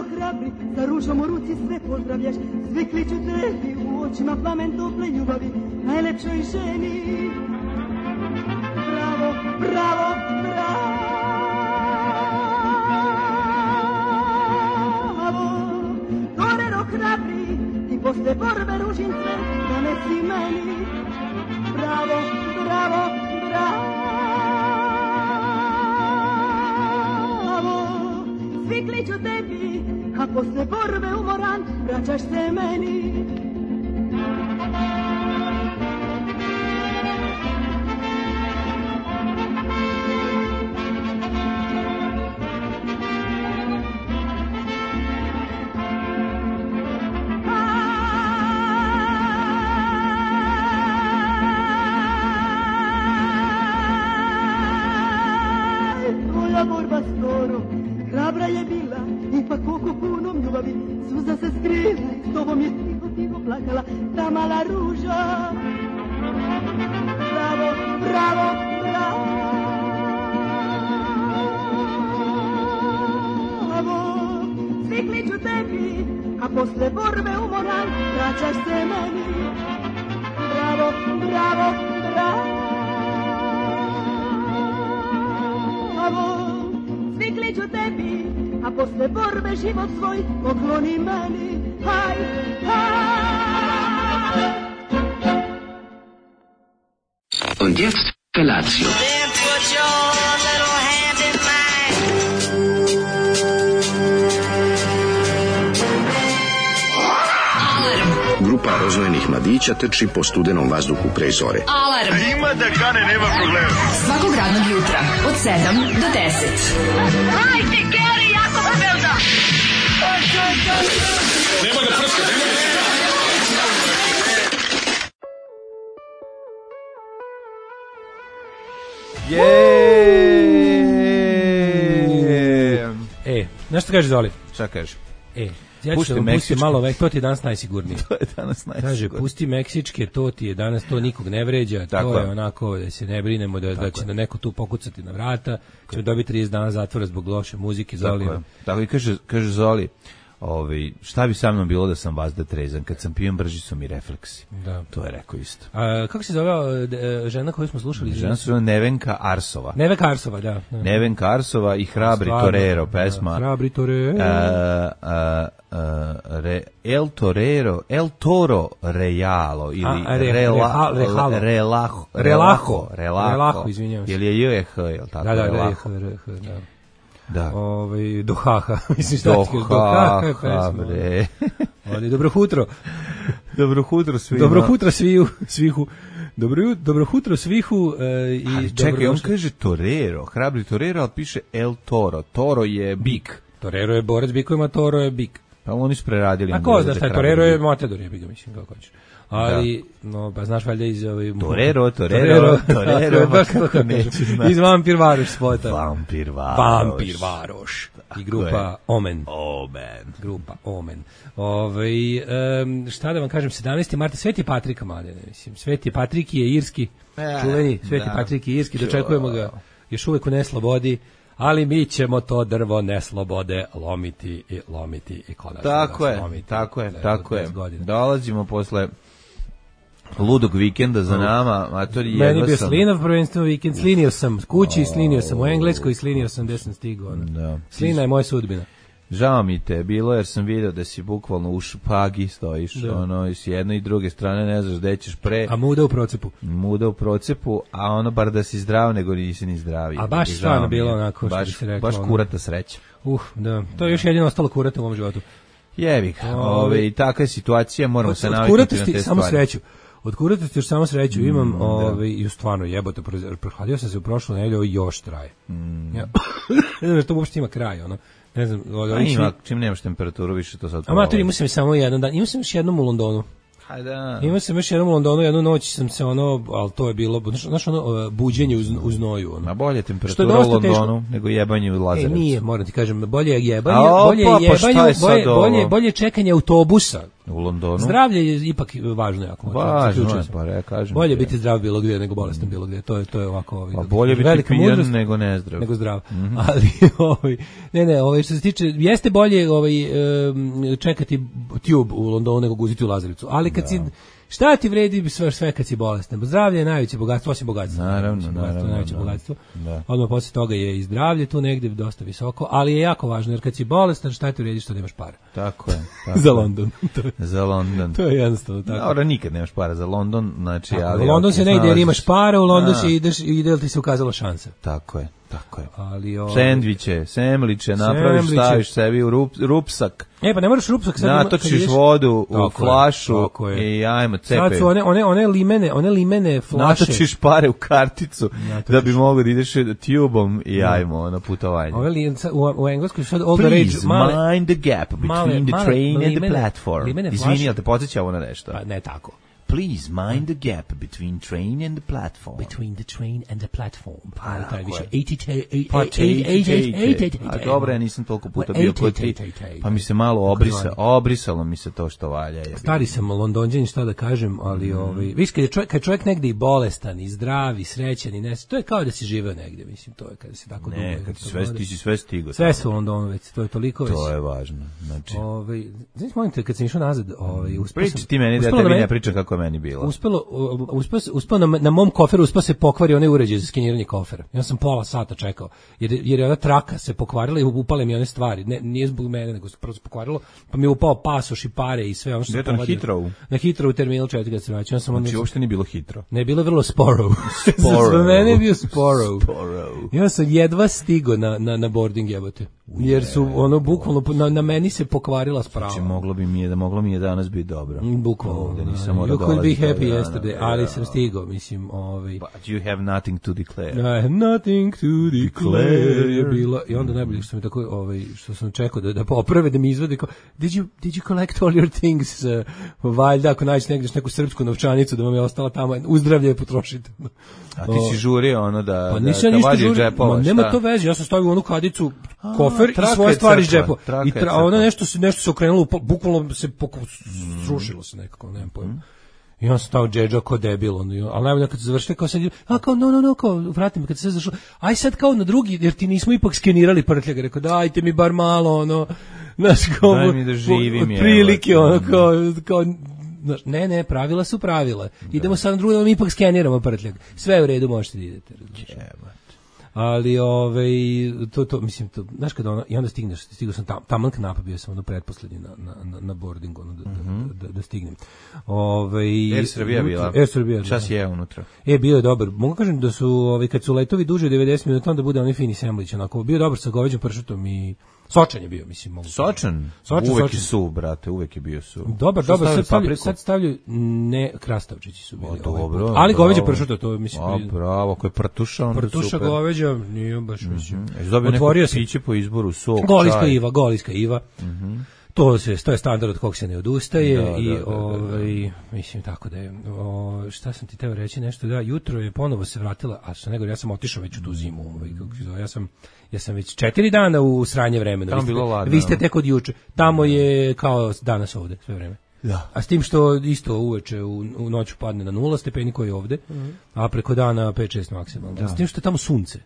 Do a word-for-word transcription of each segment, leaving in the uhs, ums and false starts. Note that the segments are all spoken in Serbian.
hrabri, sa ružom u ruci sve pozdravljaš, svi kliču tebi, u očima plamen tople ljubavi, najlepšoj ženi. Bravo, bravo, bravo, torero hrabri, ti posle borbe ružin sve donesi meni. Bravo, bravo, bravo, svi kliču tebi, a posle borbe umoran vraćaš se meni. Borba skoro, hrabra je bila, ipak oko punom ljubavi, suza se skrila, s tobom je tiho, tiho plakala ta mala ruža. Bravo, bravo, bravo, svi kliču tebi, a posle borbe umoran, vraćaš se meni. Bravo, bravo, bravo, svi kliču tebi, a posle borbe život svoj pokloni meni. Haj, haj. Und jetzt Felatio. Then put your little hand in mine. Grupa rozvojenih mladića trči po studenom vazduhu pre zore. Alarm. Ima da kane, nema problema. Svakog radnog jutra od sedam do deset. Hajde, Geri, jako se velda. Nema da prska, nema da prska. Jeee! E, znaš što kaže Zoli? Šta kaže? E, ja Pusti ću vam pustiti meksičke. malo, vek, to ti je danas najsigurnije. To je danas najsigurnije. Kaže, pusti meksičke, to ti je danas, to nikog ne vređa, Tako to je je. onako da se ne brinemo da, da će da neko tu pokucati na vrata, ćemo dobiti trideset dana zatvora zbog loše muzike, Zoli. Tako je. Tako i kaže, kaže Zoli, ovaj, šta bi sa mnom bilo da sam vazda trezan, kad sam pijen brži su mi refleksi. Da. To je rekao isto. A, kako se zove e, žena koju smo slušali? Žena se zove Nevenka Arsova. Nevenka Arsova, da. da. Nevenka Arsova i Hrabri Stvarno, Torero, pesma. Da, Hrabri Torero. A, a, a, re, El Torero, El Toro Rejalo ili A, re- rela, reha- rehalo. Relaho, Relaho. Relaho, Relaho, izvinjavam se. Ili je J H, jel tako? Da, da, da, Relaho. da, da, da. Da. Ovaj Dohaha, mislim šta ti kažeš, Dohaha je pesma. bre. Ali dobro jutro. Dobro jutro svima. Dobro jutro sviju, svihu. Dobro jut- dobro jutro svihu e, i Ali čekaj, on dobrodošli. kaže Torero, Hrabri Torero, ali piše El Toro. Toro je bik. Torero je borac bikovima, Toro je bik. Pa oni su preradili. A onda ko da zna šta je Hrabri Torero je bik. Matador je biga, mislim, kako hoćeš. Ali, no, pa znaš valjda iz ovaj... Torero, Torero, Torero, Tako, baš kako to kažeš. neću znati. Iz Vampir Varoš spota. Vampir Varoš. Vampir Varoš. I grupa je. Omen. Omen. Grupa Omen. Ovaj em, šta da vam kažem, sedamnaesti marta, Sveti Patrika, mladene, mislim. Sveti Patrik je irski, E, čuveni, Sveti da. Patrik je irski, dočekujemo ga još uvek u neslobodi, ali mi ćemo to drvo neslobode lomiti i lomiti i konačno Tako ga je, slomiti. tako je, Za tako je. dvadeset godina. Dolazimo posle ludog vikenda za nama, matori Meni je jedva bio sam. Slinov prvenstvo vikend, slinio sam kući i slinio sam u Engleskoj i slinio sam gde sam stigao. ono. Da. Slina je moja sudbina. Žao mi te je bilo jer sam video da si bukvalno u špagi stojiš, Da. ono, i s jedne i druge strane ne znaš gde ćeš pre, A muda u procepu. muda u procepu, a ono bar da si zdrav nego nisi ni zdravi. A baš Žao stvarno mi je. bilo onako, što baš, bi se reklo, baš ono. kurata sreća. Uh, da. To je još jedino ostalo kurata u mom životu. Jebi ga, Ove- ove, i takva je situacija, moramo Od, se od naviknuti na kuratosti te samo stvari. sreću. Od kuratosti još samo sreću imam, da. ovaj, i stvarno jebote, proz- prohladio sam se u prošlu nedelju, ovo još traje. Mm. Ja. Ne znam što uopšte ima kraj, ono. Ne znam, od A ovih ima, svih- čim nemaš temperaturu više to sad Amator, imao sam samo jedan dan, imao sam još jednom u Londonu. Hajde. Imao sam još jednom u Londonu, jednu noć sam se ono, ali to je bilo, znaš, znaš ono, buđenje uz, uz noju, ono. Na bolje Što je temperatura u dosta Londonu teško. nego jebanje u E, Lazarevcu. nije, moram ti kažem, bolje je jebanje, A, opa, bolje je pa šta jebanje, je sad bolje, ovo? bolje, bolje čekanje autobusa U Londonu. Zdravlje je ipak važno jako. Važno je, pa re, kažem. Bolje biti zdrav bilo gdje nego bolestan bilo gdje. To je to je ovako ovaj. Pa bolje biti pijan nego nezdrav. Nego zdrav. Mm-hmm. Ali ovaj ne ne, ovaj što se tiče jeste bolje ovaj čekati tube u Londonu nego guziti u Lazarevcu. Ali kad da. si šta ti vredi sve sve kad si bolestan? Zdravlje je najveće bogatstvo, osim bogatstva. Naravno, bogatstvo, naravno. Najveće bogatstvo. Da. Odmah posle toga je i zdravlje tu negdje dosta visoko, ali je jako važno jer kad si bolestan šta ti vredi što nemaš para. Tako je. Tako za London. za London. To je jednostavno tako. Dobro, nikad nemaš para za London, znači tako, ali u London se ne ide jer imaš para, u London se ideš i ide ti se ukazala šansa. Tako je. Tako je. Ali o sendviče, semliče, napraviš, staviš sebi u rup, rupsak. E pa ne moraš rupsak sad. Natočiš vodu u flašu i ajmo cepe. Sad su one one one limene, one limene flaše. Natočiš pare u karticu natočiš. Da bi mogao da ideš tubom i ajmo na putovanje. Ove li, u, u engleskoj sad all the rage male, mind the gap between male, the train male, and limene, the platform. Izvini, ali te podsjeća ovo na nešto? Pa ne tako. Please mind the gap between train and the platform. Between the train and the platform. Pa taj više eighty A dobro, ja nisam toliko puta bio kod ti. Pa mi se malo obrisa, obrisalo mi se to što valja. Stari sam Londonđanin, šta da kažem, ali mm. ovaj, viš kad je čovjek, kad čovjek negdje i bolestan, i zdrav, i srećan, i ne, to je kao da si živeo negdje, mislim, to je kada si tako dugo. Ne, kad si sve, ti si sve stigao. Sve su u Londonu već, to je toliko već. To je važno, znači. Ovaj, znači, molim te, kad sam išao nazad, ovaj, uspio sam. Priči ti meni da tebi ne pričam kako meni bilo. Uspelo, uspeo, uspeo na, na mom koferu uspeo se pokvari onaj uređaj za skeniranje kofera. Ja sam pola sata čekao, jer, jer je ona traka se pokvarila i upale mi one stvari. Ne, nije zbog mene, nego se prvo pokvarilo, pa mi je upao pasoš i pare i sve ono što se povadio. Na Hitrovu? Na Hitrovu terminal četiri kad se vraćao. Znači, uopšte nije bilo Hitro? Ne, bilo je vrlo sporo. Sporo. Za mene je bio sporo. Sporo. Ja sam jedva stigo na, na, na boarding jebote. Jer su ono bukvalno na, na meni se pokvarila sprava. Znači moglo bi mi je da moglo mi je danas biti dobro. Bukvalno da nisam morao dolaziti. You could be happy yesterday, ali sam stigao, mislim, ovaj. But you have nothing to declare. I have nothing to declare. Je bilo i onda najbolje što mi tako ovaj što sam čekao da da poprave da mi izvade kao did you did you collect all your things? Uh, valjda ako nađeš negdje neku srpsku novčanicu da vam je ostala tamo, uzdravlje je potrošite. A ti si žurio ono da pa da, nisam da ništa žurio, džepova, nema to veze, ja sam stavio onu kadicu kofer i svoje stvari iz džepa. I tra, ona nešto se nešto se okrenulo, bukvalno se srušilo se nekako, nemam pojma. Mm. I on stao džedža kao debil, on, ali najbolje kad se završite kao sad, a kao no, no, no, kao vrati me kad se sve zašlo, aj sad kao na drugi, jer ti nismo ipak skenirali prtljega, rekao dajte mi bar malo, ono, znaš, kao, daj mi da živim, od prilike, ono, kao, kao, znaš, ne, ne, pravila su pravila, idemo sad na drugi, mi ipak skeniramo prtljeg, sve u redu, možete da idete, ali ovaj to to mislim to znaš kad ona i onda stigneš stigao sam tam taman knap bio sam ono pretposlednji na na na boardingu ono da, mm-hmm. da, da, da stignem. Ovaj Air Srbija bila. Air Srbija. Čas je unutra. E bio je dobar. Mogu kažem da su ovaj kad su letovi duže od devedeset minuta onda bude onaj fini semlić onako bio dobar sa goveđim pršutom i sočan je bio, mislim, mogu. Sočan? Sočan, uvek sočan. Je su, brate, uvek je bio su. Dobar, dobar, sad stavljaju, sad stavljaju, ne, krastavčići su bili. O, dobro, ovaj ali goveđa pršuta, to je, mislim. A, bravo, ako je prtuša, onda prtuša super. Goveđa, nije baš, mislim. Mm-hmm. Otvorio se. Piće po izboru, sok, Goliska čaj. Iva, Goliska Iva. Mhm. To se to je standard od kog se ne odustaje da, i da, da, ovaj da, da. Mislim tako da je o, šta sam ti teo reći nešto da jutro je ponovo se vratila, a što nego ja sam otišao već u tu zimu, ovaj kako se zove, ja sam ja sam već četiri dana u sranje vremena. Vi ste, vi ste tek od juče. Tamo je kao danas ovde sve vreme. Da. A s tim što isto uveče u, u noću padne na nula stepeni koji je ovde, mm-hmm. a preko dana pet šest maksimalno. Da. S tim što je tamo sunce.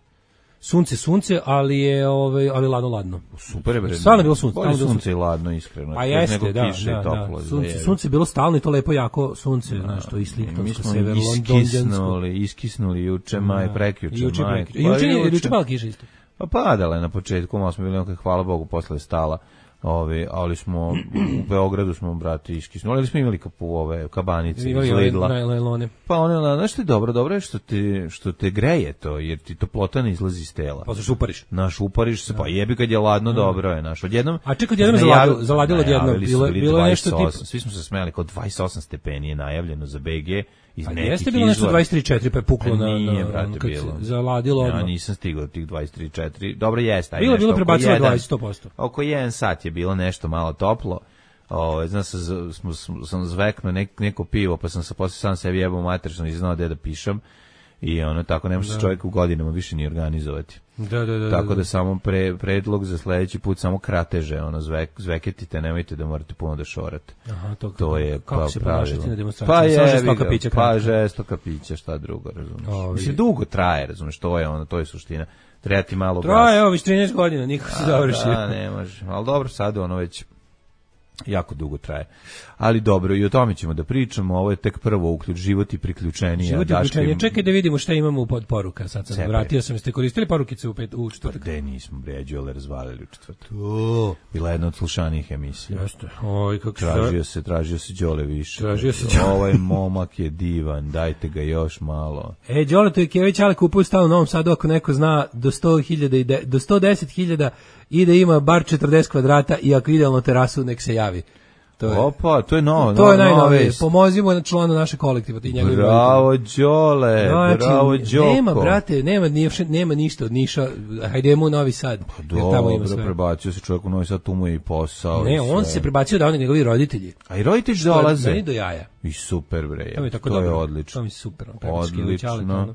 Sunce, sunce, ali je ovaj ali ladno ladno. Super je bre. Stvarno je bilo sunce, stvarno sunce sunce i ladno iskreno. A jeste, da, kiše da, toplo, da. Sunce, sunce je bilo stalno i to lepo jako sunce, da, znaš, to i Sliptonsko, sever Londonsko, iskisnuli juče, maj, prekjuče, juče, maj. Juče je juče pala kiša isto. Pa padala je na početku, malo smo bili onako, hvala Bogu, posle stala. Ovi, ali smo u Beogradu smo brati iskisnuli, ali smo imali kapu ove kabanice iz Lidla. Pa one, znaš što je dobro, dobro je što te, što te greje to, jer ti toplota ne izlazi iz tela. Pa se upariš. Naš upariš se, pa jebi kad je ladno, dobro je, naš. Odjednom. A čekaj, odjednom zaladilo, zaladilo odjednom, bilo, bilo je nešto tipa. Svi smo se smejali, kao dvadeset osam stepeni je najavljeno za B G. A jeste bilo nešto dvadeset tri četiri pa je puklo na, nije, na, brate, kad bilo. se zaladilo odmah. Ja nisam stigao tih dvadeset tri četiri. Dobro jeste. Bilo bilo prebacilo dvadeset posto. Oko jedan sat je bilo nešto malo toplo. O, znam se, smo, sam zveknuo nek, neko pivo, pa sam se posle sam sebi jebao mater, što nisam znao gde da pišem. i ono tako ne može se čovjek u godinama više ni organizovati. Da, da, da, tako da, da samo pre, predlog za sledeći put samo krateže, ono zvek, zveketite, nemojte da morate puno da šorate. Aha, to, to je kako pa se pravilo. ponašati na demonstraciji? Pa je, žestoka pića, pa žestoka pića, šta drugo, razumiješ. Ovi. Mislim, dugo traje, razumiješ, to je ono, to je suština. Treba ti malo gas. Traje, evo, već trinaest godina, nikako se završi. Da, ne može, ali dobro, sad ono već jako dugo traje. Ali dobro, i o tome ćemo da pričamo, ovo je tek prvo uključ, život i priključenije. Život i priključenije, čekaj da vidimo šta imamo pod poruka, sad sam Cepe. Vratio sam, ste koristili porukice u, pet, u četvrtak? Pa gde nismo, bre, Đole razvalili u četvrtak. To. Bila jedna od slušanijih emisija. Jeste, oj, kako tražio se, tražio se Đole više. Tražio se Đole. Ovaj momak je divan, dajte ga još malo. E, Đole Tojkević, ali kupuje stan u Novom Sadu, ako neko zna, do sto hiljada, do sto deset hiljada i da ima bar četrdeset kvadrata i ako idealno terasu, nek se javi. To je, Opa, to je novo, to novo, je najnovije. Pomozimo na članu naše kolektiva, ti njegovi. Bravo Đole, znači, bravo Đoko. Nema, brate, nema, nema ništa od Niša. Hajdemo u Novi Sad. Pa dobro, prebacio se čovjek u Novi Sad, tu mu je i posao. Ne, on se prebacio da oni njegovi roditelji. A i roditelji dolaze. Meni do jaja. I super, bre. To, je, tako to dobro. je odlično. To mi je super. Odlično.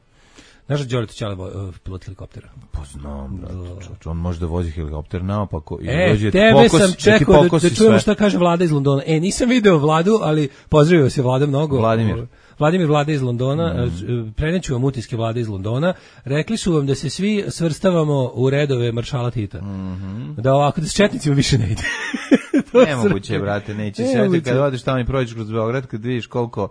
Znaš da Đorđe Ćale uh, pilot helikoptera? Pa znam, brate, on može da vozi helikopter naopako i e, dođe tebe pokos, sam čekao da, da čujemo sve. Šta kaže Vlada iz Londona. E, nisam video Vladu, ali pozdravio se Vlada mnogo. Vladimir. Vladimir Vlada iz Londona, mm. preneću vam utiske Vlade iz Londona. Rekli su vam da se svi svrstavamo u redove maršala Tita. Mm -hmm. Da ovako, da s četnicima više ne ide. Nemoguće, brate, neće se. Kad odeš tamo i prođeš kroz Beograd, kad vidiš koliko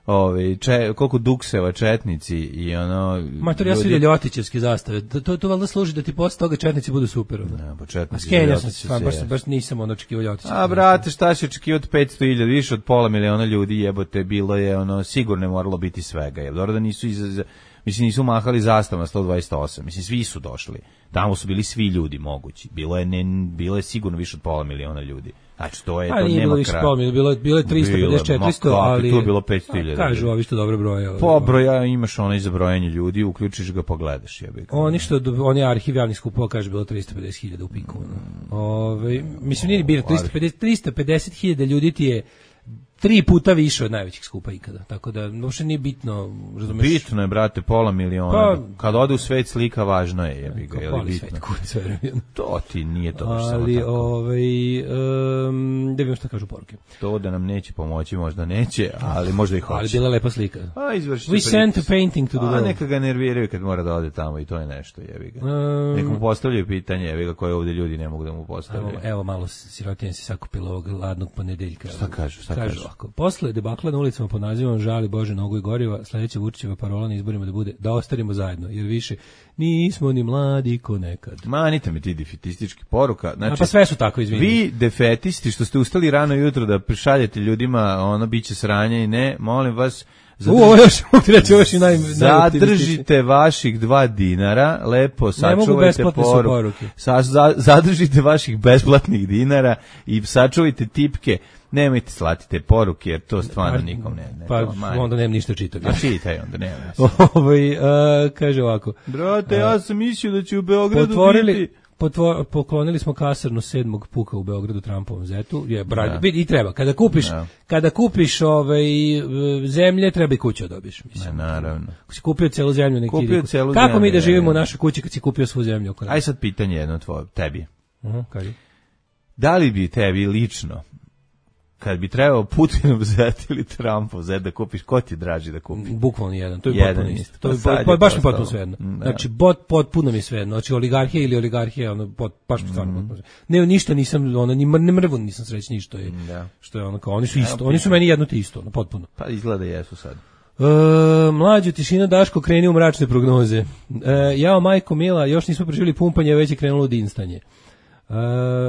Ove, če, koliko dukseva četnici i ono... Mater, ja sam vidio Ljotićevske zastave. To, to, to valjda služi da ti posle toga četnici budu super. Ne, pa četnici... Skenjao sam se, baš, baš nisam ono očekivao Ljotićevske. A, brate, šta si očekivao od petsto hiljada, više od pola miliona ljudi, jebote, bilo je, ono, sigurno je moralo biti svega. Je dobro da nisu iz... Mislim, nisu mahali zastavama sto dvadeset osam. Mislim, svi su došli. Tamo su bili svi ljudi mogući. Bilo je, ne, bilo je sigurno više od pola miliona ljudi. Znači, to je, a, to nije nema bilo više pola, bilo je, bilo je tristo pedeset četiristo, ali... Tu je bilo petsto hiljada. Kažu, ovi što dobro broje. Po broja imaš onaj za brojanje ljudi, uključiš ga, pogledaš. Jebi. Oni što, oni arhiv javnih skupova, kaže, bilo tristo pedeset hiljada u piku. Mm. Ove, mislim, nije bilo tristo pedeset hiljada ljudi ti je tri puta više od najvećih skupa ikada, tako da uopšte nije bitno, razumeš? Bitno je, brate, pola miliona. Pa, kad ode u svet slika, važno je, jebi ga, je li bitno? Svet, kurc, verujem. To ti nije to baš samo ali, tako. Ovaj, um, da vidim šta kažu poruke. To da nam neće pomoći, možda neće, ali možda i hoće. Ali bila lepa slika. A, izvršite. We sent a painting to the world. A, neka ga nerviraju kad mora da ode tamo i to je nešto, jebi ga. Um, neka mu postavljaju pitanje, jebi ga, koje ovdje ljudi ne mogu da mu postavljaju. Evo, evo malo sirotinja se sakupila ovog ladnog ponedeljka. Šta kažu, šta kažu? Kažu, posle debakla na ulicama pod nazivom Žali Bože nogu i goriva, sledeća Vučićeva parola na izborima da bude da ostarimo zajedno, jer više nismo ni mladi ko nekad. Manite mi ti defetistički poruka. Znači, a pa sve su tako, izvini. Vi defetisti što ste ustali rano jutro da prišaljete ljudima ono biće sranje i ne, molim vas, Zadrži, U, još, reći, još i naj, zadržite vaših dva dinara, lepo sačuvajte poruke. Sa, za, zadržite vaših besplatnih dinara i sačuvajte tipke. Nemojte slati te poruke, jer to stvarno pa, nikom ne. ne pa to, onda nemam ništa čitati. A čitaj onda, nema. Ovaj, uh, kaže ovako. Brate, ja sam mislio da će u Beogradu potvorili, biti... Potvor, poklonili smo kasarnu sedmog puka u Beogradu Trumpovom zetu. Je, brad, i treba. Kada kupiš, da. kada kupiš ovaj, zemlje, treba i kuću dobiš. Mislim. Ne, naravno. Ako si kupio celu zemlju, nek kupio celu kako zemlju, mi da živimo u našoj kući kad si kupio svu zemlju? Aj sad pitanje jedno tvoje, tebi. Uh-huh, kaži. Da li bi tebi lično, kad bi trebao Putin vzeti ili Trump vzeti da kupiš, ko ti je draži da kupiš? Bukvalno jedan, to je jedan potpuno isto. To je, pa, baš mi potpuno svejedno. Znači, bot, potpuno mi svejedno. Znači, oligarhija ili oligarhija, ono, pot, baš mi stvarno potpuno svejedno. Ne, ništa nisam, ono, ni, ne mrvu nisam srećni što je, da. što je ono, kao, oni su isto, oni su meni jedno te isto, ono, potpuno. Pa izgleda jesu sad. E, mlađu tišina Daško kreni u mračne prognoze. E, jao, majko mila, još nismo preživjeli pumpanje, već je krenulo dinstanje. Uh,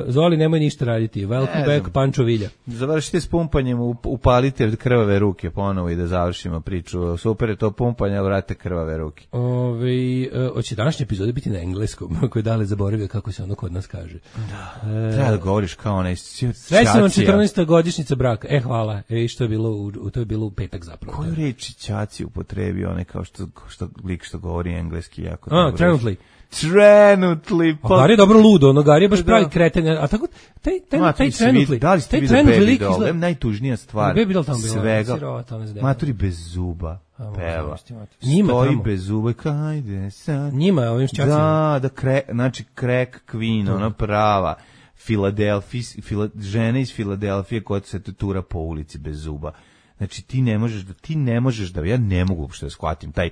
Zoli, nemoj ništa raditi. Welcome back, Pančo Vilja. Završite s pumpanjem, upalite krvave ruke ponovo i da završimo priču. Super je to pumpanje, vrate krvave ruke. Ove, uh, hoće današnje epizode biti na engleskom, ako je dale zaboravio kako se ono kod nas kaže. Da. Uh, Treba da govoriš kao onaj Srećno četrnaesta godišnjica braka. E, hvala. E, što je bilo u, to je bilo u petak zapravo. Koju reči ćaci upotrebio, onaj kao što, što lik što govori engleski jako A, trenutly. Trenutly. A Gari je dobro ludo, ono Gari je baš pravi kreten, a tako taj taj Ma, taj taj trenutli, da li ste taj videli trenutli Baby lik Doll? izgleda Najtužnija stvar. Baby Doll tamo bila, svega. sirota, ona zdeva. Maturi bez zuba. Peva. Njima stoji tamo. bez zuba, kajde sad. Njima, ovim šćacima. Da, da, kre, znači crack queen, ona prava. Filadelfija, fila, žena iz Filadelfije koja se tura po ulici bez zuba. Znači ti ne možeš da, ti ne možeš da, ja ne mogu uopšte da shvatim taj,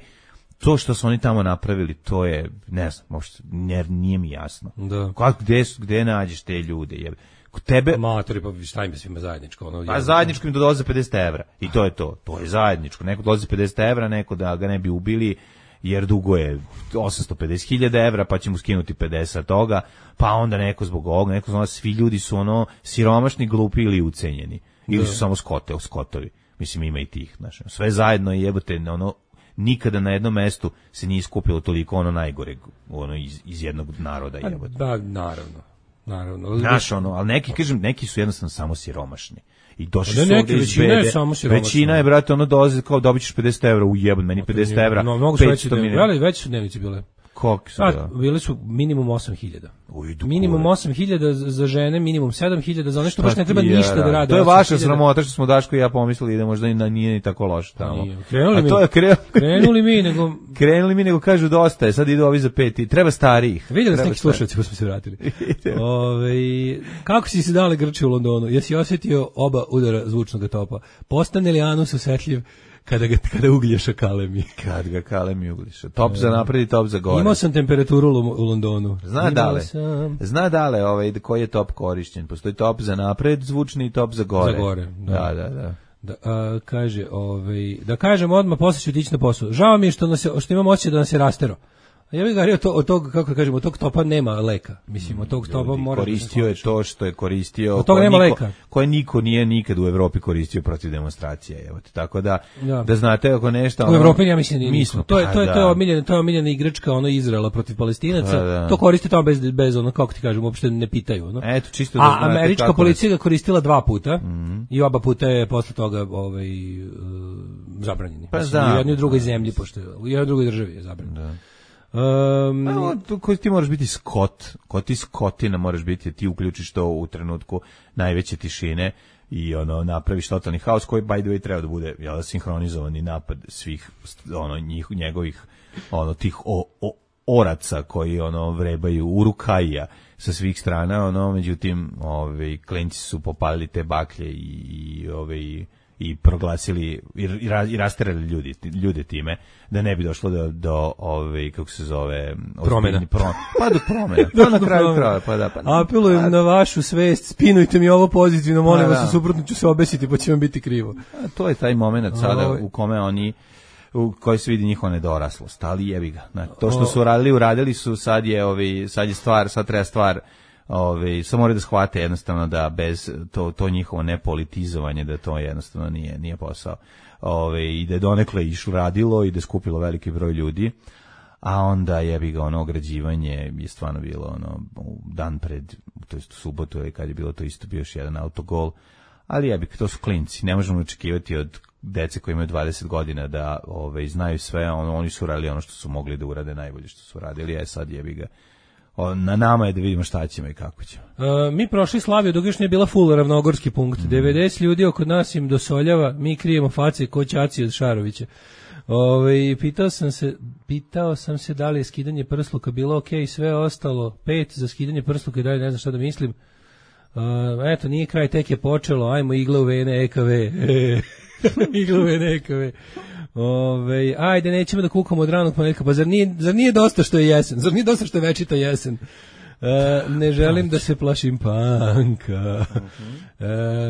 to što su oni tamo napravili, to je, ne znam, uopšte, nije mi jasno. Da. Kako, gde, gde nađeš te ljude, jebe? Tebe amatori, pa šta im je svima zajedničko, ono. Pa zajedničko im dolaze pedeset evra i to je to. To je zajedničko. Neko dolazi pedeset evra, neko da ga ne bi ubili jer dugo je osamsto pedeset hiljada evra, pa će mu skinuti pedeset toga, pa onda neko zbog ovoga, neko zbog, svi ljudi su ono siromašni, glupi ili ucenjeni. Ili su samo skote, skotovi. Mislim, ima i tih, znači. Sve zajedno je jebote, ono, nikada na jednom mestu se nije skupilo toliko ono najgoreg, ono iz, iz jednog naroda jebote. Da, naravno. Naravno. Znaš, ono, ali neki, kažem, neki su jednostavno samo siromašni. I došli da, su neki, ovdje iz bede. Je samo većina je, brate, ono dolazi kao dobit ćeš pedeset evra u jebun, meni pedeset evra. No, mnogo su veći dnevnici, ali veći su dnevnici bile. Koliko su? A, bili su minimum osam hiljada. Minimum osam hiljada za žene, minimum sedam hiljada za nešto baš ne treba ništa da rade. To je vaša sramota što smo Daško i ja pomislili da možda nije ni tako loše tamo. Krenuli mi. To je krenuli mi nego krenuli mi nego kažu dosta je, sad idu ovi za pet i treba starijih. Vidjeli ste neki slušalci pa smo se vratili. Ove, kako si se dale grči u Londonu? Jesi osjetio oba udara zvučnog topa? Postane li anus osetljiv kada ga kada uglješa kalemi? Kad ga kalemi uglješa. Top za napred i top za gore. Imao sam temperaturu u Londonu. Zna dale. Zna dale ovaj koji je top korišćen. Postoji top za napred zvučni i top za gore. Za gore, da. Da, da, da. Da, a, kaže, ovaj, da kažem odmah, posle ću ići na posao. Žao mi je što, nas je, što imam osjećaj da nas je rastero. Ja bih govorio to, od tog, kako kažemo, od tog topa nema leka. Mislim, od tog topa mora... Koristio je to što je koristio... Od toga nema niko, leka. Koje niko nije nikad u Evropi koristio protiv demonstracije. Evo te, tako da, da, da znate ako nešto... U Evropi ja mislim nije mi smo, to je, to je, to je omiljena, to je omiljena igračka, ono Izraela protiv Palestinaca. Da, da. To koriste tamo bez, bez ono, kako ti kažem, uopšte ne pitaju. Ono. Eto, čisto da A znate američka kako policija ga koristila dva puta mm-hmm. i oba puta je posle toga ovaj, uh, zabranjeni. Pa mislim, u jednoj drugoj zemlji, pošto u jednoj drugoj državi je zabranjeno. Da. Um, no, koji ti moraš biti skot, ko ti skotina moraš biti, ti uključiš to u trenutku najveće tišine i ono napraviš totalni haos koji by the way treba da bude jel, sinhronizovani napad svih ono njih, njegovih ono tih o, o, oraca koji ono vrebaju urukaja sa svih strana, ono međutim, ovaj klinci su popalili te baklje i, i ovaj i proglasili i, i rasterali ljudi ljude time da ne bi došlo do do ove kako se zove promena prom, pa do promena pa na kraju kraja pa da pa apelujem pa, na vašu svest, spinujte mi ovo pozitivno, molim vas, da. Suprotno ću se obesiti pa će vam biti krivo. A to je taj momenat sada o, u kome oni u koji se vidi njihova nedoraslost, ali jebi ga. Znači, to što su radili, uradili su, sad je ovi sad je stvar, sad treba stvar Ove, samo moraju da shvate jednostavno da bez to, to njihovo nepolitizovanje, da to jednostavno nije, nije posao. Ove, i da je donekle išlo radilo i da je skupilo veliki broj ljudi, a onda jebi ga ono ograđivanje je stvarno bilo ono dan pred, to jest u subotu kad je bilo to isto bio još jedan autogol, ali jebi ga, to su klinci, ne možemo očekivati od dece koji imaju dvadeset godina da ove, znaju sve, ono, oni su radili ono što su mogli da urade najbolje što su radili, a sad jebi ga. Na nama je da vidimo šta ćemo i kako ćemo. Uh, mi prošli Slaviju dok još nije bila full ravnogorski punkt. Mm. devedeset ljudi oko nas im dosoljava, mi krijemo face ko Ćaci od Šarovića. Ove, pitao sam se, pitao sam se da li je skidanje prsluka bilo ok, sve ostalo pet za skidanje prsluka i dalje ne znam šta da mislim. Uh, eto, nije kraj, tek je počelo, ajmo igle u vene E K V. Igle u vene E K V. Ove, ajde, nećemo da kukamo od ranog ponedjeljka, pa zar nije, zar nije dosta što je jesen, zar nije dosta što je večita jesen? E, ne želim da se plašim panka.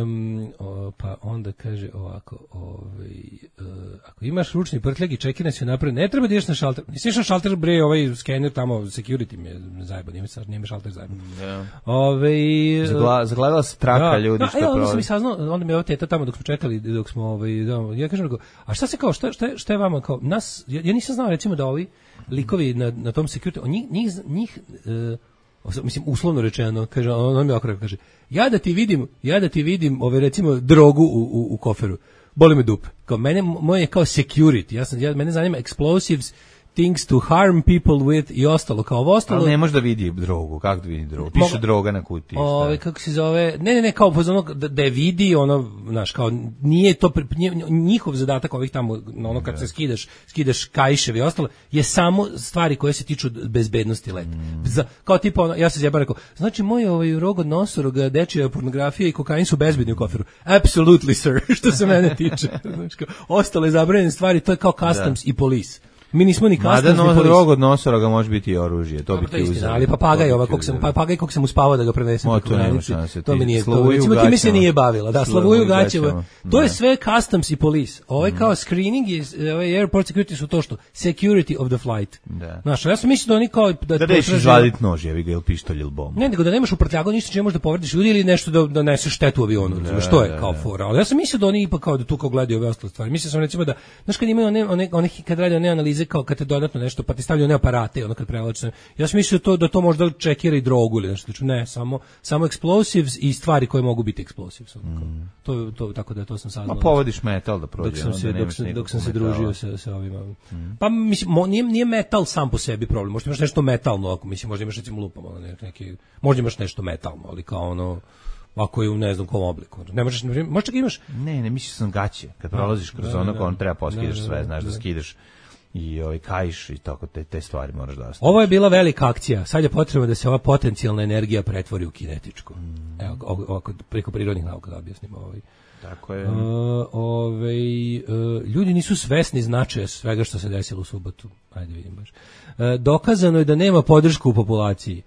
Um, o, pa onda kaže ovako, ovaj, uh, ako imaš ručni prtljag i čekine se napred, ne treba da ideš na šalter. Nisi išao na šalter, bre, ovaj skener tamo, security mi je zajebo, nima, nima šalter zajebo. Yeah. Ove, Zagla, zagledala se traka da, ljudi da, što je prolazi. Onda sam mi saznao, onda mi je ova teta tamo dok smo čekali, dok smo, ovaj, da, ja kažem, a šta se kao, šta, šta, šta je vama kao, nas, ja, ja nisam znao recimo da ovi likovi na, na tom security, njih, njih, njih uh, mislim uslovno rečeno, kaže on mi okreće kaže ja da ti vidim, ja da ti vidim ove recimo drogu u, u, u koferu. Boli me dupe. Kao mene moje je kao security. Ja sam ja mene zanima explosives, things to harm people with i ostalo, kao ovo ostalo. Ali ne može da vidi drogu, kako da vidi drogu? Piše Mo, droga na kutiji. Ove, kako se zove, ne, ne, ne, kao ono, da, da je vidi, ono, znaš, kao, nije to, njihov zadatak ovih tamo, ono, kad se skidaš, skidaš kaiševi i ostalo, je samo stvari koje se tiču bezbednosti leta. Mm. Za, kao tipa, ono, ja se zjebam rekao, znači, moj ovaj rog od nosoroga, dečija pornografija i kokain su bezbedni u koferu. Absolutely, sir, što se mene tiče. Znači, kao, ostale zabranjene stvari, to je kao customs da. I police. Mi nismo ni customs ni police. Mada rog od nosoroga može biti i oružje, to bi ti uzeli. Ali papagaj, ova, kog sam, papagaj kog sam uspavao da ga prenesem preko granice, to mi nije to. Recimo, ti mi se nije bavila. Da, Slavuju Gaćeva. To je sve customs i police. Ovaj kao screening i ovaj airport security su to što security of the flight. Znaš, ja sam mislio da oni kao... Da, da reš izvadit nož, jevi ga, ili pištolj ili bombu. Ne, nego da nemaš u prtljagu ništa čime možeš da povrediš ljudi ili nešto da, da neseš štetu u avionu. Što je kao fora. Ali ja sam mislio da oni ipak kao da tu kao gledaju ove ostale stvari. Mislio sam recimo da, znaš kad imaju one, one, one kad rade one analize kao kad te dodatno nešto, pa ti stavljaju one aparate, ono kad prevlače. Ja sam mislio to, da to možda čekira i drogu ili nešto. Ne, samo, samo explosives i stvari koje mogu biti explosives. Mm. To, to, tako da to sam saznao. Ma povodiš metal da prođe. Dok sam se, dok sam, dok sam se družio sa, sa ovima. Mm. Pa mislim, mo, nije, nije metal sam po sebi problem. Možda imaš nešto metalno, ako mislim, možda imaš recimo lupam, ono, neki, možda imaš nešto metalno, ali kao ono, ako je u ne znam kom obliku. Ne možeš, možda imaš... Ne, ne, mislio sam gaće. Kad prolaziš kroz ono, kao on treba poskidaš sve, znaš da skidaš i ovaj kaiš i tako te te stvari moraš da ostaviš. Ovo je bila velika akcija. Sad je potrebno da se ova potencijalna energija pretvori u kinetičku. Mm. Evo, ovako preko prirodnih nauka da objasnimo ovaj. Tako je. Uh, ovaj uh, ljudi nisu svesni značaja svega što se desilo u subotu. Ajde vidim baš. Uh, dokazano je da nema podršku u populaciji.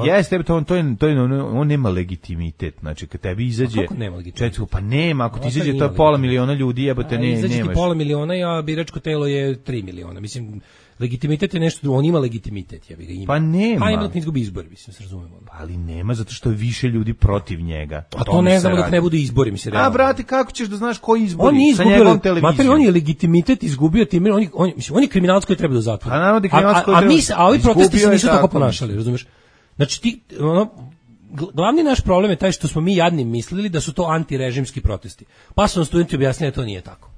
Jeste, to on to je to je on, on nema legitimitet. Znači kad tebi izađe kako nema legitimitet? Pa nema, ako ti izađe to pola miliona ljudi, jebote, ne izađe nemaš. Ti pola miliona, a biračko telo je tri miliona. Mislim legitimitet je nešto drugo, on ima legitimitet, ja bih ga ima. Pa nema. Pa ima dok ne izgubi izbori, mislim, se razumemo. Pa ali nema, zato što je više ljudi protiv njega. A to ne znamo dok ne budu izbori, mislim, realno. A, brate, kako ćeš da znaš koji izbori? On nije izgubio, mater, on je legitimitet izgubio time, on, on, mislim, on je kriminalac koji treba da zatvori. A naravno da kriminalac koji treba. A, a, a ovi protesti se nisu tako ponašali, razumeš? Znači, ti, ono, glavni naš problem je taj što smo mi jadni mislili da su to antirežimski protesti. Pa su nam studenti objasnili da to nije tako.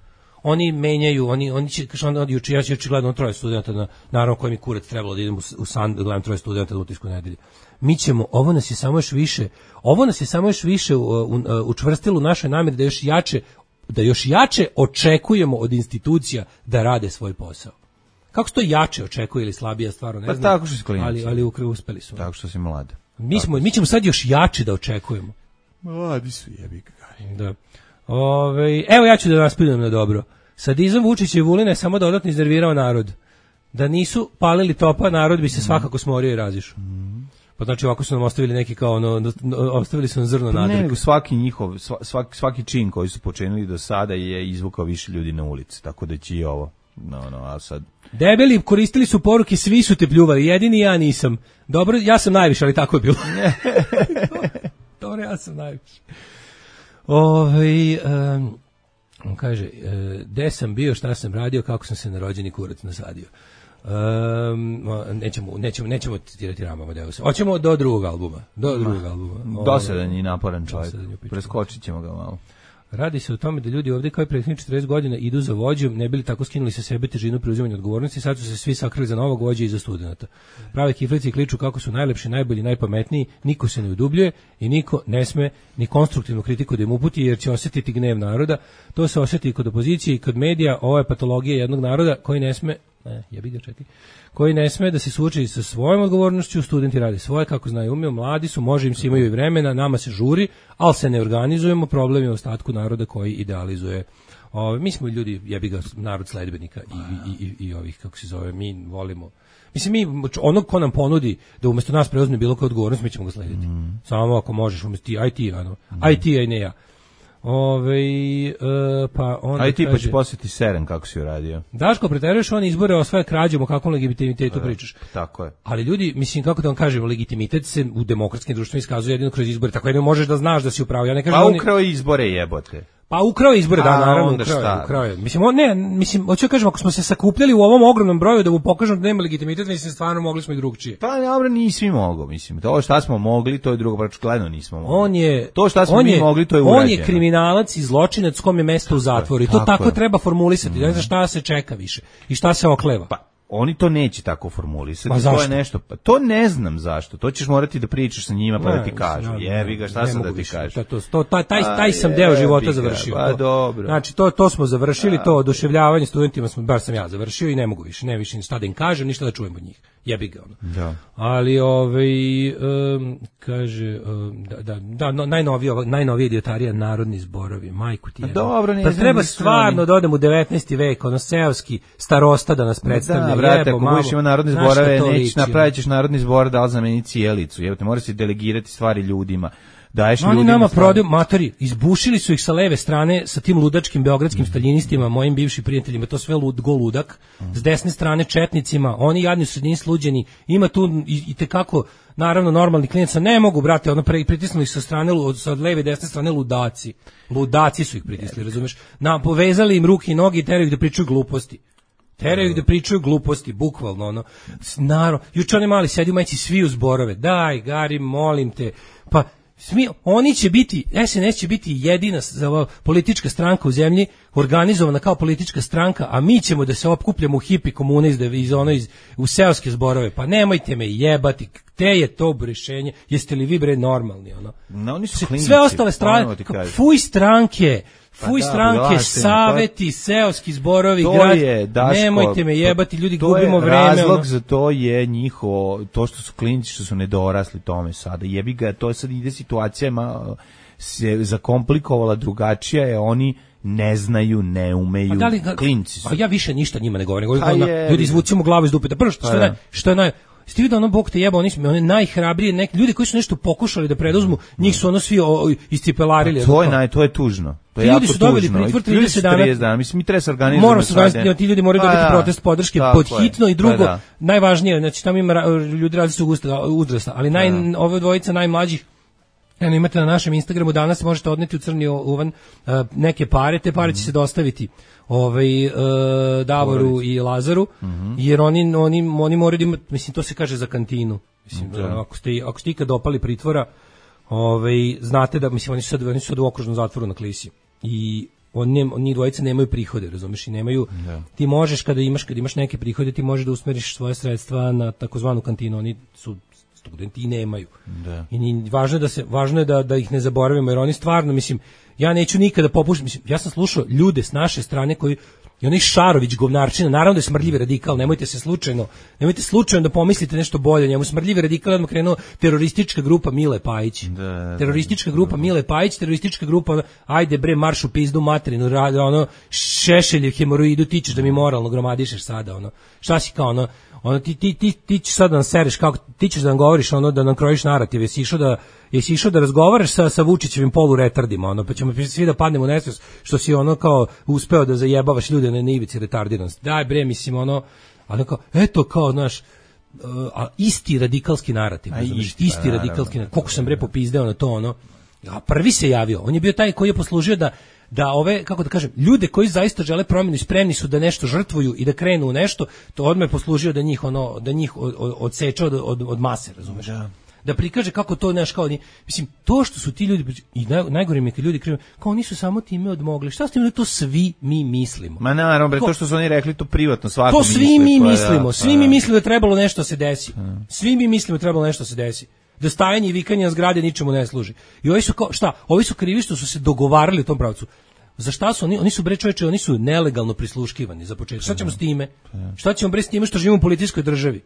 Oni menjaju, oni oni će kaže on juče ja će gledam troje studenata na naravno koji mi kurac trebalo da idem u, u San da gledam troje studenata u utisku nedelje. Mi ćemo, ovo nas je samo još više, ovo nas je samo još više učvrstilo u našoj nameri da još jače da još jače očekujemo od institucija da rade svoj posao. Kako se to jače očekuje ili slabija stvarno, ne pa znam. Tako što si klinac. Ali ali uspeli su. Tako što si mlad. Mi smo mi ćemo sad još jače da očekujemo. Mladi su jebi ga. Da. Ove, evo ja ću da nas pitam na dobro. Sadizam Vučića i Vulina je samo dodatno iznervirao narod. Da nisu palili topa, narod bi se svakako smorio i razišao. Mm. Pa znači ovako su nam ostavili neki kao ono, ostavili su nam zrno pa nadrka. Ne, nego svaki njihov, svaki, svaki čin koji su počinili do sada je izvukao više ljudi na ulici, tako da će i ovo. No, no, a sad... Debeli koristili su poruke, svi su te pljuvali, jedini ja nisam. Dobro, ja sam najviše, ali tako je bilo. Dobro, ja sam najviše. Ove, um, on kaže, uh, gde sam bio, šta sam radio, kako sam se na rođeni kurac nasadio. Um, nećemo, nećemo, nećemo citirati Rama Amadeusa. Hoćemo do drugog albuma. Do drugog albuma. Dosadan i naporan čovjek. Preskočit ćemo ga malo. Radi se o tome da ljudi ovdje kao i prethodnih četrdeset godina idu za vođom, ne bili tako skinuli sa sebe težinu preuzimanja odgovornosti, sad su se svi sakrili za novog vođa i za studenta. Prave kiflici kliču kako su najlepši, najbolji, najpametniji, niko se ne udubljuje i niko ne sme ni konstruktivnu kritiku da im uputi jer će osjetiti gnev naroda. To se osjeti i kod opozicije i kod medija, ovo je patologija jednog naroda koji ne sme, ne, jebi ga čekaj, koji ne sme da se suoči sa svojom odgovornošću, studenti radi svoje, kako znaju umiju, mladi su, može im se imaju i vremena, nama se žuri, ali se ne organizujemo, problem je u ostatku naroda koji idealizuje. O, mi smo ljudi, jebi ga, narod sledbenika i, i, i, i ovih, kako se zove, mi volimo. Mislim, mi, onog ko nam ponudi da umjesto nas preuzme bilo koja odgovornost, mi ćemo ga slediti. Mm. Samo ako možeš, umjesto ti, aj ti, ano, mm. aj ti, aj ne ja. Ove, e, pa on aj ti kaže, pa će posjeti Seren kako si uradio. Daško, preteruješ on izbore o svoje krađom, o kakvom legitimitetu e, pričaš. Tako je. Ali ljudi, mislim, kako da vam kažem, legitimitet se u demokratskim društvima iskazuje jedino kroz izbore, tako jedino možeš da znaš da si upravo. Ja ne kažem, pa on ukrao izbore jebote. Pa ukrao izbore, da, naravno, ukrao, ukrao je. Mislim, on, ne, mislim, hoću da kažem, ako smo se sakupljali u ovom ogromnom broju da mu pokažemo da nema legitimitet, mislim, stvarno mogli smo i drugčije. Pa, dobro, nismo mogli, mislim. To šta smo mogli, to je drugo, pa gledano nismo mogli. On je, to šta smo on mi je, mogli, to je urađeno. On je kriminalac i zločinac kom je mesto u zatvoru. I to tako, tako treba formulisati. Ne znam šta se čeka više i šta se okleva. Pa, oni to neće tako formulisati. To je nešto, pa to ne znam zašto. To ćeš morati da pričaš sa njima pa ne, da ti kažu. Ne, jebi ga, šta sam da ti kažem. To, to, taj, taj, taj sam deo života završio. Pa dobro. Znači, to, to smo završili, to oduševljavanje studentima, smo, bar sam ja završio i ne mogu više, ne više ni šta da im kažem, ništa da čujem od njih. Jebi ga ono. Da. Ali ovaj um, kaže um, da da da no, najnoviji najnoviji idiotarija narodni zborovi, majku ti je. Dobro, ne. Pa treba stvarno da odemo u devetnaesti vek, ono seoski starosta da nas predstavlja. Da, brate, ako budeš imao narodne zborove, nećeš napravićeš narodni zbor da zameni cijelicu. Jebote, mora se delegirati stvari ljudima. Daješ oni nama prodaju matori, izbušili su ih sa leve strane sa tim ludačkim beogradskim staljinistima, mojim bivšim prijateljima, to sve lud, go ludak, s desne strane četnicima, oni jadni su sredini sluđeni, ima tu i, i tekako, naravno, normalni klijenca, ne mogu, brate, ono pre, pritisnuli sa strane, sa leve i desne strane ludaci, ludaci su ih pritisli, razumeš, na, povezali im ruke i noge i teraju ih da pričaju gluposti. Teraju ih da pričaju gluposti, bukvalno, ono, naravno, juče oni mali sedi u majici svi u zborove, daj, Gari, molim te, pa, Smi, oni će biti, S N S će biti jedina politička stranka u zemlji, organizovana kao politička stranka, a mi ćemo da se opkupljamo u hipi komune iz, iz, ono, iz, u seoske zborove. Pa nemojte me jebati, te je to rešenje, jeste li vi bre normalni? Ono? No, oni su klinici, sve ostale strane, fuj stranke, fuj pa da, stranke, saveti, seoski zborovi, grad, je, Daško, nemojte me jebati, ljudi, to gubimo je vreme. Razlog ono. za to je njihovo, to što su klinici, što su nedorasli tome sada. Jebi ga, to je sad ide situacija, ma, se zakomplikovala drugačija je, oni ne znaju, ne umeju, da li, klinci su. A ja više ništa njima ne govorim, govorim je, ljudi izvucimo glavu iz dupeta. Prvo što, što, je naj, što je naj... Ste vidio ono Bog te jeba, oni su oni najhrabriji, neki ljudi koji su nešto pokušali da preduzmu, njih su ono svi o, iscipelarili. To je naj, to je tužno. To je ti ljudi su dobili pritvor trideset dana. dana. Mislim mi treba se organizovati. Moramo se organizovati, ti ljudi moraju dobiti da, protest podrške pod hitno i drugo, pa da. Najvažnije, znači tamo ima ljudi različitog uzrasta, ali naj da. Ove dvojice najmlađih. Eno, imate na našem Instagramu, danas možete odneti u crni uvan uh, neke pare, te pare će se dostaviti ovaj, uh, Davoru i Lazaru, mm-hmm. jer oni, oni, oni moraju da imati, mislim, to se kaže za kantinu. Mislim, da. ako, ste, ako ste ikad dopali pritvora, ovaj, znate da, mislim, oni su sad, oni su sad u okružnom zatvoru na Klisi. I oni, oni dvojice nemaju prihode, razumeš, i nemaju, da. Ti možeš, kada imaš, kada imaš neke prihode, ti možeš da usmeriš svoje sredstva na takozvanu kantinu, oni su studenti i nemaju. Da. I ni, važno je da se važno je da da ih ne zaboravimo jer oni stvarno, mislim, ja neću nikada popušiti, mislim, ja sam slušao ljude s naše strane koji i onaj Šarović govnarčina, naravno da je smrdljivi radikal, nemojte se slučajno, nemojte slučajno da pomislite nešto bolje, njemu smrdljivi radikal odmah krenuo teroristička grupa Mile Pajić. Da, teroristička da, grupa da. Mile Pajić, teroristička grupa, ajde bre, marš u pizdu materinu, radi, ono, Šešeljev hemoroidu, ti ćeš da mi moralno gromadišeš sada, ono, šta si kao, ono, ono ti ti ti ti ćeš sad da nam sereš kako ti ćeš da nam govoriš ono da nam krojiš narativ, jesi išao da jesi išao da razgovaraš sa sa Vučićevim poluretardima, ono pa ćemo svi da padnemo u nesvest što si ono kao uspeo da zajebavaš ljude na ivici retardiranosti. Daj bre, mislim ono, ali kao eto kao znaš, a isti radikalski narativ, a isti, isti radikalski narativ. Koliko sam bre popizdeo na to ono. A prvi se javio, on je bio taj koji je poslužio da da ove, kako da kažem, ljude koji zaista žele promjenu i spremni su da nešto žrtvuju i da krenu u nešto, to odmah je poslužio da njih ono da njih od, od, odseče od, od, od mase, razumeš? Da. Da prikaže kako to nešto kao ni, mislim, to što su ti ljudi i naj, najgore mi je kad ljudi krive, kao oni su samo time odmogli. Šta s tim, to svi mi mislimo. Ma naravno, bre, to što su oni rekli to privatno svako to svi misli, mi mislimo, da, svi da. mi mislimo da trebalo nešto se desi. Da. Svi mi mislimo da trebalo nešto se desi. Da stajanje i vikanje na zgrade ničemu ne služi. I ovi su kao, šta? Ovi su krivi što su se dogovarali u tom pravcu. Za šta su oni? Oni su bre čoveče, oni su nelegalno prisluškivani za početak. Šta ćemo s time? Šta ćemo bre s time što živimo u policijskoj državi?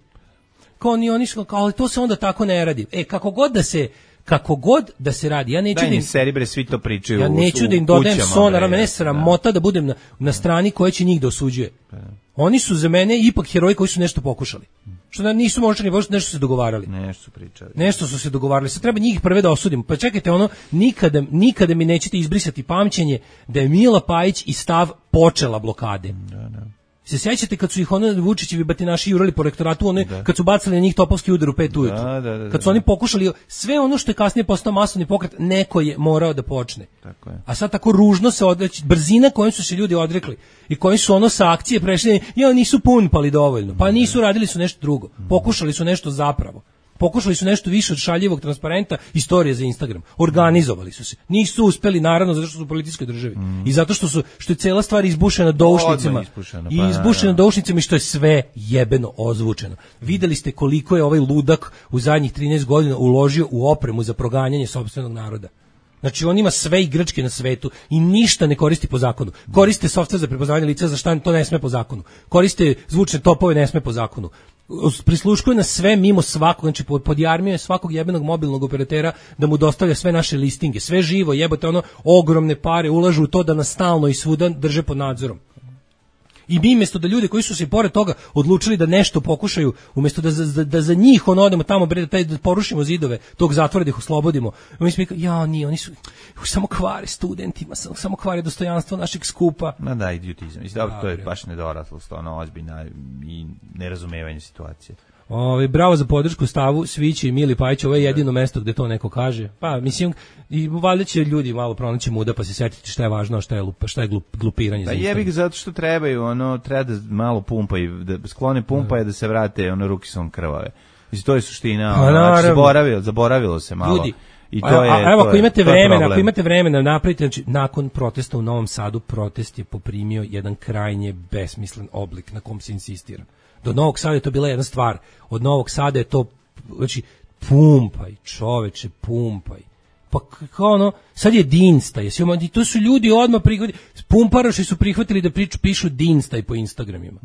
Kao oni, oni su kao, ali to se onda tako ne radi. E, kako god da se kako god da se radi, ja neću da im im seri bre svi to pričaju. Ja neću u, da im dodajem sonara, mene sramota da. da budem na, na strani koja će njih da osuđuje. Da. Oni su za mene ipak heroji koji su nešto pokušali. Što da nisu možda ni nešto su se dogovarali. Nešto su pričali. Nešto su se dogovarali. Sad treba njih prve da osudimo. Pa čekajte, ono nikada nikada mi nećete izbrisati pamćenje da je Mila Pajić i stav počela blokade. Da, da. Se sjećate kad su ih ono Vučićevi batinaši jurali po rektoratu, one da. Kad su bacali na njih topovski udar u pet ujutru. Da, da, da, kad su oni pokušali sve ono što je kasnije postao masovni pokret, neko je morao da počne. Tako je. A sad tako ružno se odreći, brzina kojom su se ljudi odrekli i koji su ono sa akcije prešli, ja nisu punpali dovoljno. Pa nisu, radili su nešto drugo. Pokušali su nešto zapravo. Pokušali su nešto više od šaljivog transparenta, istorije za Instagram. Organizovali su se. Nisu uspeli, naravno, zato što su u policijskoj državi. Mm. I zato što su što je cela stvar izbušena doušnicima. Pa, I izbušena doušnicima i što je sve jebeno ozvučeno. Videli ste koliko je ovaj ludak u zadnjih trinaest godina uložio u opremu za proganjanje sopstvenog naroda. Znači on ima sve igračke na svetu i ništa ne koristi po zakonu. Koriste softver za prepoznavanje lica, za šta to ne sme po zakonu. Koriste zvučne topove, ne sme po zakonu. Prisluškuje na sve mimo svakog, znači podjarmio je svakog jebenog mobilnog operatera da mu dostavlja sve naše listinge, sve živo, jebote, ono, ogromne pare ulažu u to da nas stalno i svuda drže pod nadzorom. I mi umjesto da ljudi koji su se pored toga odlučili da nešto pokušaju, umjesto da za, da za njih on odemo tamo bre, da, da porušimo zidove tog zatvora da ih oslobodimo, mi smo rekli, ja, nije, oni su samo kvare studentima, samo, samo kvare dostojanstvo našeg skupa. Ma da, idiotizam. Dobro, to je baš nedoraslost, ono ozbiljna i nerazumevanje situacije. Ove, bravo za podršku stavu Svići i Mili Pajić, ovo je jedino mesto gde to neko kaže. Pa, mislim, i valjda će ljudi malo pronaći muda pa se setiti šta je važno, a šta je, lupa, šta je glup, glupiranje. Da jebi ga zato što trebaju, ono, treba da malo pumpaju, da sklone pumpaje, da se vrate, ono, ruke su krvave. Mislim, to je suština, ono, znači, zaboravilo, zaboravilo se malo. Ljudi, I to je, a, a, evo, to ako imate vremena, je ako imate vremena napravite, znači, nakon protesta u Novom Sadu, protest je poprimio jedan krajnje besmislen oblik na kom se insistira. Do Novog Sada je to bila jedna stvar. Od Novog Sada je to, znači, pumpaj, čoveče, pumpaj. Pa kao ono, sad je Dinstaj, i to su ljudi odmah prihvatili, pumparaši su prihvatili da priču, pišu Dinstaj po Instagramima.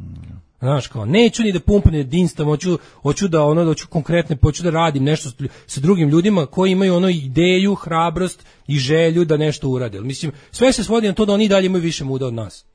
Znaš, kao, neću ni da pumpam ni da Dinstaj, hoću, hoću da ono, da hoću konkretne, hoću da radim nešto sa drugim ljudima koji imaju ono ideju, hrabrost i želju da nešto urade. Mislim, sve se svodi na to da oni dalje imaju više muda od nas.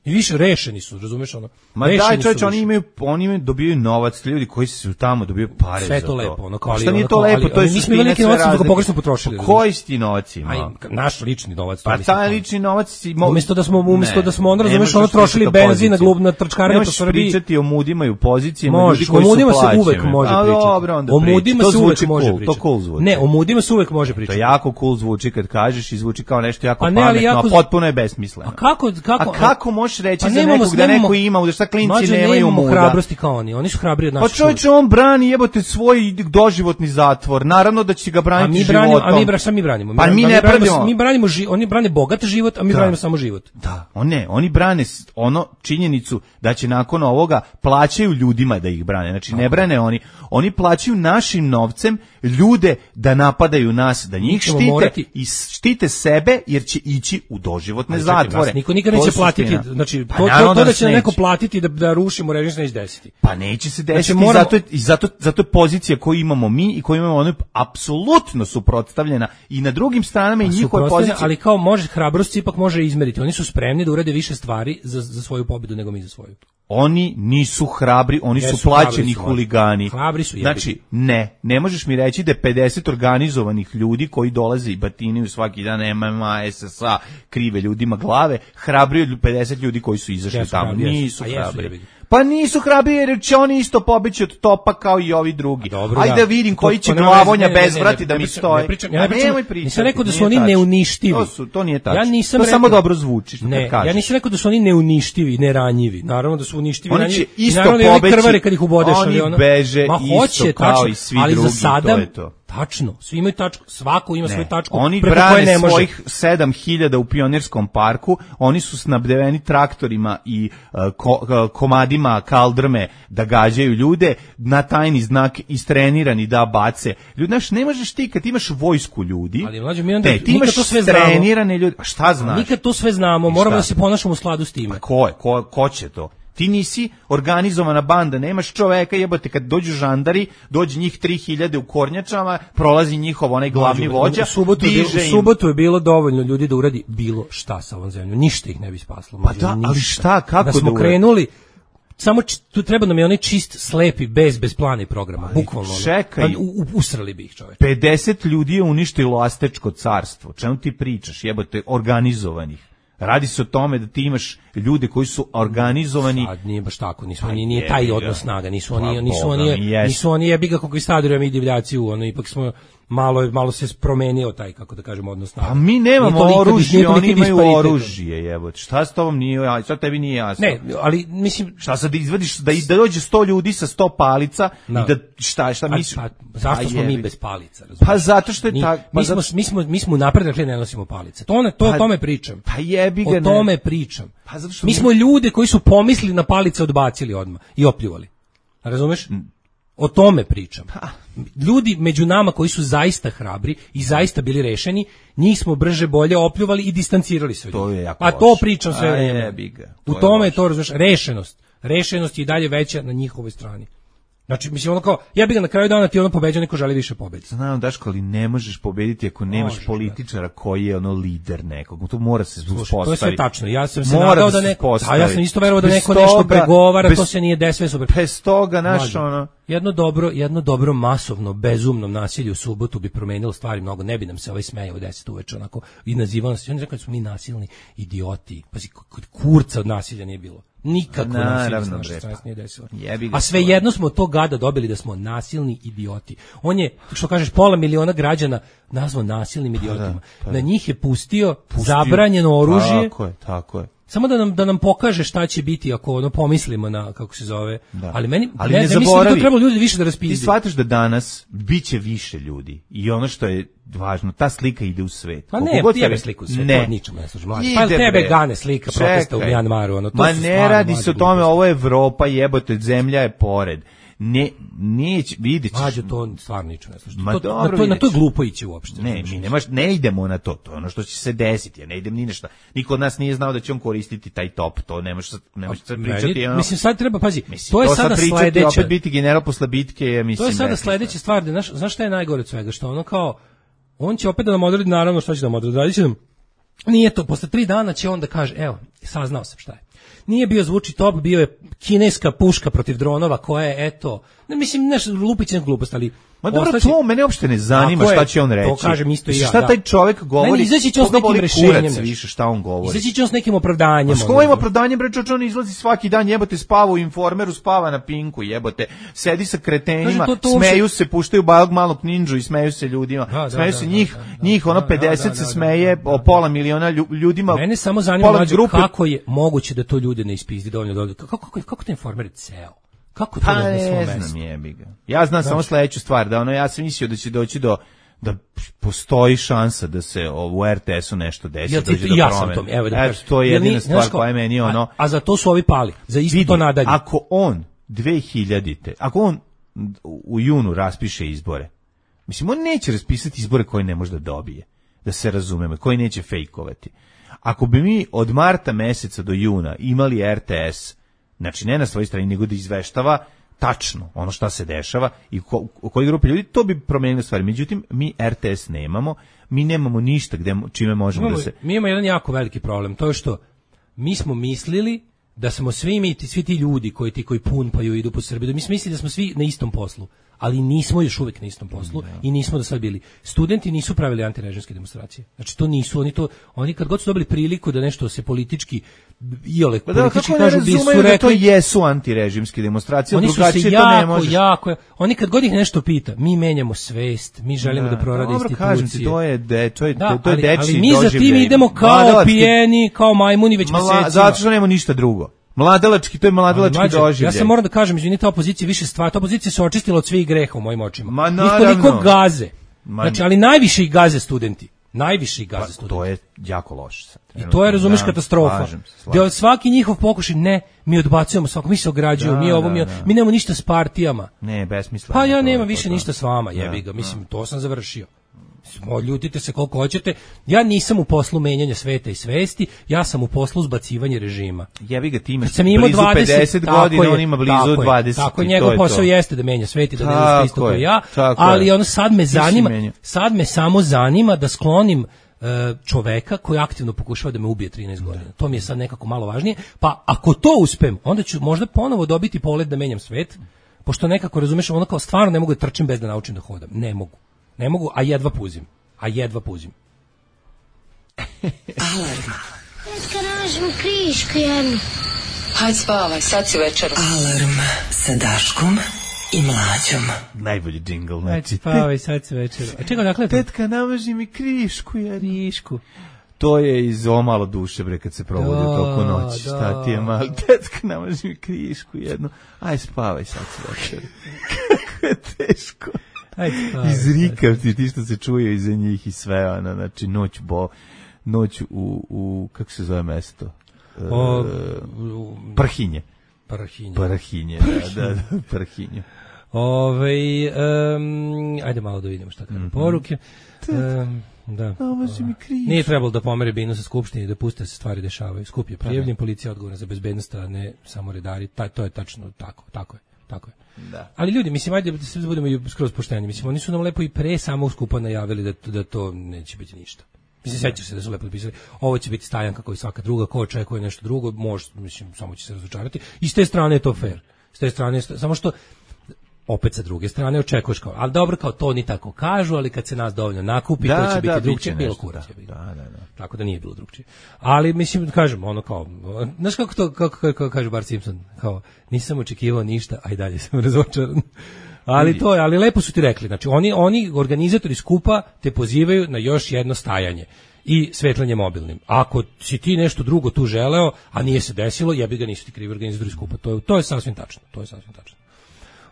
I više rešeni su, razumeš ono? Ma daj čovječe, oni imaju, oni imaju, dobijaju novac, ljudi koji su tamo dobijaju pare sve za to. Sve lepo, ono, kao ali, šta nije to lepo, ali, to je suština sve razlike. Pogrešno potrošili. Koji si ti novac ima? Aj, naš lični novac. Pa taj lični novac si... Mo... Umjesto da smo, umjesto da smo, onda razumeš, ono trošili benzin na glubna trčkaranje po Srbiji. Nemaš pričati o mudima i u pozicijama ljudi koji su plaćeni. O mudima se uvek može pričati. O mudima se uvek može pričati. Ne, o mudima se uvek može pričati. To jako cool zvuči kad kažeš i zvuči kao nešto jako pametno, a potpuno je besmisleno. A kako, kako... A kako možeš reći za nekog da neko ima, da šta klinci nemaju muda. Hrabrosti kao oni, oni su hrabri od nas. Pa čovječe, on brani jebote svoj doživotni zatvor. Naravno da će ga braniti životom. A mi branimo, a mi branimo. Pa mi ne branimo. Mi branimo, oni brane bogat život, a mi branimo samo život. Da, on ne, oni brane ono činjenicu da će nakon ovoga plaćaju ljudima da ih brane. Znači ne brane oni, oni plaćaju našim novcem ljude da napadaju nas, da njih štite i štite sebe jer će ići u doživotne zatvore. Niko nikad neće platiti, znači to to da će neko platiti da da rušimo režim se neće desiti. Pa neće se desiti, znači, moramo... zato je, i zato zato je pozicija koju imamo mi i koju imamo ono apsolutno suprotstavljena i na drugim stranama i njihove pozicije. Ali kao može hrabrost ipak može izmeriti. Oni su spremni da urade više stvari za za svoju pobedu nego mi za svoju. Oni nisu hrabri, oni Jesu, su plaćeni su, huligani. Hrabri su, znači, ne, ne možeš mi reći da je pedeset organizovanih ljudi koji dolaze i batinaju svaki dan M M A, S S A, krive ljudima glave, hrabri od pedeset ljudi koji su izašli Jesu, tamo. Hrabri, nisu jesu, hrabri. jesu, Pa nisu hrabri jer će oni isto pobeći od topa kao i ovi drugi. Dobro, ajde da vidim to, koji će to, glavonja ne, ne, bez ne, vrati ne, da ne, mi pričam, stoji. Ne pričam, ja ne pričam, pričati, nisam rekao da su oni neuništivi. To, su, to nije tačno. Ja nisam to rekao, samo dobro zvuči što ne, kažeš. Ja nisam rekao da su oni neuništivi, neranjivi. Naravno da su uništivi, oni ranjivi. Će isto naravno pobeći, krvari kad ih ubodeš, oni ono. beže Ma, isto hoće, kao tačno, i svi ali drugi, za sada, to je to. Tačno, svi imaju tačku, svako ima ne, svoju tačku. Oni preko brane koje ne može. svojih sedam hiljada u Pionirskom parku, oni su snabdeveni traktorima i uh, ko, uh, komadima kaldrme da gađaju ljude, na tajni znak istrenirani da bace. Ljudi, znaš, ne možeš ti kad imaš vojsku ljudi, ali mlađe, mi onda, te, ti imaš to sve trenirane ljudi, a šta znaš? Nikad to sve znamo, moramo da se ponašamo u skladu s time. Pa ko je, ko, ko će to? Ti nisi organizovana banda, nemaš čoveka, jebote, kad dođu žandari, dođe njih tri hiljade u kornjačama, prolazi njihov onaj glavni vođa, u subotu, diže u subotu je bilo dovoljno ljudi da uradi bilo šta sa ovom zemljom, ništa ih ne bi spaslo. Pa da, ali šta, kako da smo da krenuli, samo č, tu treba nam je onaj čist, slepi, bez, bez plana i programa, ali bukvalno. Čekaj, u, u, usrali bi ih čovjek. pedeset ljudi je uništilo Astečko carstvo, čemu ti pričaš, jebote, organizovanih. Radi se o tome da ti imaš ljude koji su organizovani. Sad nije baš tako, nismo, nije, nije taj odnos snaga, nisu oni, nisu oni, nisu oni jebi ga konkvistadori, a mi divljaci u, ono, ipak smo, malo malo se promenio taj, kako da kažemo, odnos snaga. A mi nemamo oružje, oni imaju oružje, jebote. Šta s tobom nije, a šta tebi nije jasno? Ne, ali mislim, šta sad izvadiš da da dođe sto ljudi sa sto palica no. i da šta šta misliš? Pa, zašto pa smo mi bez palica, razumiješ? Pa zato što je tako, pa mi smo mi smo mi smo napred ne nosimo palice. To ne, to pa, o tome pričam. Pa jebi ga, o tome ne. pričam. Pa zato što mi, mi smo ljude koji su pomislili na palice odbacili odmah i opljuvali. Razumeš? O tome pričam. Ljudi među nama koji su zaista hrabri i zaista bili rešeni, njih smo brže bolje opljuvali i distancirali se od njih. A to pričam sve vreme. U tome je to, razumiješ, rešenost. Rešenost je i dalje veća na njihovoj strani. Znači, mislim, ono kao, ja bih ga na kraju dana ti ono pobeđao, neko želi više pobedi. Znam, Daško, ali ne možeš pobediti ako nemaš možeš, političara koji je ono lider nekog. To mora se uspostaviti. To je sve tačno. Ja sam se mora nadao da, da neko, a ja sam isto verovao da neko toga, nešto pregovara, bez, to se nije desilo super. Bez toga, naš ono... Jedno dobro, jedno dobro masovno, bezumno nasilje u subotu bi promenilo stvari mnogo. Ne bi nam se ovaj smejao u deset uveče, onako, i nazivao nas. Oni rekao da smo mi nasilni idioti. Pazi, kod kurca od nasilja nije bilo. Nikako nasilje s naše strane nije desilo. A sve jedno smo od tog gada dobili da smo nasilni idioti. On je, što kažeš, pola miliona građana nazvao nasilnim idiotima. Pa da, pa da. Na njih je pustio, pustio zabranjeno oružje. Tako je, tako je. Samo da nam da nam pokaže šta će biti ako ono pomislimo na, kako se zove. Da. Ali meni ali ne, ne, ne mislim da to trebalo ljudi više da raspizdi. Ti shvataš da danas biće više ljudi. I ono što je važno, ta slika ide u svet. Pa ne, tebe sliku u svet, ne. To ničemu ne služi. Pa tebe gane slika Čekaj. protesta u Mjanmaru. Ono, to Ma ne radi se o tome, ovo je Evropa, jebote, zemlja je pored. Ne, neće, vidjet ćeš. Mađo, to stvarno ničemu ne služi. To, dobro, na, to, na to je glupo ići uopšte. Ne, mi nemaš, ne idemo na to, to je ono što će se desiti, ja ne idem ni nešto. Niko od nas nije znao da će on koristiti taj top, to nemaš, nemaš sad pričati. Ono, mislim, sad treba, pazi, mislim, to je to sada sledeća. Opet biti general posle bitke, ja mislim. To je sada sledeća stvar, da, znaš, znaš šta je najgore od svega, što ono kao, on će opet da nam odredi, naravno što će da nam odredi, radi će nam, nije to, posle tri dana će on da kaže, evo, saznao sam šta je. Nije bio zvuči top, bio je kineska puška protiv dronova koja je, eto, ne mislim, nešto lupićen glupost, ali... Ma dobro, ostaći... to mene uopšte ne zanima šta će on reći. To kažem isto i ja. Šta taj čovjek govori? Ne, izaći će on s nekim rešenjem. Više šta on govori. Izaći će on s nekim opravdanjem. S kojim opravdanjem, bre, čoč, on izlazi svaki dan, jebote, spava u Informeru, spava na Pinku, jebote, sedi sa kretenima, to, to smeju uopšte... se, puštaju balog malog ninđu i smeju se ljudima. Da, smeju da, se da, njih, da, da, njih ono pedeset da, da, da, se smeje, da, da, o pola miliona ljudima. Mene samo zanima mlađe, kako je moguće da to ljude ne ispizdi dovoljno dobro. Kako, kako, kako te Informer ceo? Kako to pa na svom mestu? Znam, jebi ga. Ja znam znači, samo sledeću stvar, da ono, ja sam mislio da će doći do, da postoji šansa da se u R T S-u nešto desi, ja, dođe do ja promene. Sam to, evo da kažem. To je jedina stvar koja je meni ono... A, a za to su ovi pali, za isto vidi, to nadalje. Ako on dve hiljadite, ako on u junu raspiše izbore, mislim, on neće raspisati izbore koje ne može da dobije, da se razumemo, koji neće fejkovati. Ako bi mi od marta meseca do juna imali R T S, znači ne na svojoj strani, nego da izveštava tačno ono šta se dešava i ko, u kojoj grupi ljudi, to bi promenilo stvari. Međutim, mi R T S nemamo, mi nemamo ništa gde, čime možemo imamo, da se... Mi imamo jedan jako veliki problem, to je što mi smo mislili da smo svi mi, svi ti ljudi koji ti koji punpaju idu po Srbiji, mi smo mislili da smo svi na istom poslu, ali nismo još uvek na istom poslu no. i nismo do sad bili. Studenti nisu pravili antirežimske demonstracije. Znači to nisu, oni to, oni kad god su dobili priliku da nešto se politički iole pa da, politički kažu bi su rekli da to jesu antirežimske demonstracije, drugačije to jako, ne možeš. Jako, oni kad god ih nešto pita, mi menjamo svest, mi želimo da, da prorade dobro, institucije. Kažem ti, to je de, to je da, to je dečiji ali mi za tim idemo kao pijeni, kao majmuni već mesecima. Zato što nema ništa drugo. Mladalački, to je mladalački doživljaj. Ja sam moram da kažem, izvinite, opozicija više stvar, ta opozicija se očistila od svih greha u mojim očima. Ma naravno. Njih toliko gaze. Ma, znači, ali najviše ih gaze studenti. Najviše ih gaze pa, studenti. To je jako loše. Sad. I to je, razumeš, katastrofa. Da svaki njihov pokušaj, ne, mi odbacujemo svako, mi se ograđujemo, da, mi ovo, da, mi, da. mi nemamo ništa s partijama. Ne, besmisleno. Pa ja nemam više ništa s vama, jebi ga, mislim, to sam završio. Ljutite se koliko hoćete. Ja nisam u poslu menjanja sveta i svesti, ja sam u poslu zbacivanja režima. Jebi ga, ti imaš blizu dvadeset, pedeset godina, on ima blizu dvadeset. Tako je, njegov posao jeste da menja svet i da ne da isto kao ja, ali ono sad me zanima, sad me samo zanima da sklonim čoveka koji aktivno pokušava da me ubije trinaest godina. To mi je sad nekako malo važnije. Pa ako to uspem, onda ću možda ponovo dobiti polet da menjam svet, pošto nekako, razumeš, ono kao stvarno ne mogu da trčim bez da naučim da hodam. Ne mogu. Ne mogu, a jedva puzim. A jedva puzim. Alarm. Neka nađemo krišku jednu. Hajde spavaj, sad si večeru. Alarm sa Daškom i Mlađom. Najbolji džingl, znači. Ajde, spavaj, sad se večer. A čekaj, dakle... Tetka, namaži mi krišku, ja. Krišku. To je iz O malo duše, bre, kad se provodi u toku noći. Da. Šta ti je mali? Tetka, namaži mi krišku jednu. Aj, spavaj, sad se večer. Kako je teško. Ajde, spavaj. Izrikavci, ti što se čuje iza njih i sve, ono, znači, noć bo... Noć u, u kako se zove mesto? O, u, Prhinje. Prhinje. Prhinje, da, da, da, Prhinje. Ove, um, ajde malo da vidimo šta kaže mm-hmm. poruke. Um, da. Nije trebalo da pomere binu sa skupštine i da puste se stvari dešavaju. Skup je prijavljen, policija odgovorna za bezbednost, a ne samo redari. Ta, to je tačno tako, tako je. Tako je. Da. Ali ljudi, mislim, ajde da se budemo i skroz pošteni. Mislim, oni su nam lepo i pre samog skupa najavili da, da to neće biti ništa. Mislim, sećaš se da su lepo napisali, ovo će biti stajanka kao i svaka druga, ko očekuje nešto drugo, može, mislim, samo će se razočarati. I s te strane je to fair. S te strane, samo što, opet sa druge strane, očekuješ kao, ali dobro, kao to ni tako kažu, ali kad se nas dovoljno nakupi, da, to će da, biti drugčije, bilo kurac. Da, da, da. Tako da nije bilo drugčije. Ali, mislim, kažem, ono kao, znaš kako to, kako, kako, kako kaže Bart Simpson, kao, nisam očekivao ništa, a i dalje sam razočaran. Ali to je, ali lepo su ti rekli, znači oni oni organizatori skupa te pozivaju na još jedno stajanje i svetlanje mobilnim. Ako si ti nešto drugo tu želeo, a nije se desilo, jebi ga, nisu ti krivi organizatori skupa. To je to je sasvim tačno, to je sasvim tačno.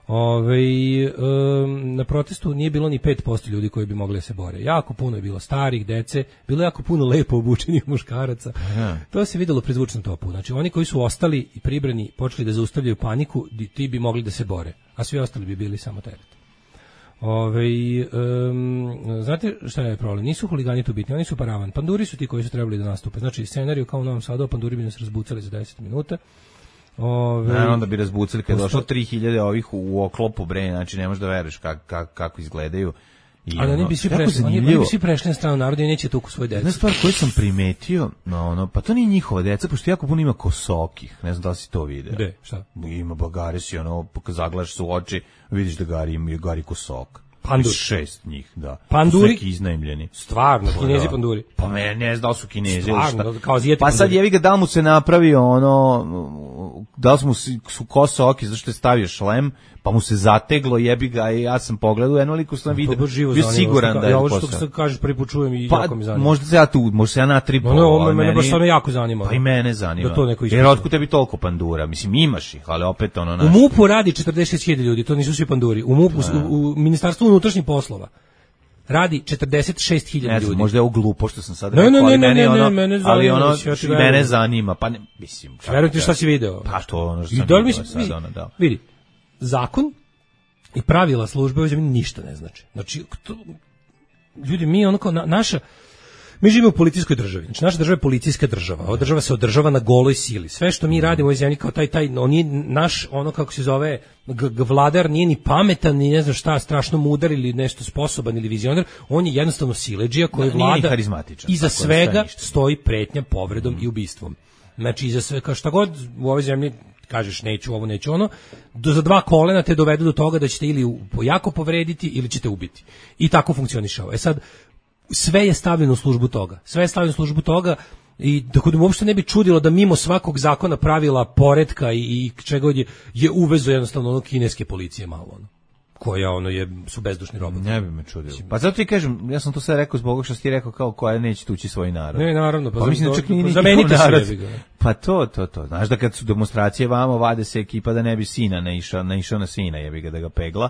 Ove, um, na protestu nije bilo ni pet posto ljudi koji bi mogli da se bore. Jako puno je bilo starih, dece, bilo je jako puno lepo obučenih muškaraca. Aha. To se videlo pri zvučnom topu. Znači, oni koji su ostali i pribrani počeli da zaustavljaju paniku, ti bi mogli da se bore, a svi ostali bi bili samo teret. Ove, um, znate šta je problem? Nisu huligani tu bitni, oni su paravan. Panduri su ti koji su trebali da nastupe. Znači, scenariju kao u Novom Sadu, panduri bi nas razbucali za deset minuta. Ove, ne, onda bi razbucali kad je došlo tri hiljade ovih u oklopu, bre, znači ne možeš da veruješ kak, kak, kako izgledaju. I ali oni bi svi prešli, oni bi svi prešli na stranu naroda i neće tuku svoje dece. Jedna stvar koju sam primetio, no, ono, pa to nije njihova deca, pošto jako puno ima kosokih, ne znam da li si to vidio. Gde, šta? Ima bagari si, ono, zagledaš se u oči, vidiš da gari ima gari kosok. Pandur. Šest njih, da. Panduri? Neki iznajmljeni. Stvarno, Kinezi panduri. Pa me ne znam da su Kinezi. Stvarno, kao Azijeti pa sad jevi ga da mu se napravio ono, da li mu su kosa oki, zašto je stavio šlem, pa mu se zateglo, jebi ga i ja sam pogledao, jedno liku sam vidio, bio siguran da je ja ovo što sad kažeš prvi put čujem i pa, jako mi zanima. Možda se ja tu, možda se ja na tri no, no, mene, mene baš stvarno jako zanima. Pa i mene zanima. Da to neko jer otkud tebi toliko pandura? Mislim, imaš ih, ali opet ono... Naš... U MUP-u radi četrdeset šest hiljada ljudi, to nisu svi panduri. U MUP-u, u, u Ministarstvu unutrašnjih poslova radi četrdeset šest hiljada ljudi. Možda je ovo glupo što sam sad rekao, ne, ne, ali ne, mene, ono, ne, mene zanima, ali ono, ja mene zanima, pa ne, mislim... Verujem ti šta si video. Pa to ono što sam vidio mislim, sad, ono, da. Vidi, zakon i pravila službe ovdje ništa ne znači. Znači, to, ljudi, mi ono kao na, naša... Mi živimo u policijskoj državi. Znači, naša država je policijska država. Ova država se održava na goloj sili. Sve što mi radimo u ovoj zemlji kao taj, taj, on je naš, ono kako se zove, g- g- vladar nije ni pametan, ni ne znam šta, strašno mudar ili nešto sposoban ili vizionar. On je jednostavno siledžija koji da, vlada. Iza tako svega stoji pretnja povredom mm. i ubistvom. Znači, iza sve, kao šta god u ovoj zemlji kažeš neću ovo, neću ono, do, za dva kolena te dovedu do toga da ćete ili jako povrediti ili ćete ubiti. I tako funkcioniše ovo. E sad, sve je stavljeno u službu toga. Sve je stavljeno u službu toga i dok da uopšte ne bi čudilo da mimo svakog zakona, pravila, poretka i, i čega god je, je uvezo jednostavno ono kineske policije malo ono. Koja ono je, su bezdušni roboti. Ne bi me čudilo. Pa zato ti kažem, ja sam to sve rekao zbog što si ti rekao kao koja neće tući svoj narod. Ne, naravno. Pa, pa mislim da čak nije zamenite se. Pa to, to, to. Znaš da kad su demonstracije vamo, vade se ekipa da ne bi sina naišao, naišao na sina, jebi ga da ga pegla.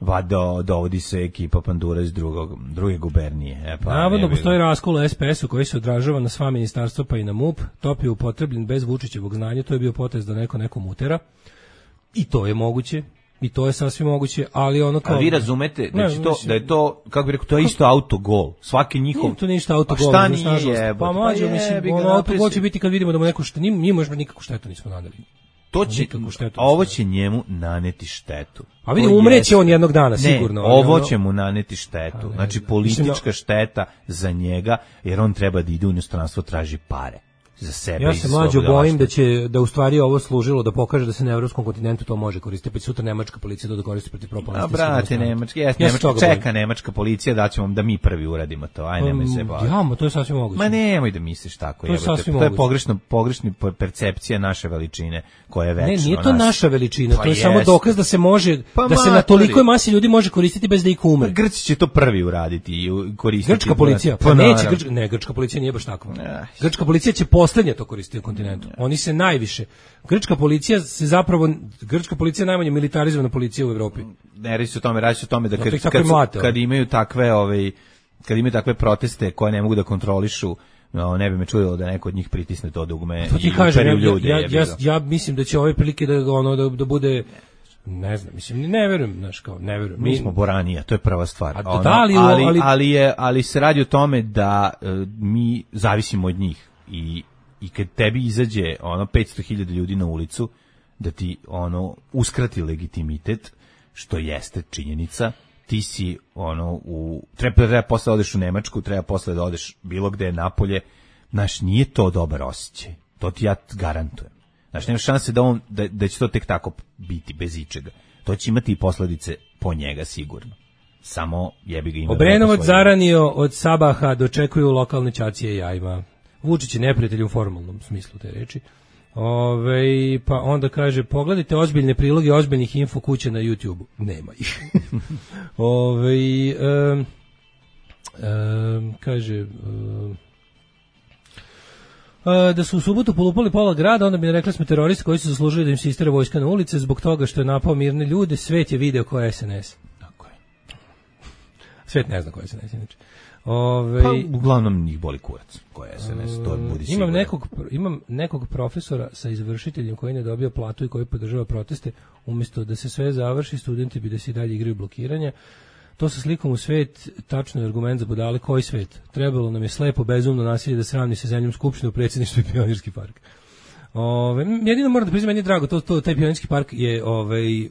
Vado, dovodi se ekipa pandura iz drugog, druge gubernije. E, pa, navodno postoji raskol u es pe esu koji se odražava na sva ministarstva pa i na MUP. Top je upotrebljen bez Vučićevog znanja, to je bio potez da neko nekom utera. I to je moguće. I to je sasvim moguće, ali ono kao... A vi razumete da, ne, to, mislim, da je to, kako bi rekao, to je isto autogol. Svaki njihov... Nije to ništa autogol. Pa šta nije? Pa mađo, mislim, ono autogol će biti kad vidimo da mu neko što... Mi možemo nikakvu štetu nismo nadali. To će, a ovo će njemu naneti štetu. A vidi, umreće on jednog dana, sigurno. Ne, ovo će mu naneti štetu. Znači, politička šteta za njega, jer on treba da ide u inostranstvo, traži pare. za sebe. Ja se mlađo bojim da će da u stvari ovo služilo da pokaže da se na evropskom kontinentu to može koristiti, pa sutra nemačka policija to da koristi protiv propagandistskih. A brate, nemački, jes, ja nemačka čeka nemačka policija da ćemo da mi prvi uradimo to. Aj nemoj se baviti. Ja, ma to je sasvim moguće. Ma nemoj da misliš tako, je. To, to je pogrešno, pogrešna percepcija naše veličine koja je večna. Ne, nije to nas. Naša veličina, pa to je jest. Samo dokaz da se može pa da se na tolikoj masi ljudi može koristiti bez da ih umre. Grci će to prvi uraditi i koristiti. Grčka policija, pa, pa neće, grčka, ne, grčka policija nije baš takva. Grčka policija će poslednje to koristiti na kontinentu. Oni se najviše. Grčka policija se zapravo grčka policija je najmanje militarizovana policija u Evropi. Ne radi se o tome, radi se o tome da kad, kad, kad, kad imaju takve ovaj kad imaju takve proteste koje ne mogu da kontrolišu, no, ne bi me čudilo da neko od njih pritisne to dugme to i uperi u ljude. Ja, ja, ja, ja mislim da će ove prilike da ono da, da bude ne znam, mislim, ne verujem, znaš, kao, ne verujem. Mi, mi smo Boranija, to je prva stvar. Ono, da, ali, ali, ali, ali, je, ali se radi o tome da uh, mi zavisimo od njih i, i kad tebi izađe ono petsto hiljada ljudi na ulicu, da ti ono uskrati legitimitet, što jeste činjenica, ti si ono u treba treba posle da odeš u Nemačku, treba posle da odeš bilo gde napolje, znaš, nije to dobar osjećaj. To ti ja garantujem. Znaš, nema šanse da on da, da će to tek tako biti bez ičega. To će imati i posledice po njega sigurno. Samo jebi ga ima. Obrenovac zaranio od sabaha dočekuju lokalne ćacije jajima. Vučić je neprijatelj u formalnom smislu te reči. Ove, pa onda kaže, pogledajte ozbiljne priloge ozbiljnih info kuća na YouTubeu. Nema ih. Ove, um, um, kaže... Um, da su u subotu polupali pola grada, onda bi rekli smo teroristi koji su zaslužili da im se istera vojska na ulice zbog toga što je napao mirne ljude. Svet je video ko je S N S. Tako je. Svet ne zna ko je S N S. Inače. Ove, pa uglavnom njih boli kurac ko je S N S. To budi imam, nekog, imam nekog profesora sa izvršiteljem koji ne dobija platu i koji podržava proteste. Umjesto da se sve završi, studenti bi da se i dalje igraju blokiranja. To sa slikom u svet, tačno je argument za budale. Koji svet? Trebalo nam je slepo, bezumno nasilje da sravni sa zemljom skupštine u predsjedništvu i Pionirski park. Ove, jedino moram da priznam, meni je drago, to, to, taj Pionirski park je, ovaj,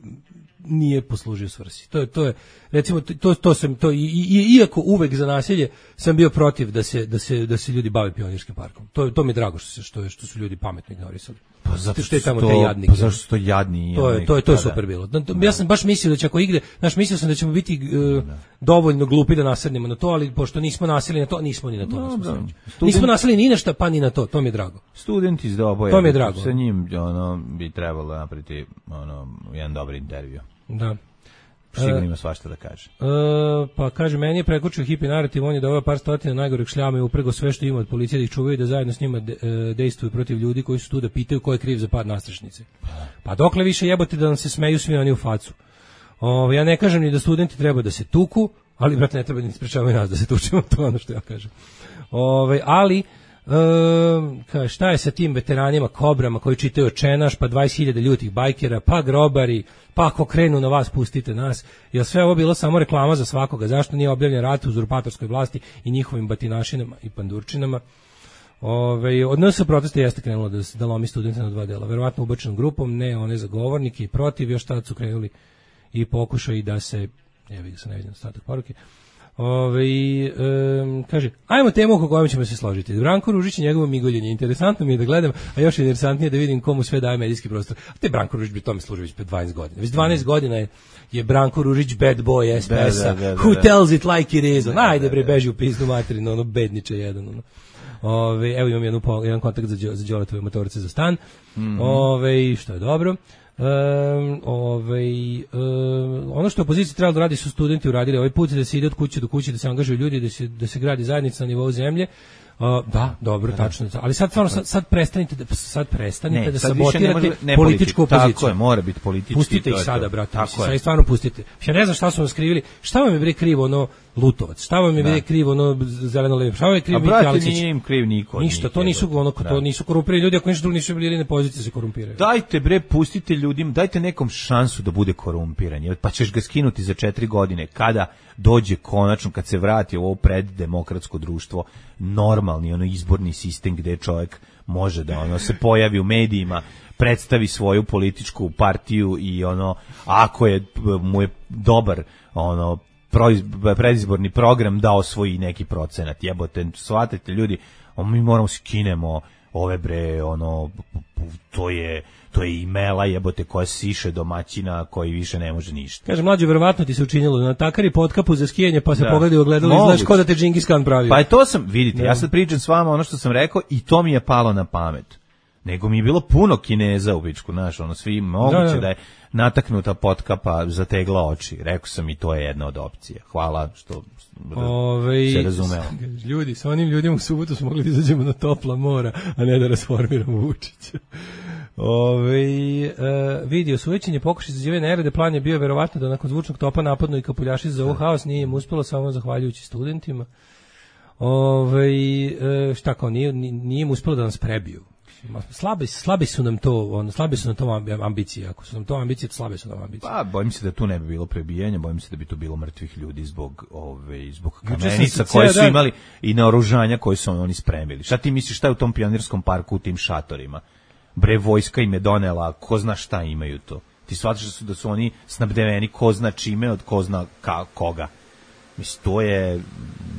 nije poslužio svrsi. To je, to je recimo, to, to sam, to, i, i, iako uvek za nasilje sam bio protiv da se, da se, da se ljudi bave Pionirskim parkom. To, to mi je drago što, se, što, je, što su ljudi pametno ignorisali. Pa zato što je tamo to, te jadnike. Pa zašto su to jadni? To je to je to je super bilo. Ja sam baš mislio da će ako igre, znaš, mislio sam da ćemo biti uh, dovoljno glupi da nasednemo na to, ali pošto nismo naseli na to, nismo ni na to. No, no. Nismo naseli ni na šta, pa ni na to. To mi je drago. Studenti iz Doboja. To mi je drago. Sa njim ono bi trebalo napraviti ono jedan dobar intervju. Da. Sigurno ima svašta da kaže. E, pa kaže, meni je prekočio hipi narativ, on je doveo par stotina najgoreg šljama i uprego sve što ima od policije da ih čuvaju i da zajedno s njima de, e, dejstvuju protiv ljudi koji su tu da pitaju ko je kriv za pad nastrešnice. Pa dokle više jebote da nam se smeju svi oni u facu. O, ja ne kažem ni da studenti treba da se tuku, ali brate ne treba ni sprečavaju nas da se tučemo, to je ono što ja kažem. Ove, ali Um, ka, šta je sa tim veteranima, kobrama koji čitaju Čenaš, pa dvadeset hiljada ljutih bajkera, pa grobari, pa ako krenu na vas, pustite nas. Jer sve ovo bilo samo reklama za svakoga. Zašto nije objavljen rat u uzurpatorskoj vlasti i njihovim batinašinama i pandurčinama? Ove, od nas se proteste jeste krenulo da, da lomi studente na dva dela. Verovatno ubačenom grupom, ne one zagovornike i protiv, još tad su krenuli i pokušaju da se, ja vidim se ne vidim ostatak poruke. Ove, um, kaže, ajmo temu oko kojom ćemo se složiti. Branko Ružić i njegovo migoljenje. Interesantno mi je da gledam, a još interesantnije da vidim komu sve daje medijski prostor. A te Branko Ružić bi tome služi već dvanaest godina. Već dvanaest godina je, je Branko Ružić bad boy S P S-a. Who tells it like it is? Ajde bre, beži u pizdu materinu, ono bedniče jedan. Ono. Ove, evo imam jednu, jedan kontakt za, za Đoletove motorce za stan. Mm-hmm. Ove, što je dobro. Um, ovaj, um, ono što opozicija trebala da radi su studenti uradili ovaj put, da se ide od kuće do kuće, da se angažuju ljudi, da se, da se gradi zajednica na nivou zemlje. Uh, da, dobro, da, tačno. Ali sad stvarno sad, sad prestanite da sad prestanite ne, da sabotirate ne političku opoziciju. Tako je, mora biti politički. Pustite ih sada, brate. Sad stvarno pustite. Ja ne znam šta su vam skrivili. Šta vam je bre krivo ono Lutovac? Šta vam je bre krivo ono Zeleno-levi? Šta vam je krivo Miki Aleksić? Nije im kriv niko. Ništa, to nisu ono to nisu korumpirani ljudi, ako ništa drugo nisu bili na poziciji se korumpiraju. Dajte bre, pustite ljudima, dajte nekom šansu da bude korumpiran. Pa ćeš ga skinuti za četiri godine kada dođe konačno, kad se vrati u ovo preddemokratsko društvo, normalni ono izborni sistem gde čovjek može da ono se pojavi u medijima, predstavi svoju političku partiju i ono ako je mu je dobar ono predizborni program da osvoji neki procenat. Jebote, shvatite ljudi, mi moramo skinemo ove bre, ono, to je, to je imela jebote koja siše domaćina koji više ne može ništa. Kaže, mlađe, verovatno ti se učinilo na takari potkapu za skijanje, pa se da. Pogledaju ogledalo i znaš ko da te Džingis Khan pravio. Pa je to sam, vidite, da. Ja sad pričam s vama ono što sam rekao i to mi je palo na pamet. Nego mi je bilo puno Kineza u bičku, znaš, ono, svi moguće da, da. da je nataknuta potkapa zategla oči. Rekao sam i to je jedna od opcija. Hvala što Ove, se razumeo. Ljudi, sa onim ljudima u subotu smo mogli da izađemo na topla mora, a ne da rasformiramo Vučića. Ove, e, vidio sujećenje pokušaj za nerede, plan je bio verovatno da nakon zvučnog topa napadnu i kapuljaši za ovo haos, nije im uspelo samo zahvaljujući studentima. Ove, e, šta kao, nije, nije im uspelo da nas prebiju. Slabi, slabi su nam to, on, slabi su nam to ambicije. Ako su nam to ambicije, to slabe su nam ambicije. Pa, bojim se da tu ne bi bilo prebijanja, bojim se da bi tu bilo mrtvih ljudi zbog ove, zbog kamenica koje su imali i naoružanja koje su oni spremili. Šta ti misliš, šta je u tom pionirskom parku u tim šatorima? Bre, vojska im je donela, ko zna šta imaju to. Ti shvataš da su, da su oni snabdeveni ko zna čime od ko zna ka, koga. Mislim, to je,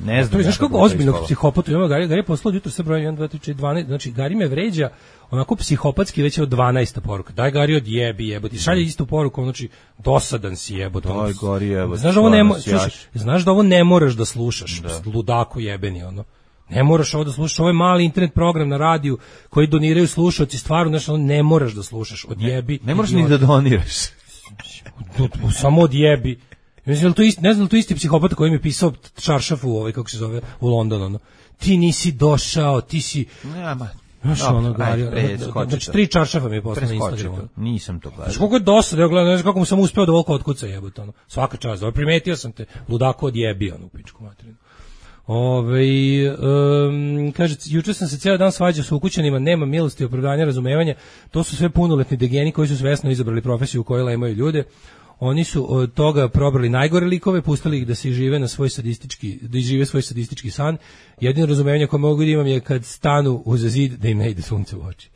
ne znam. To je, znaš kako ozbiljnog psihopata ima Gari, Gari je poslao jutro sa brojem jedan, dva, tri, četiri, dvanaest, znači Gari me vređa onako psihopatski već je od dvanaesta poruka. Daj Gari odjebi jebote, šalje istu poruku, znači dosadan si jebote. Daj Gari jebote. Znaš da ovo ne, slušaš, znaš da ovo ne moraš da slušaš, da. Ludako jebeni ono. Ne moraš ovo da slušaš, ovo je mali internet program na radiju koji doniraju slušaoci, stvarno, znači ono ne moraš da slušaš, odjebi. Ne, ne moraš ni da doniraš. Samo odjebi. Mislim, to isti, ne znam, to isti psihopata koji mi je pisao čaršafu ovaj, kako se zove, u Londonu, ono. Ti nisi došao, ti si... Nema. Znaš, ono, Gari, znači, tri čaršafa mi je poslao na Instagramu. Nisam to gledao. Znaš, koliko je dosta, ja gledam, znaš kako mu sam uspeo da volko otkuca jebote, ono. Svaka čast, ovaj, primetio sam te, ludako odjebi, ono, u pičku materinu. Ove, um, kaže, juče sam se cijeli dan svađao sa ukućanima, nema milosti, opravdanja, razumevanja, to su sve punoletni degeni koji su svesno izabrali profesiju u kojoj imaju ljude. Oni su od toga probrali najgore likove, pustili ih da se žive na svoj sadistički, da žive svoj sadistički san. Jedino razumevanje koje mogu da imam je kad stanu uza zid da im ne ide sunce u oči.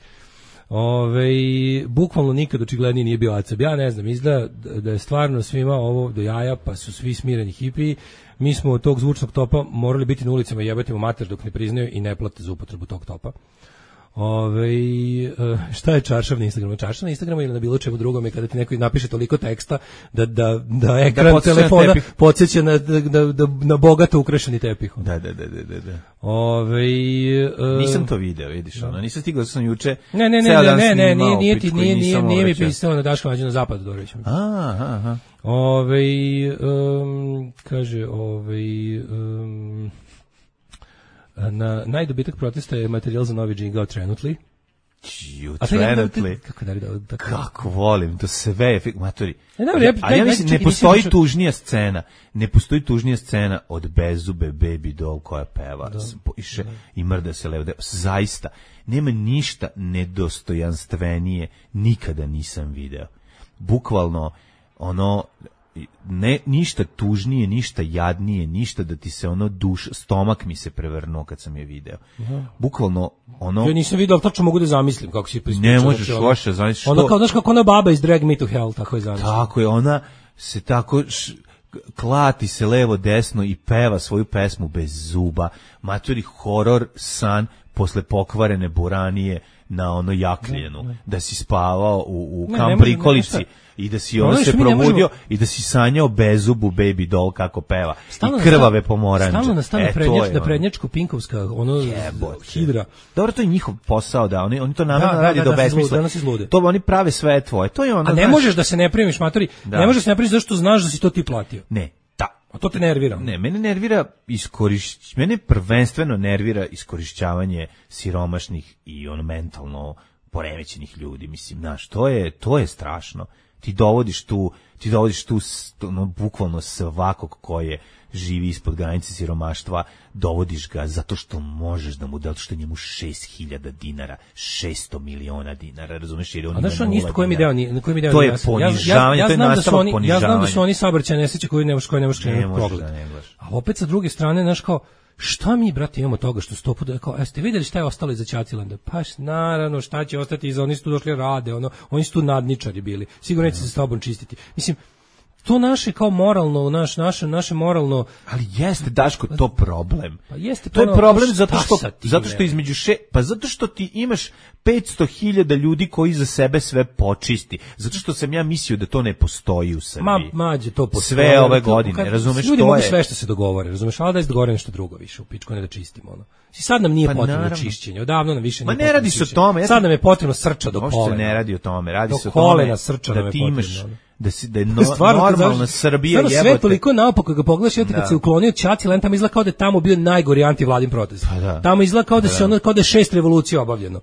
Ove, bukvalno nikad očiglednije nije bio acab. Ja ne znam, izgleda da je stvarno svima ovo do jaja, pa su svi smireni hipiji. Mi smo od tog zvučnog topa morali biti na ulicama i jebati mu mater dok ne priznaju i ne plate za upotrebu tog topa. Ove, šta je čaršav na Instagramu? Čaršav na Instagramu ili na bilo čemu drugom je kada ti neko napiše toliko teksta da, da, da ekran da telefona podsjeća na, da, da, na bogato ukrašeni tepih. Da, da, da, da, da. Ove, nisam to video, vidiš, ono, nisam stigao da sam juče. Ne, ne, ne, ne, ne, ne, nije, nije, ti, nije, nije, nije mi pisao na Daško Mlađe na zapadu, Dorović. Aha, aha. Ove, um, kaže, ove, um, na najdobitak protesta je materijal za novi džingao trenutli. You trenutli. Kako da da tako. Kako volim, to sve je matori. E, dobro, ja, ali ja mislim ne postoji tužnija scena, ne postoji tužnija scena od Bezube Baby Doll koja peva iše i mrda se levo. Zaista nema ništa nedostojanstvenije, nikada nisam video. Bukvalno ono ne ništa tužnije, ništa jadnije, ništa da ti se ono duš, stomak mi se prevrnuo kad sam je video. Aha. Bukvalno ono. Ja nisam video, ali tačno mogu da zamislim kako si pristučio. Ne možeš loše, znaš što. Ona kao, znaš kako ona baba iz Drag Me to Hell, tako je zamislim. Tako je, ona se tako š, klati se levo desno i peva svoju pesmu bez zuba. Matori horor san posle pokvarene buranije na ono jakljenu, ne, ne. Da si spavao u, u kamprikolici i da si ono se probudio možemo... i da si sanjao bezubu Baby Doll kako peva stalno i krvave pomoranđe. Stalno nastane prednjač, da prednjačko pinkovska ono Jebote. Hidra. Dobro, to je njihov posao da oni oni to namerno da, radi da, da, da besmisle. To oni prave sve tvoje. To je ono. A ne znaš... možeš da se ne primiš, matori. Da. Ne možeš da se ne primiš zato što znaš da si to ti platio. Ne. A to te nervira? Ne, mene nervira iskorišć, mene prvenstveno nervira iskorišćavanje siromašnih i ono mentalno poremećenih ljudi, mislim, znaš, to je to je strašno. Ti dovodiš tu, ti dovodiš tu no, bukvalno svakog ko je živi ispod granice siromaštva, dovodiš ga zato što možeš da mu da što njemu šest hiljada dinara, šesto miliona dinara, razumeš, jer on ima. A znaš on isto koji mi deo, na koji mi deo. To je ponižavanje, to je nastavak ponižavanja. Ja znam da su oni saobraćajne nesreće koje ne možeš koje ne možeš krenuti pogled. A opet sa druge strane, znaš kao, šta mi, brate, imamo toga što sto puta, kao, jeste vidjeli šta je ostalo iza Ćatilanda? Pa naravno, šta će ostati iza, oni su tu došli rade, ono, oni su tu nadničari bili, sigurno neće se s tobom čistiti. Mislim, to naše kao moralno, naš, naše, naše moralno... Ali jeste, Daško, to problem. Pa jeste, to je problem zato šta što, sa tim, zato što između še... Pa zato što ti imaš petsto hiljada ljudi koji za sebe sve počisti. Zato što sam ja mislio da to ne postoji u Srbiji. Ma, mađe, to postoji. Sve ove godine, razumeš, ljudi to mogu je... sve što se dogovore, razumeš, ali da se dogovore nešto drugo više, u pičku, ne da čistimo, ono. I sad nam nije Pa potrebno naravno. čišćenje, odavno nam više Ma nije ne radi se o tome. Ja sad sam... nam je potrebno srča do Uopšte kolena. se ne radi o tome, radi do se o tome kolena srča da nam je ti imaš, potrebno. da, si, da je no, Stvarno, normalna znaš, Srbija stvarno jebote. sve toliko naopako kad ga pogledaš, ja kad se uklonio Ćatilan, tamo izgleda kao da je tamo bio najgori antivladin protest. Pa da. Tamo izgleda kao da Pa se da. ono, kao da je šest revolucija obavljeno.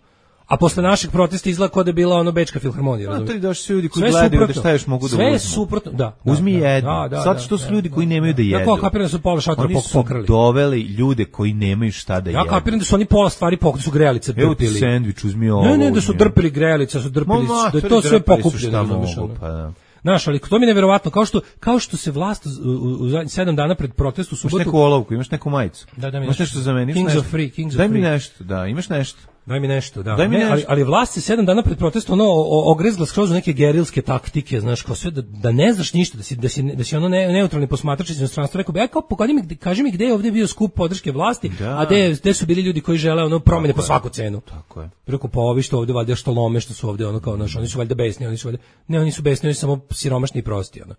A posle našeg protesta izgleda kao da je bila ono Bečka filharmonija, A razumiješ? to je došli ljudi koji Sve gledaju da suprotno. šta još mogu da uzmu. Sve je suprotno, da. da Uzmi da, jednu. da, da, Zato što da, su da, ljudi koji da, nemaju da Ja jedu. kao kapiram da su pola šatora Oni su pokrali. doveli ljude koji nemaju šta da Ja jedu. kapiram da su oni pola stvari pokrali, su grejalice Evo ti drpili. sendvič, uzmi ovo. Ne, ne, da su uzmi drpili grejalice, su drpili, Ma, da je to matori, sve drpali su pokupljeno, šta razumiješ, mogu, ono. pa da. Znaš, ali to mi je neverovatno, kao što, kao što se vlast u, u, u zadnjih sedam dana pred protest u Imaš subotu... neku olovku, imaš neku majicu. Da, da mi imaš nešto. nešto za mene, imaš Kings nešto. of Free, Kings of Daj mi Free. nešto, da, imaš nešto. Daj mi nešto, da. Daj mi Ne, nešto. ali, ali vlast se sedam dana pred protestom ono o- ogrezla skroz u neke gerilske taktike, znaš, kao sve da, da ne znaš ništa, da si da si da si ono ne, neutralni posmatrač iz inostranstva. Rekao bi, aj kao pokaži mi, gde- kaži mi gde je ovdje bio skup podrške vlasti, Da. a gde gde su bili ljudi koji žele ono promene Tako po je. svaku cenu. Tako je. Rekao, pa ovi što ovdje valjda što lome, što su ovdje ono kao, znaš, oni su valjda besni, oni su valjda, ne, oni su besni, oni su samo siromašni i prosti, ono.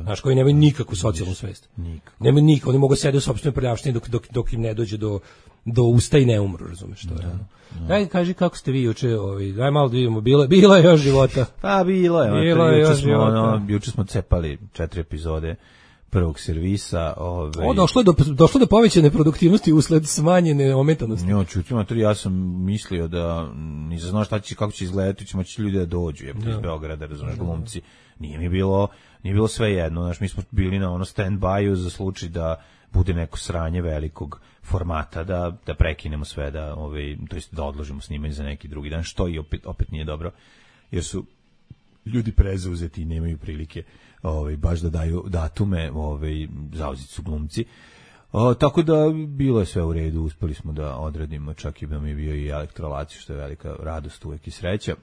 Znaš, koji nemaju nikakvu socijalnu svest. Nikako. Nemaju nikako, oni mogu sede u sopstvenoj prljavštini dok, dok, dok im ne dođe do, do usta i ne umru, razumeš što je. ono. Daj, kaži kako ste vi juče, ovaj, daj malo da vidimo, bilo, bilo je još života. Pa bilo je, ono, Bilo je juče još smo, života. ono, juče smo cepali četiri epizode prvog servisa. Ove, O, došlo je do, došlo do povećane produktivnosti usled smanjene ometanosti. Njo, čuti, mater, ja sam mislio da nisam znao šta će, kako će izgledati, ćemo će ljudi da dođu, je, iz Beograda, razumeš, glumci. Nije mi bilo, nije bilo sve jedno, znaš, mi smo bili na ono stand-by-u za slučaj da bude neko sranje velikog formata, da, da prekinemo sve, da, ovaj, to jest da odložimo snimanje za neki drugi dan, što i opet, opet nije dobro, jer su ljudi prezauzeti i nemaju prilike ovaj, baš da daju datume, ovaj, zauzeti su glumci. O, tako da bilo je sve u redu, uspeli smo da odradimo, čak i da mi je bio i elektrolacij, što je velika radost uvek i sreća.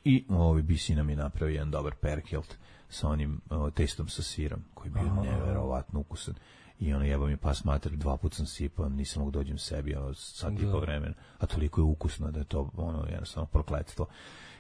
I ovaj B C nam je napravio jedan dobar perkelt sa onim o, testom sa sirom, koji je bio neverovatno ukusan. I ono jeba mi pas mater, dva put sam sipao, nisam mogu dođem sebi, ono, sad i po vremena, a toliko je ukusno da je to ono jednostavno prokletstvo.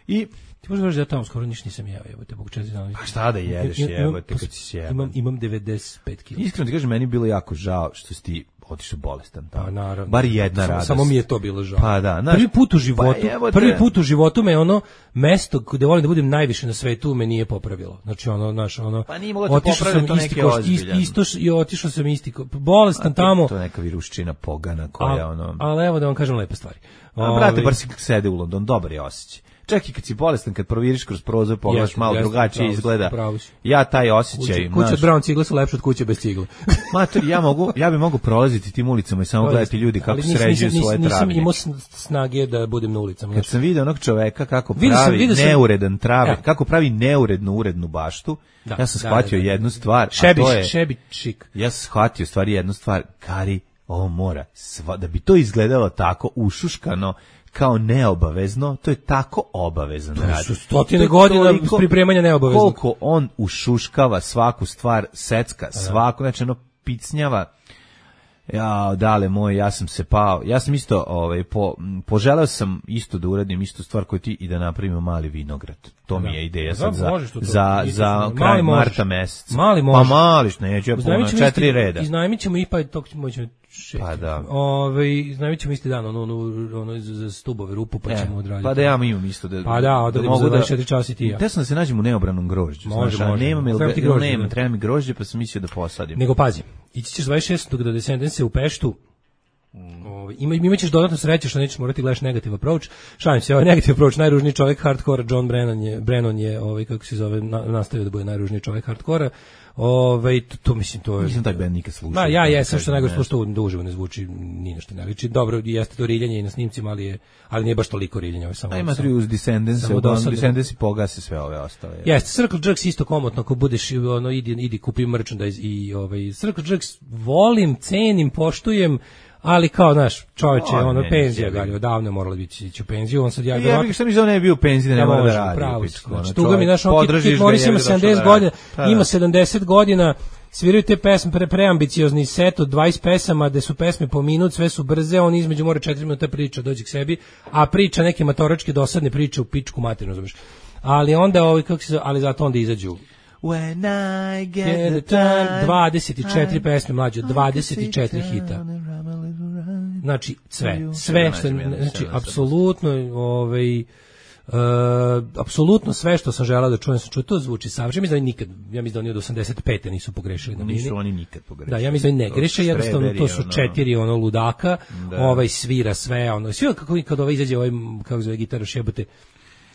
I Ti možeš reći da ja tamo skoro ništa nisam jeo, jebote, bog četiri dana. pa šta da jedeš, Imam- imam- jebote, kad si sjeban. Imam, imam devedeset pet kila. Iskreno ti kažem, meni je bilo jako žao što si ti otišao bolestan tamo. Pa naravno. Bar jedna samo, radost. samo mi je to bilo žao. Pa da, znaš, prvi put u životu, pa jebote. prvi put u životu me ono mesto gde volim da budem najviše na svetu me nije popravilo. Znači ono, znaš, ono. Pa nije moglo te otišao popraviti, sam to isti neki koš- ozbiljan. isto š- i otišao sam isti ko- bolestan tamo. To je neka viruščina pogana koja a- ono... Ali evo da vam kažem lepe stvari. A, brate, Ovaj, bar si sede u London, dobar je osjećaj. Čak i kad si bolestan, kad proviriš kroz prozor, pogledaš Jeste, malo jeste, drugačije pravo si, izgleda. pravo si. Ja taj osjećaj, kuća, kuća znaš, od brown cigle su lepše od kuće bez cigle. mater, ja mogu, ja bi mogu prolaziti tim ulicama i samo gledati ljudi kako Ali nisam- sređuju nisam- svoje nisam travnjake. imao sn- snage da budem na ulicama. Kad Znači, sam vidio onog čoveka kako Vidio sam- pravi vidio sam- neuredan trave, Evo. kako pravi neurednu urednu baštu, Da, ja sam da, shvatio da, da. jednu stvar, šebi, a to je, šebi čik. ja sam shvatio stvari jednu stvar, Kari, ovo mora, sva, da bi to izgledalo tako ušuškano, kao neobavezno, to je tako obavezan rad. su stotine To je godina toliko- pripremanja neobaveznog. Koliko on ušuškava svaku stvar, secka, svaku, znači ono picnjava. Ja, dale moj, ja sam se pao. Ja sam isto, ovaj, po, m, poželeo sam isto da uradim istu stvar koju ti i da napravimo mali vinograd. To mi je ideja Da, sad za, možeš to to. za, Isto za sam- kraj mali možeš. marta meseca. Mali Pa možeš. mališ, neću ja puno, Iznajmit ćemo četiri isti- reda. Iznajmit ćemo i pa tog ćemo ćemo šest. Pa da. Ovaj iznajmit ćemo isti dan ono ono ono za- za stubove rupu pa E, ćemo odraditi. pa da ja imam isto da Pa da, odradimo za dvadeset četiri časa i ti i ja. Te sam da se nađem u neobranom grožđu. Može, znaš, a može. nemam, jel, Treba ti jel grožđe, nemam, da. treba mi grožđe, pa sam mislio da posadim. Nego pazi, ići ćeš dvadeset šestog do Descendence u Peštu. Ovaj ima imaćeš dodatno sreće što nećeš morati gledaš negative approach. Šalim se, ovaj negative approach najružniji čovjek hardkora John Brennan je Brennan je ovaj kako se zove na, nastavio da bude najružniji čovjek hardkora. Ovaj to, to mislim to je. Nisam taj band nikad slušao. Ma ja da jesam kažem, što najgore ne. što da uživo ne zvuči ni na što ne liči. Dobro, jeste to riljanje i na snimcima, ali je ali nije baš toliko riljanja, ovo je samo. A ima samo- tri uz Descendants, samo od dosadno. Descendants pogase sve ove ostale. Jeste, Circle Jerks isto komotno, ako budeš ono idi idi kupi merchandise i ovaj Circle Jerks volim, cenim, poštujem, ali kao, znaš, čovječe, on, ono, penzija ga je odavno morala biti ići u penziju, on sad ja... Ja bih što mi za ne bio u penziji, da ne mora da radi. Pravo, znači, tuga mi, znaš, on Kit Morris ima sedamdeset godina, ima sedamdeset godina, sviraju te pesme, pre, preambiciozni set od dvadeset pesama, gde su pesme po minut, sve su brze, on između mora četiri minuta priča, dođe k sebi, a priča neke matoročke dosadne priče u pičku materinu, znaš. Ali onda, ovaj, kako se, ali zato onda izađu When I get the time, dvadeset četiri pesme mlađe, dvadeset četiri hita. Znači, sve, sve što, znači, apsolutno, ovaj, Uh, apsolutno sve što sam želeo da čujem, sam čuo, to zvuči savršeno. Mislim da nikad, ja mislim da oni od osamdeset pete nisu pogrešili na bini. Nisu oni nikad pogrešili. Da, ja mislim da ne greše, jednostavno to su četiri ono ludaka, da. Ovaj svira sve, ono, sve kako kad ovaj izađe, ovaj, kako zove gitara šebote,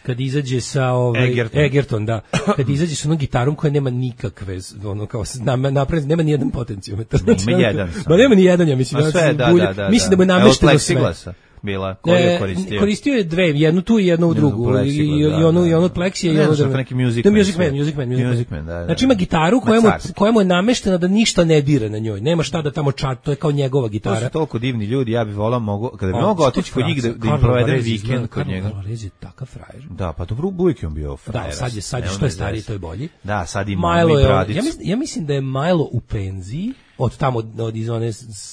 kad izađe sa ovaj Egerton, Egerton da, kad izađe sa onom gitarom koja nema nikakve, ono kao napravljeno, nema ni jedan potencijometar. Ima jedan. Ma nema ni jedan, ja mislim. Sve, da, da, da, mislim da mu je namešteno sve. Bila, koju je koristio? E, koristio je dve, jednu tu i jednu u drugu. I, i, i, i onu, i onu od Plexija i onu od... neki Music Man. Music Man, Music Man. Music Man, da, da. Znači ima gitaru koja mu, koja mu je nameštena da ništa ne dira na njoj. Nema šta da tamo čat, to je kao njegova gitara. To su toliko divni ljudi, ja bih volao, mogu, kada bi mogu otići kod njih da, da im provedem vikend kod njega. Karlo Varese je takav frajer. Da, pa dobro, uvijek je on bio frajer. Da, sad je, sad je što je stariji, to je bolji. Da, sad ima i Bradicu. Ja mislim, ja mislim da je Milo u penziji, od tamo, od iz one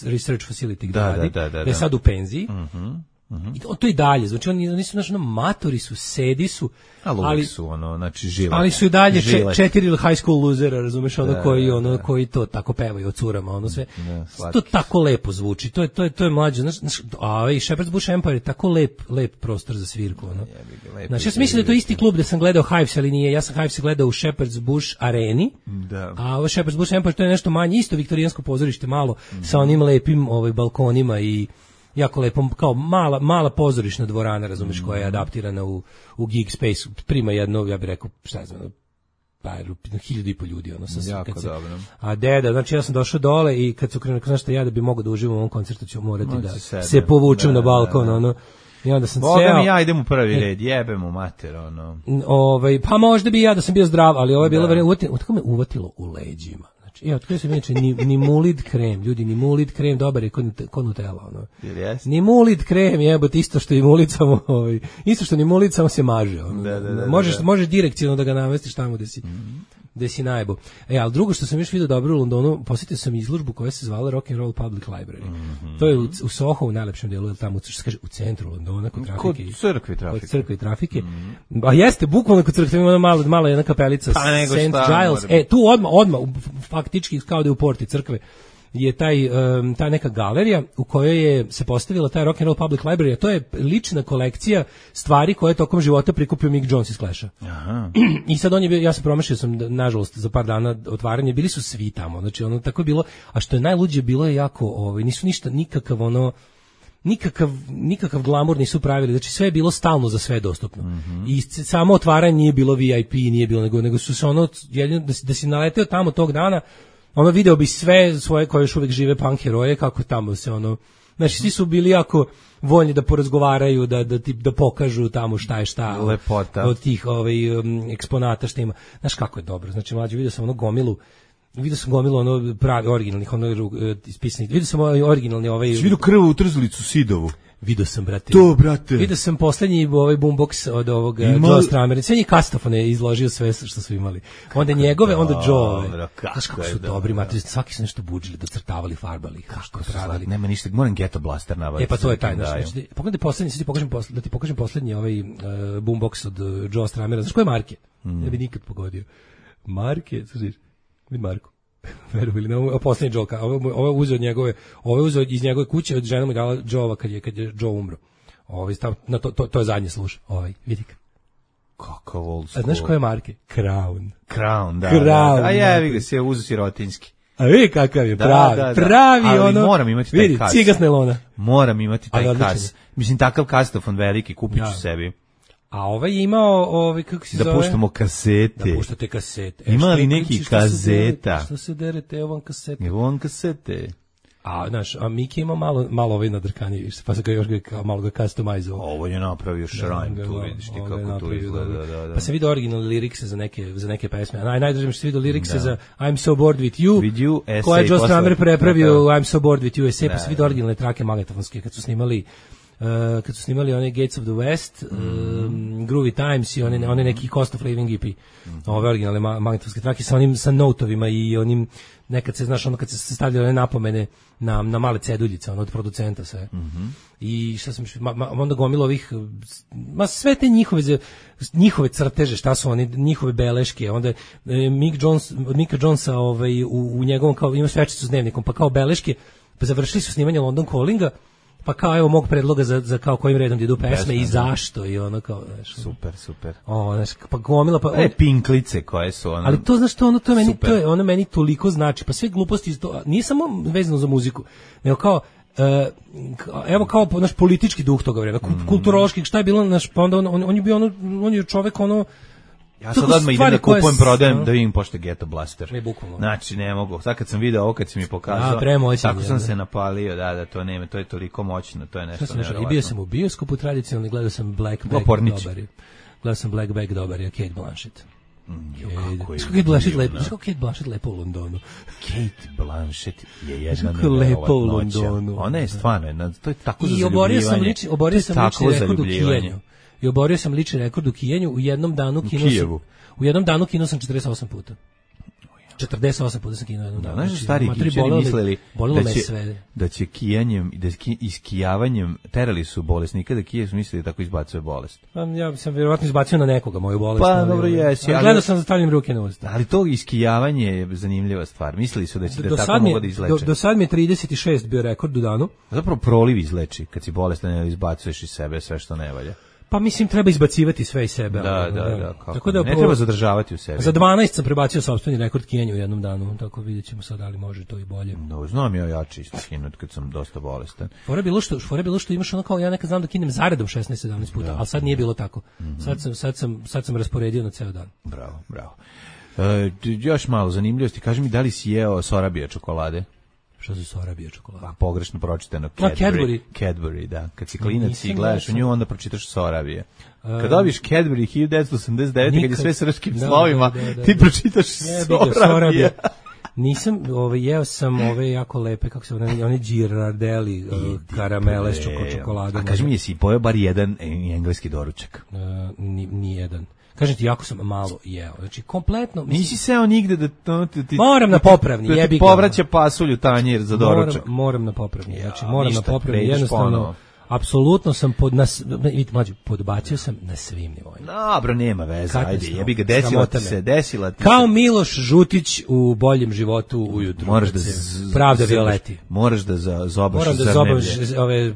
research facility gde radi, da je sad u penziji. I to, to i dalje, znači oni, oni su znači, ono, matori su, sedi su, ali su ono, znači žilet. Ali su i dalje če, četiri high school losera, razumeš, ono da, koji ono da. koji to tako pevaju od curama, ono sve. Da, to tako lepo zvuči. To je to je to je mlađe, znači, a ovaj Shepherd's Bush Empire je tako lep, lep prostor za svirku, ono. Znači ja sam mislio da je to isti klub gde sam gledao Hives, ali nije. Ja sam Hives gledao u Shepherd's Bush areni. Da. A ovo Shepherd's Bush Empire to je nešto manje, isto viktorijansko pozorište malo mm. sa onim lepim ovaj balkonima i jako lepo, kao mala, mala pozorišna dvorana, razumeš, koja je adaptirana u, u Geek Space, prima jedno, ja bih rekao, šta znam, pa hiljadu i po ljudi, ono, sam jako se, dobro. A deda, znači ja sam došao dole i kad su krenuli, znaš šta, ja da bi mogao da uživam u ovom koncertu ću morati no, da se, se povučem da, na balkon, da, da. ono, i onda sam Boga ceo... mi ja idem u prvi red, jebem u mater, ono. Ovaj, pa možda bi ja da sam bio zdrav, ali ovo je bilo, da. Uvatilo, tako me uvatilo u leđima. Ja, otkrio sam inače ni, ni mulid krem, ljudi, ni mulid krem, dobar je kod Nutella, ono. Yes. Ni mulid krem, jebote, isto što i mulid samo, ovaj, isto što ni mulid samo se maže, ono. Da, da, da, možeš, da. možeš direkcijno da ga namestiš tamo gde si, mm-hmm. gde si najbo. E, ali drugo što sam još vidio dobro u Londonu, posjetio sam izložbu koja se zvala Rock and Roll Public Library. Mm-hmm. To je u, u Soho, u najlepšem delu, ili tamo, što se kaže, u centru Londona, kod trafike. Kod crkve trafike. Kod crkve i trafike. Mm-hmm. A jeste, bukvalno kod crkve, ima malo, malo jedna kapelica, pa, Saint Giles. E, tu odmah, odmah, faktički, kao da je u porti crkve, je taj, um, ta neka galerija u kojoj je se postavila taj Rock and Roll Public Library, a to je lična kolekcija stvari koje je tokom života prikupio Mick Jones iz Clash-a. Aha. I sad on je bio, ja sam promašio sam, nažalost, za par dana otvaranje, bili su svi tamo, znači ono tako je bilo, a što je najluđe bilo je jako, ovaj, nisu ništa, nikakav ono, nikakav, nikakav glamur nisu pravili, znači sve je bilo stalno za sve dostupno. Mm-hmm. I samo otvaranje nije bilo V I P, nije bilo, nego, nego su se ono, jedino, da si, da si naleteo tamo tog dana, ono video bi sve svoje koje još uvijek žive punk heroje, kako tamo se ono, znači svi su bili jako voljni da porazgovaraju, da, da, da pokažu tamo šta je šta lepota od tih ovaj, um, eksponata šta ima. Znaš kako je dobro, znači mlađe, vidio sam ono gomilu, vidio sam gomilu ono pravi, originalnih, ono ispisanih, vidio sam ovaj originalni ovaj... Si vidio krvu u trzalicu Sidovu? Vidio sam, brate. To, brate. Vidio sam poslednji ovaj boombox od ovog Joe Stramera. Sve njih kastofone je izložio sve što su imali. Onda njegove, onda Joe. Znaš kako su dobri, matri, svaki su nešto budžili, docrtavali, farbali, kako pravili. Nema ništa, moram Ghetto Blaster nabaviti. E pa to je taj, znači, pogledaj poslednji, sad ti pokažem poslednji, da ti pokažem poslednji ovaj uh, boombox od uh, Joe Stramera. Znaš koje marke? Mm. Ne bi nikad pogodio. Marke, slušaj, vidi Marko. Verovili na ovo poslednji Joe, ovo ovo uzeo od njegove, ovo je uzeo iz njegove kuće, od žena mu dala Joe kad je kad je Joe umro. Ovaj stav na to to to je zadnji sluš. Ovaj vidi ga. Kakav old school. A znaš koje marke? Crown. Crown, da. Crown, da. A ja vidi se uzeo sirotinski. A vidi kakav je, da, pravi, da, da. pravi ali ono. Moram imati taj vidi, kas. Cigas nelona. Moram imati taj kas. Mislim takav kastofon veliki kupiću ja. sebi. A ovaj je imao, ovaj, kako se da zove? Da puštamo kasete. Da puštate kasete. E, ima li neki kazeta? Što se derete, evo vam kasete. Evo vam kasete. A, znaš, a Miki ima malo, malo ovaj nadrkani, pa se ga još ga, malo ga customizovao. Ovo je napravio shrine, tu vidiš ti kako tu izgleda. Da, da. Pa sam vidio originalne lirikse za neke, za neke pesme. A naj, najdraže mi što sam vidio lirikse za I'm so bored with you, with you koja je Joe Strummer prepravio I'm so bored with you, esej, pa sam vidio originalne trake magnetofonske kad su snimali Uh, kad su snimali one Gates of the West, mm. um, Groovy Times i one, one neki Cost of Living E P, mm. ove originalne ma magnetofonske trake sa onim sa notovima i onim, nekad se, znaš, ono kad se stavljaju one napomene na, na male ceduljice, ono od producenta sve. Mm -hmm. I šta sam, ma, ma, onda gomilo ovih, ma sve te njihove, njihove crteže, šta su oni, njihove beleške, onda e, Mick Jones, Micka Jonesa ovaj, u, u njegovom, kao, ima svečicu s dnevnikom, pa kao beleške, pa završili su snimanje London Callinga, pa kao evo mog predloga za, za kao kojim redom idu pesme Besme, i zašto i ono kao, znaš, super, super. O, znaš, pa gomila pa e pinklice koje su ono. Ali to znaš to ono to je meni super. To je ono meni toliko znači, pa sve gluposti iz to nije samo vezano za muziku, nego kao uh, evo kao naš politički duh toga vremena, mm. kulturološki, šta je bilo naš, pa onda on, on, on je bio ono, on je čovek ono. Ja sad odmah idem da kupujem, prodajem, no. da vidim pošto Ghetto Blaster. Ne, bukvalno. Znači, ne mogu. Sad kad sam video ovo, kad si mi pokazao, a, tako sam da. se napalio, da, da, to nema, to je toliko moćno, to je nešto nevjerovatno. I bio sam u bioskopu tradicionalno, gledao sam Black Bag, dobar je. Gledao sam Black Bag, dobar je, Kate Blanchett. Mm, jo, kako je Kate Blanchett lepo, kako Kate Blanchett lepo u Londonu. Kate Blanchett je jedna lepo u Londonu. Ona je stvarno, to je tako za zaljubljivanje. I oborio sam lični, oborio sam lični rekord u kijenju. I oborio sam lični rekord u kijenju, u jednom danu kino sam. U jednom danu kino sam četrdeset osam puta. četrdeset osam puta sam kino jednom danu. Znaš, znači, stari Egipćani mislili da će, da će kijanjem i da iskijavanjem terali su bolesnika, da kije su mislili da tako izbacuje bolest. Pa, ja sam vjerovatno izbacio na nekoga moju bolest. Pa, ali, dobro, jesi. Ali, ali gledao sam da stavljam ruke na usta. Ali to iskijavanje je zanimljiva stvar. Mislili su da će da tako mogu da izleče. Do, do sad mi je trideset šest bio rekord u danu. Zapravo proliv izleči kad si bolestan, izbacuješ iz sebe sve što ne valja. Pa mislim treba izbacivati sve iz sebe. Da, da, da, da. Tako da, ne treba zadržavati u sebi. Za dvanaest sam prebacio sopstveni rekord kijenja u jednom danu, tako vidjet ćemo sad da li može to i bolje. No, znam ja jači isto kinut kad sam dosta bolestan. Fora bilo što, fora bilo što imaš ono kao ja nekad znam da kinem zaredom šesnaest sedamnaest puta, da. Ali sad nije bilo tako. Mm-hmm. Sad sam sad sam sad sam rasporedio na ceo dan. Bravo, bravo. E, još malo zanimljivosti, kaži mi da li si jeo Sorabija čokolade? Što su Sorabija čokolada? A pogrešno pročitano Cadbury. Cadbury. Cadbury, da. Kad si klinac i gledaš u nju, onda pročitaš Sorabija. Kad dobiš Cadbury hiljadu devetsto osamdeset devete kad je sve srpskim da, slovima, da, da, da, ti pročitaš Sorabija. Nisam, ovaj, jeo sam ove jako lepe, kako se one, one Girardelli uh, karamele s čokoladom. A kaži mi, jesi pojeo bar jedan engleski doručak? Uh, ni, ni jedan. Kažem ti, jako sam malo jeo. Znači, kompletno... Mislim, nisi seo nigde da... To, ti, ti, moram na popravni, da jebi ga. Povraća pasulju tanjir za doručak. Moram, moram na popravni, znači, moram ja, na popravni. Jednostavno, ponovo. Apsolutno sam pod... Nas, vidite, mlađe, podbacio sam na svim nivoima. Dobro, nema veze, ajde, jebi ga, desila ti se, desila ti se. Kao Miloš Žutić u Boljem životu ujutru. Moraš da... Pravda Violeti. Moraš da zobaš moram da zobaš ove,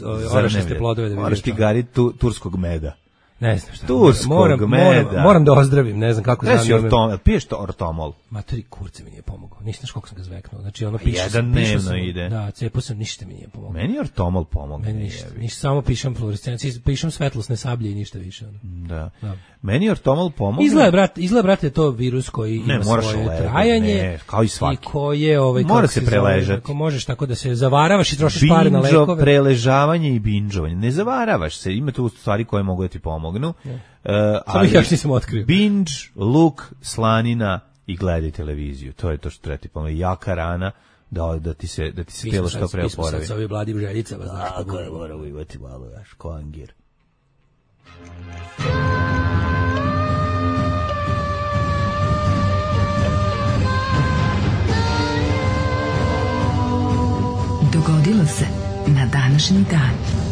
ove orašaste plodove. Da moraš ti gariti tu, turskog meda. Ne znam šta. Turskog moram, meda. Moram, moram da ozdravim, ne znam kako znam. Ortom, piješ to ortomol. Matori kurce mi nije pomogao. Nisi znaš koliko sam ga zveknuo. Znači ono piše jedan dnevno ide. Da, cepao sam, ništa mi nije pomogao. Meni ortomol pomogne. Meni ništa. Ništa, samo pišem fluorescenciju, pišem svetlosne sablje i ništa više. Ono. Da. da. Meni ortomol pomogne. Izgleda brat, izgleda brate to virus koji ne, ima svoje lepo, trajanje. Ne, kao i svaki. I koje ovaj mora se preležati. Ako možeš tako da se zavaravaš i trošiš pare na lekove. Preležavanje i bindžovanje. Ne zavaravaš se, ima tu stvari koje mogu da ti pomognu. Ne. Uh, ali ja nisam otkrio. Binge, luk, slanina i gledaj televiziju. To je to što treba ti pomoći. Jaka rana da, da ti se, da ti se telo što pre oporavi. Mi smo sad sa ovim bladim željicama. Tako je, moramo imati malo, daš, ko angir. Dogodilo se na današnji dan.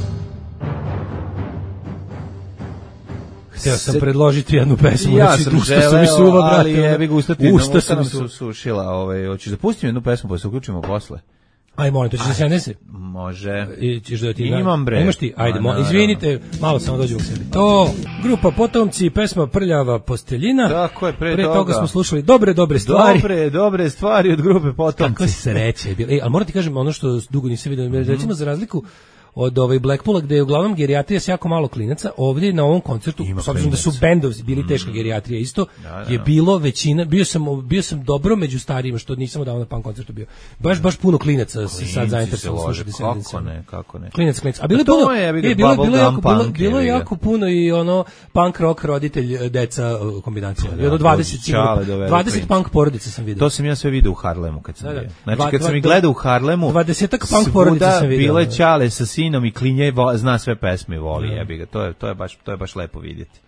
Htio sam predložiti jednu pesmu, ja znači, sam usta su mi suva, brate, ali jebi ga ustati, usta usta mi su sušila, ovaj, hoćeš da pustimo jednu pesmu pa se uključimo posle? Aj, molim, to ćeš da se nese? Može. I ćeš da ti... Imam bre. Imaš ti? Ajde, mo, izvinite, malo samo dođu u sebi. To, grupa Potomci, pesma Prljava posteljina. Tako je, pre, pre toga. toga smo slušali dobre, dobre stvari. Dobre, dobre stvari od grupe Potomci. Tako sreće je bilo. Ej, ali moram ti kažem ono što dugo nisam vidio, recimo za razliku od ovaj Blackpoola gde je uglavnom gerijatrija s jako malo klinaca, ovdje na ovom koncertu, s obzirom da su bendovi bili teška gerijatrija isto, da, da, je bilo većina, bio sam bio sam dobro među starijima, što nisam odavno na punk koncertu bio. Baš baš puno klinaca se sad zainteresovalo slušati Descendants. Kako ne, kako ne. Klinac, klinac. A bilo je bilo, je, bilo, bilo, bilo, jako, bilo, bilo je jako puno i ono punk rock roditelj deca kombinacija. I ono dvadeset dvadeset punk porodica sam vidio. To sam ja sve vidio u Harlemu kad sam bio. Znači kad sam ih gledao u Harlemu, dvadesetak punk porodica sam vidio. Bile čale sa sinom i klinje zna sve pesme, voli, jebi ga. To je to je baš to je baš lepo vidjeti.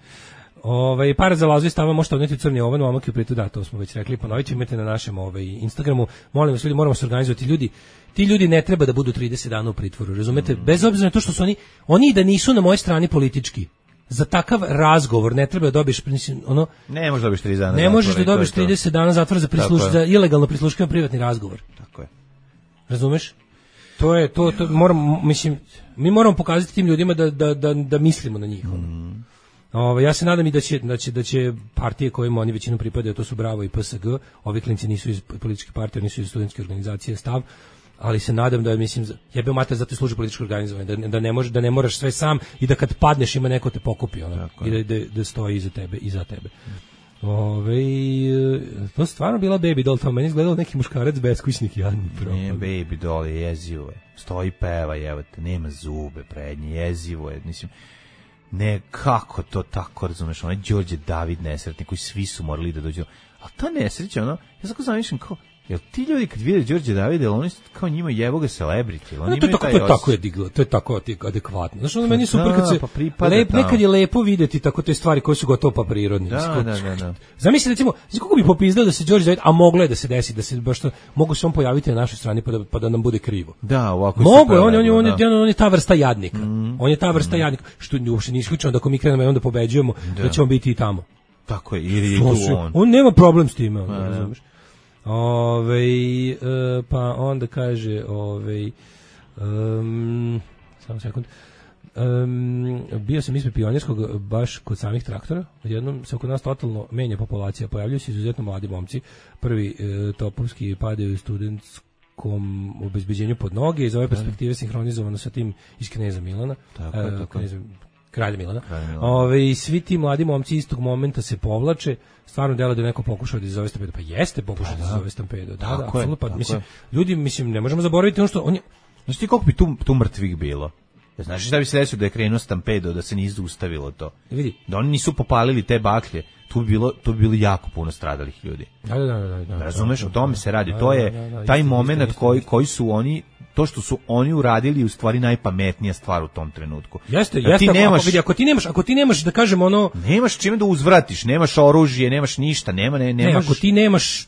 Ovaj para za Lazu stava možete odneti crni ovan, momak i pritu da, to smo već rekli, ponovit ćemo, imate na našem ovaj Instagramu. Molim vas ljudi, moramo se organizovati ljudi. Ti ljudi ne treba da budu trideset dana u pritvoru, razumete? Mm. Bez obzira na to što su oni oni da nisu na mojoj strani politički. Za takav razgovor ne treba da dobiješ ono ne možeš da dobiješ trideset dana. Ne možeš da dobiješ trideset dana zatvora za prisluš za ilegalno prisluškivanje privatni razgovor. Tako je. Razumeš? To je to to moram mislim mi moramo pokazati tim ljudima da da da da mislimo na njih. Mm. Ove, ja se nadam i da će, da će, da će partije kojima oni većinom pripadaju, to su Bravo i P S G, ovi klinci nisu iz političke partije, nisu iz studentske organizacije Stav, ali se nadam da, mislim, jebe mater, zato služi političko organizovanje, da, da, ne može, da ne moraš sve sam i da kad padneš ima neko te pokupi, ono, i da, da, da stoji iza tebe, iza tebe. Ove, to stvarno bila Baby Doll, to meni izgledalo neki muškarac beskućnik jadni. Ne, Baby Doll je jezivo je, stoji peva, evo te, nema zube prednje, jezivo je, mislim, ne, kako to tako, razumeš, onaj Đorđe David nesretni, koji svi su morali da dođu, ali ta nesreća, ono, ja tako zamišljam kao, jel ti ljudi kad vide Đorđe Davide, oni kao njima jevo ga celebrity, oni no, to, to je tako je diglo, to je tako adekvatno. Znaš, ono meni super kad se pa lep, nekad je lepo videti tako te stvari koje su gotovo pa prirodne. Da, da, da, da. Zamisli recimo, znači kako bi popizdao da se Đorđe David, a moglo je da se desi, da se baš to, mogu se on pojaviti na našoj strani pa da, pa da nam bude krivo. Da, ovako mogu, on, on, on, on, on, on je ta vrsta jadnika. Mm. On je ta vrsta mm. jadnika, što uopšte nije isključeno da ako mi krenemo i onda pobeđujemo, da. da ćemo biti i tamo. Tako je, ili je tu on. On nema problem s time, on, razumeš. Ove, e, pa onda kaže ove, um, samo sekund um, bio sam ispred Pionirskog baš kod samih traktora, odjednom se kod nas totalno menja populacija, pojavljuju se izuzetno mladi momci, prvi e, topovski padaju u studentskom obezbeđenju pod noge, iz ove perspektive sinhronizovano sa tim iz Kneza Milana, tako, e, tako. Kneza, Kralja Milana. Kralja Milana. Ove, i svi ti mladi momci istog momenta se povlače, stvarno delo da je neko pokušao da izazove stampedo, pa jeste pokušao da izazove stampedo. Da, da, apsolutno, pa mislim, ljudi, mislim, ne možemo zaboraviti ono što on je... Znaš ti koliko bi tu, tu mrtvih bilo? Znaš šta bi se desilo da je krenuo stampedo, da se nije zaustavilo to? Vidi. Da oni nisu popalili te baklje, tu bi bilo, tu bi bilo jako puno stradalih ljudi. Da, da, da, da, da, razumeš, o tome se radi. To je taj moment koji, koji su oni, to što su oni uradili u stvari najpametnija stvar u tom trenutku. Jeste, jeste, ti nemaš, ako, vidi, ako ti nemaš, ako ti nemaš da kažemo ono, nemaš čime da uzvratiš, nemaš oružje, nemaš ništa, nema ne, nemaš. Ne, ako ti nemaš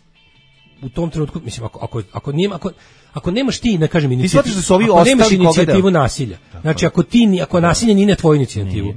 u tom trenutku, mislim, ako ako ako nema, ako ako nemaš ti, da kažem, inicijativu, da su ovi ako nemaš inicijativu nasilja. Tako. Znači ako ti ako nasilje nije na tvoju inicijativu,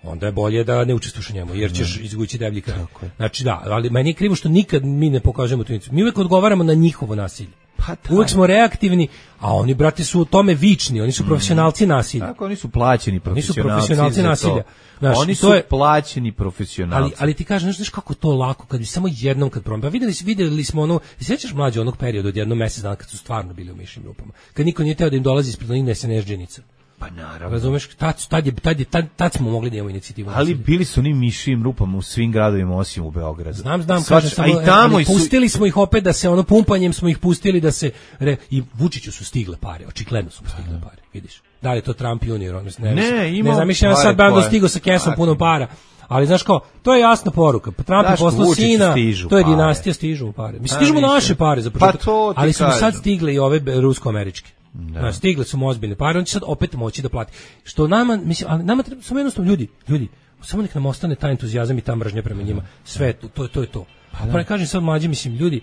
onda je bolje da ne učestvuješ u njemu, jer ćeš izvući deblji kraj. Znači da, ali meni je krivo što nikad mi ne pokažemo tu inicijativu. Mi uvek odgovaramo na njihovo nasilje. Pa uvek smo reaktivni, a oni, brate, su u tome vični, oni su profesionalci nasilja. Tako, oni su plaćeni profesionalci. Nisu profesionalci nasilja. Znaš, oni su je, plaćeni profesionalci. Ali, ali ti kažeš, znaš kako to lako, kad bi samo jednom kad promijem. Pa videli, videli smo ono, sjećaš mlađe onog perioda od jedno mjesec dana kad su stvarno bili u mišnim grupama. Kad niko nije teo da im dolazi ispred onih nesenežđenica. Pa naravno. Razumeš, tad, tad, je, tad, je, tad, tad smo mogli da imamo inicijativu. Ali bili su oni mišim rupama u svim gradovima osim u Beogradu. Znam, znam, kažem samo, i tamo ali pustili su... smo ih opet da se, ono, pumpanjem smo ih pustili da se, re, i Vučiću su stigle pare, očigledno su stigle pare, vidiš. Da li je to Trump junior, on, ne, ne, ima, ne zamišljam sad bando stigo sa kesom puno para. Ali znaš kao, to je jasna poruka. Pa Trump je poslao sina, to je dinastija, stižu u pare. Mislim, stižu mu naše pare za početak, pa ali su sad stigle i ove rusko-američke. Da. Stigle su mu ozbiljne pare, on će sad opet moći da plati. Što nama, mislim, ali nama treba samo jednostavno ljudi, ljudi, samo nek nam ostane taj entuzijazam i ta mržnja prema njima. Sve to, to, to je to. Pa ne kažem sad mlađi, mislim, ljudi,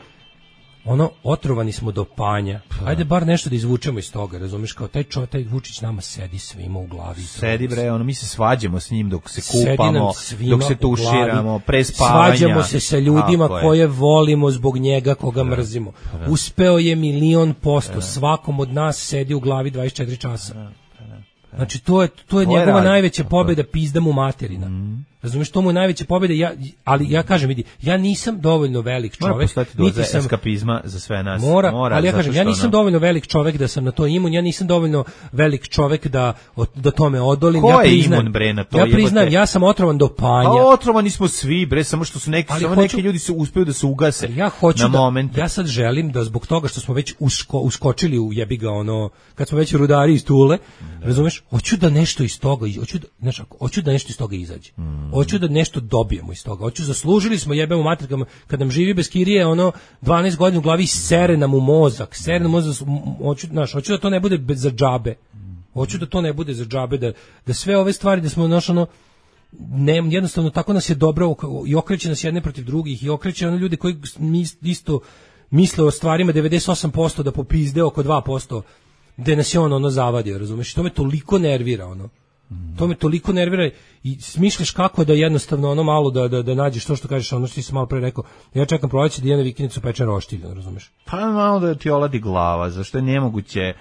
ono, otrovani smo do panja. Ajde bar nešto da izvučemo iz toga, razumiješ, kao taj čo, taj Vučić nama sedi svima u glavi. Sedi bre, ono, mi se svađamo s njim dok se kupamo, dok se tuširamo, pre spavanja. Svađamo se sa ljudima koje volimo zbog njega, koga da, mrzimo. Da. Uspeo je milion posto, da. Svakom od nas sedi u glavi dvadeset četiri časa. Da, da, da. Znači, to je, to je njegova najveća pobjeda, pizda mu materina. Mm. Razumeš, to mu je najveća pobjeda, ja, ali ja kažem, vidi, ja nisam dovoljno velik čovjek, niti sam eskapizma za sve nas. Mora, mora ali ja kažem, ja nisam ono... dovoljno velik čovjek da sam na to imun, ja nisam dovoljno velik čovjek da da tome odolim. Ko ja priznam, je imun, bre, na to? Ja priznam, jebate. Ja sam otrovan do panja. A otrovani smo svi, bre, samo što su neki, samo hoću, neki ljudi se uspeju da se ugase. Ja hoću na da, moment. Ja sad želim da zbog toga što smo već usko, uskočili u jebi ga ono, kad smo već rudari iz Tule, da. Razumeš, hoću da nešto iz toga, hoću da, znaš, hoću da nešto iz toga izađe. Mm. Hoću da nešto dobijemo iz toga. Hoću, zaslužili smo jebemo matrikama, kad nam živi bez kirije, ono, dvanaest godina u glavi sere nam u mozak, sere nam u mozak, hoću, znaš, hoću da to ne bude bez za džabe. Hoću da to ne bude za džabe, da, da sve ove stvari, da smo, znaš, ono, ne, jednostavno tako nas je dobro i okreće nas jedne protiv drugih i okreće ono ljudi koji isto misle o stvarima devedeset osam posto da popizde oko dva posto gde nas je ono, ono zavadio, razumeš? To me toliko nervira, ono. To me toliko nervira i smišljaš kako da jednostavno ono malo da da da nađeš to što kažeš, ono što ti sam malo pre rekao. Ja čekam proleće da idem na vikendicu pečen roštilj, razumeš? Pa malo da ti oladi glava, zašto je nemoguće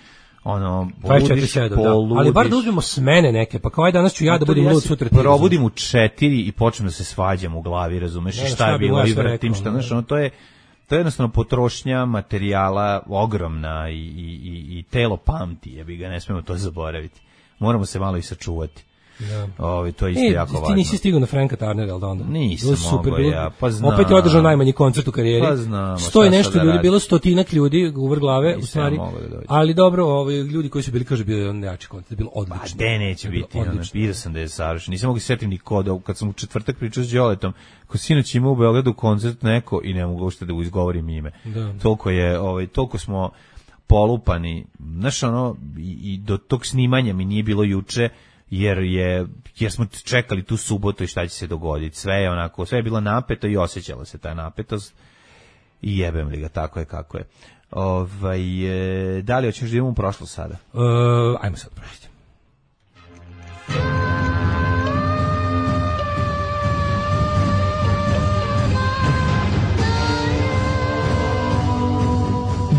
ono poludiš, poludiš. Ali bar da uzmemo smene neke, pa kao aj danas ću ja da budem lud, sutra ti. Probudim u četiri i počnem da se svađam u glavi, razumeš? Ne, šta je bilo i vratim šta, znaš, ono to je to je jednostavno potrošnja materijala ogromna i i i, i telo pamti, jebi ga, ne smemo to zaboraviti. Moramo se malo i sačuvati. Ja. Ovi, to je isto e, jako važno. Ti nisi stigao na Franka Tarnera, ali da onda? Nisam super, mogao ja, pa znam. Opet je održao najmanji koncert u karijeri. Pa znam. Stoji nešto ljudi, bilo stotinak ljudi u vrh glave, u stvari. Da ali dobro, ovi ljudi koji su bili, kaže, bio je on nejači koncert, bilo odlično. Pa de neće biti, ono, vidio sam da je savršen. Nisam mogu setim ni koda, kad sam u četvrtak pričao s Đoletom, ko sinoć imao u Beogradu koncert neko i ne mogu uopšte da izgovorim ime. Da. Toliko je, ovaj, toliko smo polupani, znaš, ono, i, i do tog snimanja mi nije bilo juče, jer je jer smo čekali tu subotu i šta će se dogoditi. Sve je onako, sve je bilo napeto i osjećala se ta napetost. I jebem li ga, tako je kako je. Ovaj e, da li hoćeš da idemo u prošlost sada? Uh, ajmo sad prošlost.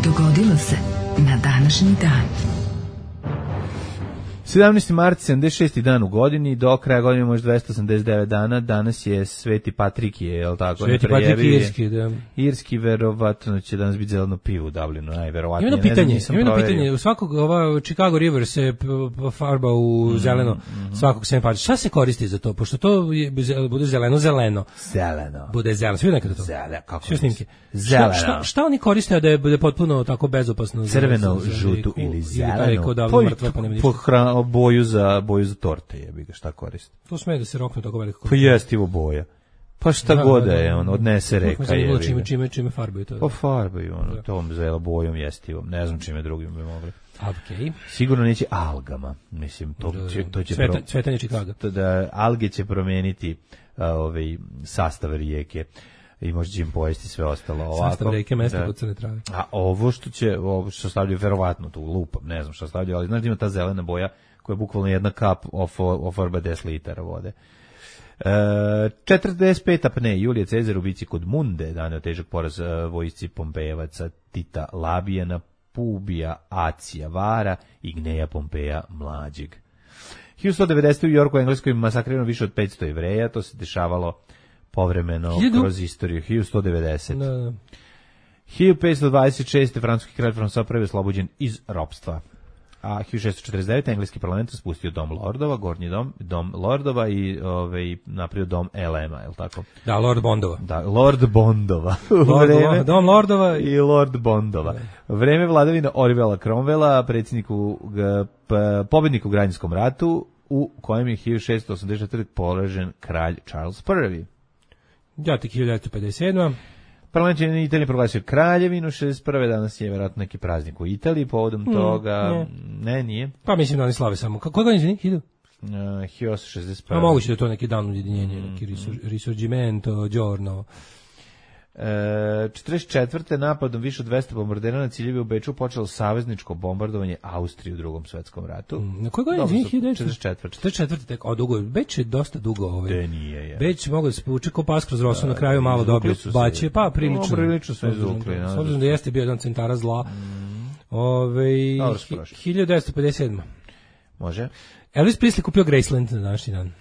Dogodilo se na današnji dan. sedamnaesti mart, sedamdeset šesti dan u godini, do kraja godine može dvesta osamdeset devet dana, danas je Sveti Patrikije, je li tako? Sveti Patrikije irski, da. Irski, verovatno će danas biti zeleno pivo u Dublinu, najverovatnije. Ima jedno pitanje, ima jedno pitanje, u svakog, ova Chicago River se farba u zeleno, mm, mm. svakog Saint Patrick. Šta se koristi za to? Pošto to je, bude zeleno, zeleno. Zeleno. Bude zeleno, svi nekada to? Zeleno, kako sve snimke. Zeleno. Šta, šta, šta oni koriste da je bude potpuno tako bezopasno? Crveno, žutu ili zeleno? Pa boju za boju za torte, jebi ga, šta koristi. To sme da se rokne tako veliko. Pa jestivo boja. Pa šta da, god da, da, je, on odnese reka je. Čime čime čime farbaju to. Pa farbaju ono, da. Tom zelo bojom jestivom. Ne znam čime drugim bi mogli. Okay. Sigurno neće algama, mislim, to da, će to će Sveta, pro... cvetanje Chicaga. Da alge će promeniti uh, ovaj sastav rijeke. I možda će im pojesti sve ostalo ovako. Sastav reke, mesta kod crne trave. A ovo što će, ovo što stavljaju, verovatno tu lupam, ne znam što stavljaju, ali znaš da ima ta zelena boja koja je bukvalno jedna kap oforba deset litara vode. E, četrdeset peta apne, Julije Cezar u bici kod Munde, daneo težak poraz vojsci Pompejevaca Tita Labijana, Pubija Acija Vara i Gneja Pompeja Mlađeg. hiljadu sto devedesete u Jorku, Engleskoj, masakrirano više od petsto Jevreja, to se dešavalo povremeno Hiljadu? kroz istoriju. hiljadu sto devedesete. Da, da. hiljadu petsto dvadeset šeste. francuski kralj François prvi oslobođen iz ropstva. A hiljadu šessto četrdeset devete. engleski parlament spustio dom lordova, gornji dom, dom lordova i ovaj napravio dom L M-a, je li tako? Da, Lord Bondova. Da, Lord Bondova. Lord, vreme, dom lordova i Lord Bondova. Da. Vreme vladavine Orivela Cromwella, predsjedniku pobedniku u Građanskom ratu, u kojem je hiljadu šessto osamdeset četvrte. poražen kralj Charles prvi. Ja tek hiljadu devetsto pedeset sedma. Parlament je Italije proglasio kraljevinu šezdeset prve. Danas je vjerojatno neki praznik u Italiji povodom mm, toga. Ne. ne, nije. Pa mislim da oni slave samo. Kako ga izvini? Hiljadu? Uh, hiljadu osamsto šezdeset prve. A moguće da je to neki dan ujedinjenja, mm, neki risur, risorgimento, giorno. E, četrdeset četvrte. napadom više od dvesta bombardera na ciljevi u Beču počelo savezničko bombardovanje Austrije u Drugom svetskom ratu. Mm, na koji godin? četrdeset četvrte. četrdeset četvrte. tek, o dugo, Beč je dosta dugo. Ovaj. De nije, je. Beč mogu da se povuče ko pas kroz rosu, na kraju malo dobio baće, pa prilično. No, prilično sve izvukli. S obzirom da jeste bio jedan centara zla. Mm. Ove, hiljadu devetsto pedeset sedma. Može. Elvis Presley kupio Graceland na današnji dan.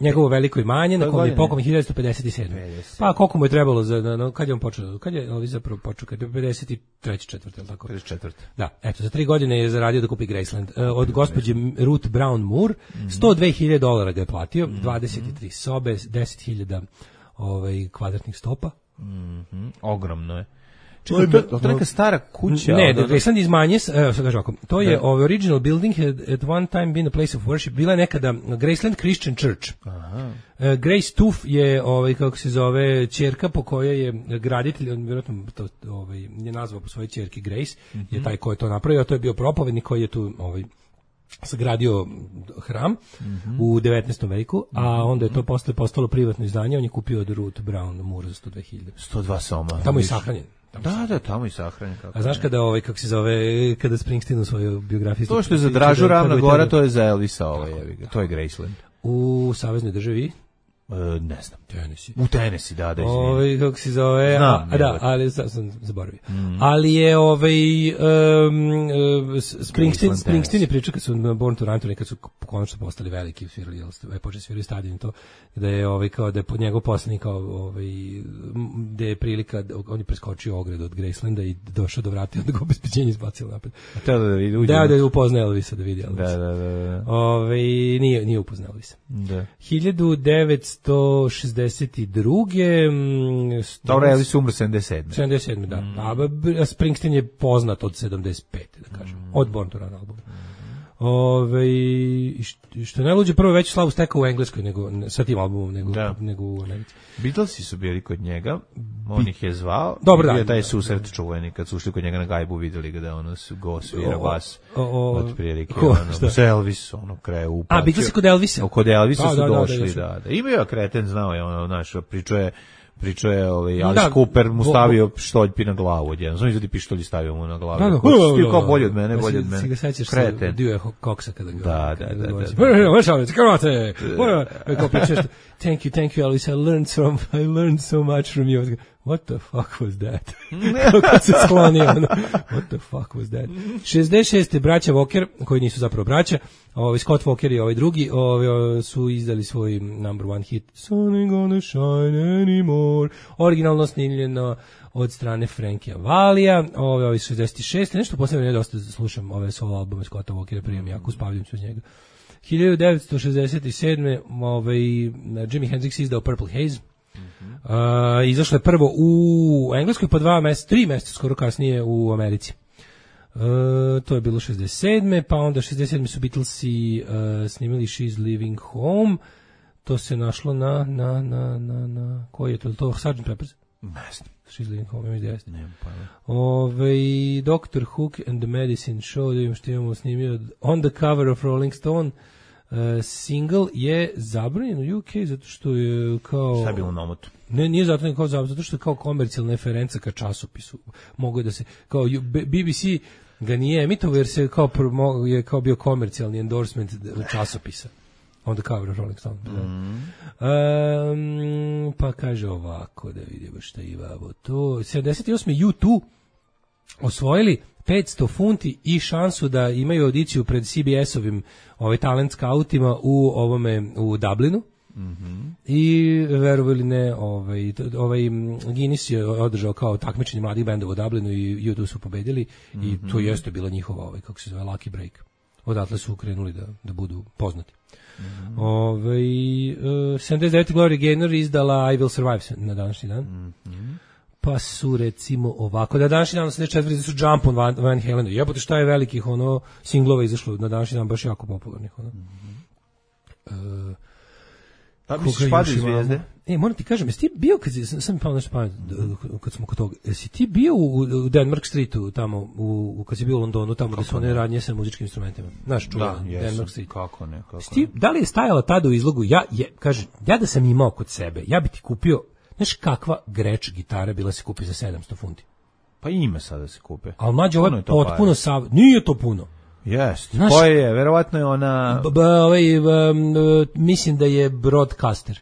njegovo veliko imanje, na kom je pokojni hiljadu devetsto pedeset sedme. Pa koliko mu je trebalo, za, no, kad je on počeo, kad je Elvis zapravo počeo, kad je pedeset treće četvrte, ili tako? pedeset četvrte. Da, eto, za tri godine je zaradio da kupi Graceland. Od gospođe Ruth Brown Moore, sto dve hiljade dolara ga je platio, dvadeset tri sobe, deset hiljada ovaj, kvadratnih stopa. Mm-hmm. Ogromno je. Čekaj, to, to je neka stara kuća. Ne, da, Graceland iz manje, evo sad kažem ovako, to je ovaj original building had at one time been a place of worship, bila je nekada Graceland Christian Church. Aha. Uh, Grace Tuff je, ovaj, kako se zove, ćerka po kojoj je graditelj, on vjerojatno to, ovaj, je nazvao po svojoj ćerki Grace, mm-hmm. je taj ko je to napravio, a to je bio propovednik koji je tu ovaj, sagradio hram mm-hmm. u devetnaestom veku, a onda je to posle postalo privatno izdanje, on je kupio od Ruth Brown Moore za sto dve hiljade. sto dva soma. Tamo je sahranjen. Da, da, tamo i sahranjen. A znaš kada ovaj kako se zove, kada Springsteen u svoju biografiju. To što je za Dražu Ravna Gora, to je za Elvisa, ovaj, to je Graceland. U saveznoj državi Uh, ne znam. Tennessee. U Tennessee, da, da, izvinim. Ovaj, kako se zove, znam, a, da, ali sam, sam zaboravio. Mm. Ali je ovaj, um, uh, Springsteen, Springsteen je pričao kad su na Born to Run, kad su konačno postali veliki, svirali, je počeli svirali stadion to, da je ovaj, kao da je pod njegov poslanik, kao ovaj, da je prilika, on je preskočio ogradu od Gracelanda i došao do vrata i onda ga obezbeđenje izbacilo napred. A te da vidi, uđe. Da, da je upoznao Elvisa, da vidi Elvisa. Da, da, da. da. Ovaj, nije, nije upoznao Elvisa. Da. hiljadu devetsto šezdeset druge Dobro, Elvis umro sedamdeset sedme. sedamdeset sedme, da. Mm. A Springsteen je poznat od sedamdeset pete, da kažem. Mm. Od Born to Run albuma. Mm. Ove, što najluđe, prvo veću slavu stekao u Engleskoj nego, sa tim albumom nego, da. nego u Americi. Beatlesi su bili kod njega, on ih je zvao. Dobro, da. Je taj susret čuveni, kad su ušli kod njega na gajbu, videli ga da ono go svira bas od prilike. Ono, sa Elvis, ono, kraju upačio. A, Beatlesi kod Elvisa? Kod Elvisa da, su da, došli, da. da, da. Imaju kreten, znao je, ono, znaš, pričuje Pričao je, ovaj, Alice da, Cooper mu stavio pištoljpi na glavu odjedno. Znam izvodi pištolj i stavio mu na glavu. Da, da, Ko, kao bolje od mene, bolje od mene. Si ga sećaš Kreten. Dio je koksa kada ga... Da, da, da. Thank you, thank you, Alice. I learned, from, I learned so much from you. What the fuck was that? Kako se sklonio. What the fuck was that? šezdeset šeste braća Walker, koji nisu zapravo braća, ovaj Scott Walker i ovaj drugi, ovaj su izdali svoj number one hit Sun ain't gonna shine anymore. Originalno snimljeno od strane Frankija Valija, ovaj ovaj šezdeset šeste nešto posebno ne dosta slušam ove solo albume Scotta Walkera, prijem jako uspavljam se uz njega. hiljadu devetsto šezdeset sedme ovaj Jimi Hendrix izdao Purple Haze. Uh, izašlo je prvo u Engleskoj, pa dva mjeseca, tri mjeseca skoro kasnije u Americi. Uh, to je bilo šezdeset sedme Pa onda šezdeset sedme su Beatlesi uh, snimili She's Leaving Home. To se našlo na, na, na, na, na koji je to? To sergeant Pepper's? Ne znam. She's Leaving Home, imam jeste. Ne, pa ne. Ove, doktor Hook and the Medicine Show, da imam što imamo snimio On the Cover of Rolling Stone. Uh, single je zabranjen u U K zato što je kao... Šta je bilo na omotu? Ne, nije zato, kao zabranjen, zato što je kao komercijalna referenca ka časopisu. Mogu da se, kao B B C ga nije emitovao jer se kao, je kao bio komercijalni endorsement časopisa. On the Cover of Rolling Stone. Mm-hmm. Um, pa kaže ovako, da vidimo šta imamo to. sedamdeset osme U dva osvojili petsto funti i šansu da imaju audiciju pred C B S-ovim ovaj talent scoutima u ovome u Dublinu. Mm-hmm. I verovali ne, ovaj ovaj Guinness je održao kao takmičenje mladih bendova u Dublinu i U dva su pobedili. Mm-hmm. I to jeste bila njihova ovaj kako se zove lucky break. Odatle su krenuli da da budu poznati. Mm-hmm. Ovaj uh, sedamdeset devete Gloria Gaynor izdala I Will Survive na današnji dan. Mm-hmm. Pa su recimo ovako, da današnji dan osamdeset četvrte su Jump on Van, Van Halenu. Jebote šta je velikih ono singlova izašlo na današnji dan, baš jako popularnih ono. Mm-hmm. Uh, pa misliš Padu zvijezde? E, moram ti kažem, jesi ti bio, kad sam, sam mi pao nešto pamet, kad smo kod toga, jesi ti bio u, u Denmark Streetu, tamo, u, u, kad si bio u Londonu, tamo kako gde su one radnje sa muzičkim instrumentima? Znaš, čuva, da, Denmark Street. Kako ne, kako ti, ne. Da li je stajala tada u izlogu, ja, je, kaže, ja da sam imao kod sebe, ja bi ti kupio, znaš kakva greč gitara bila se kupi za sedamsto funti? Pa ima sada da se kupe. Ali mlađe, ovo je potpuno sav... Nije to puno. Jeste. Koje je? Verovatno je ona... B, b, ovaj, um, mislim da je Broadcaster.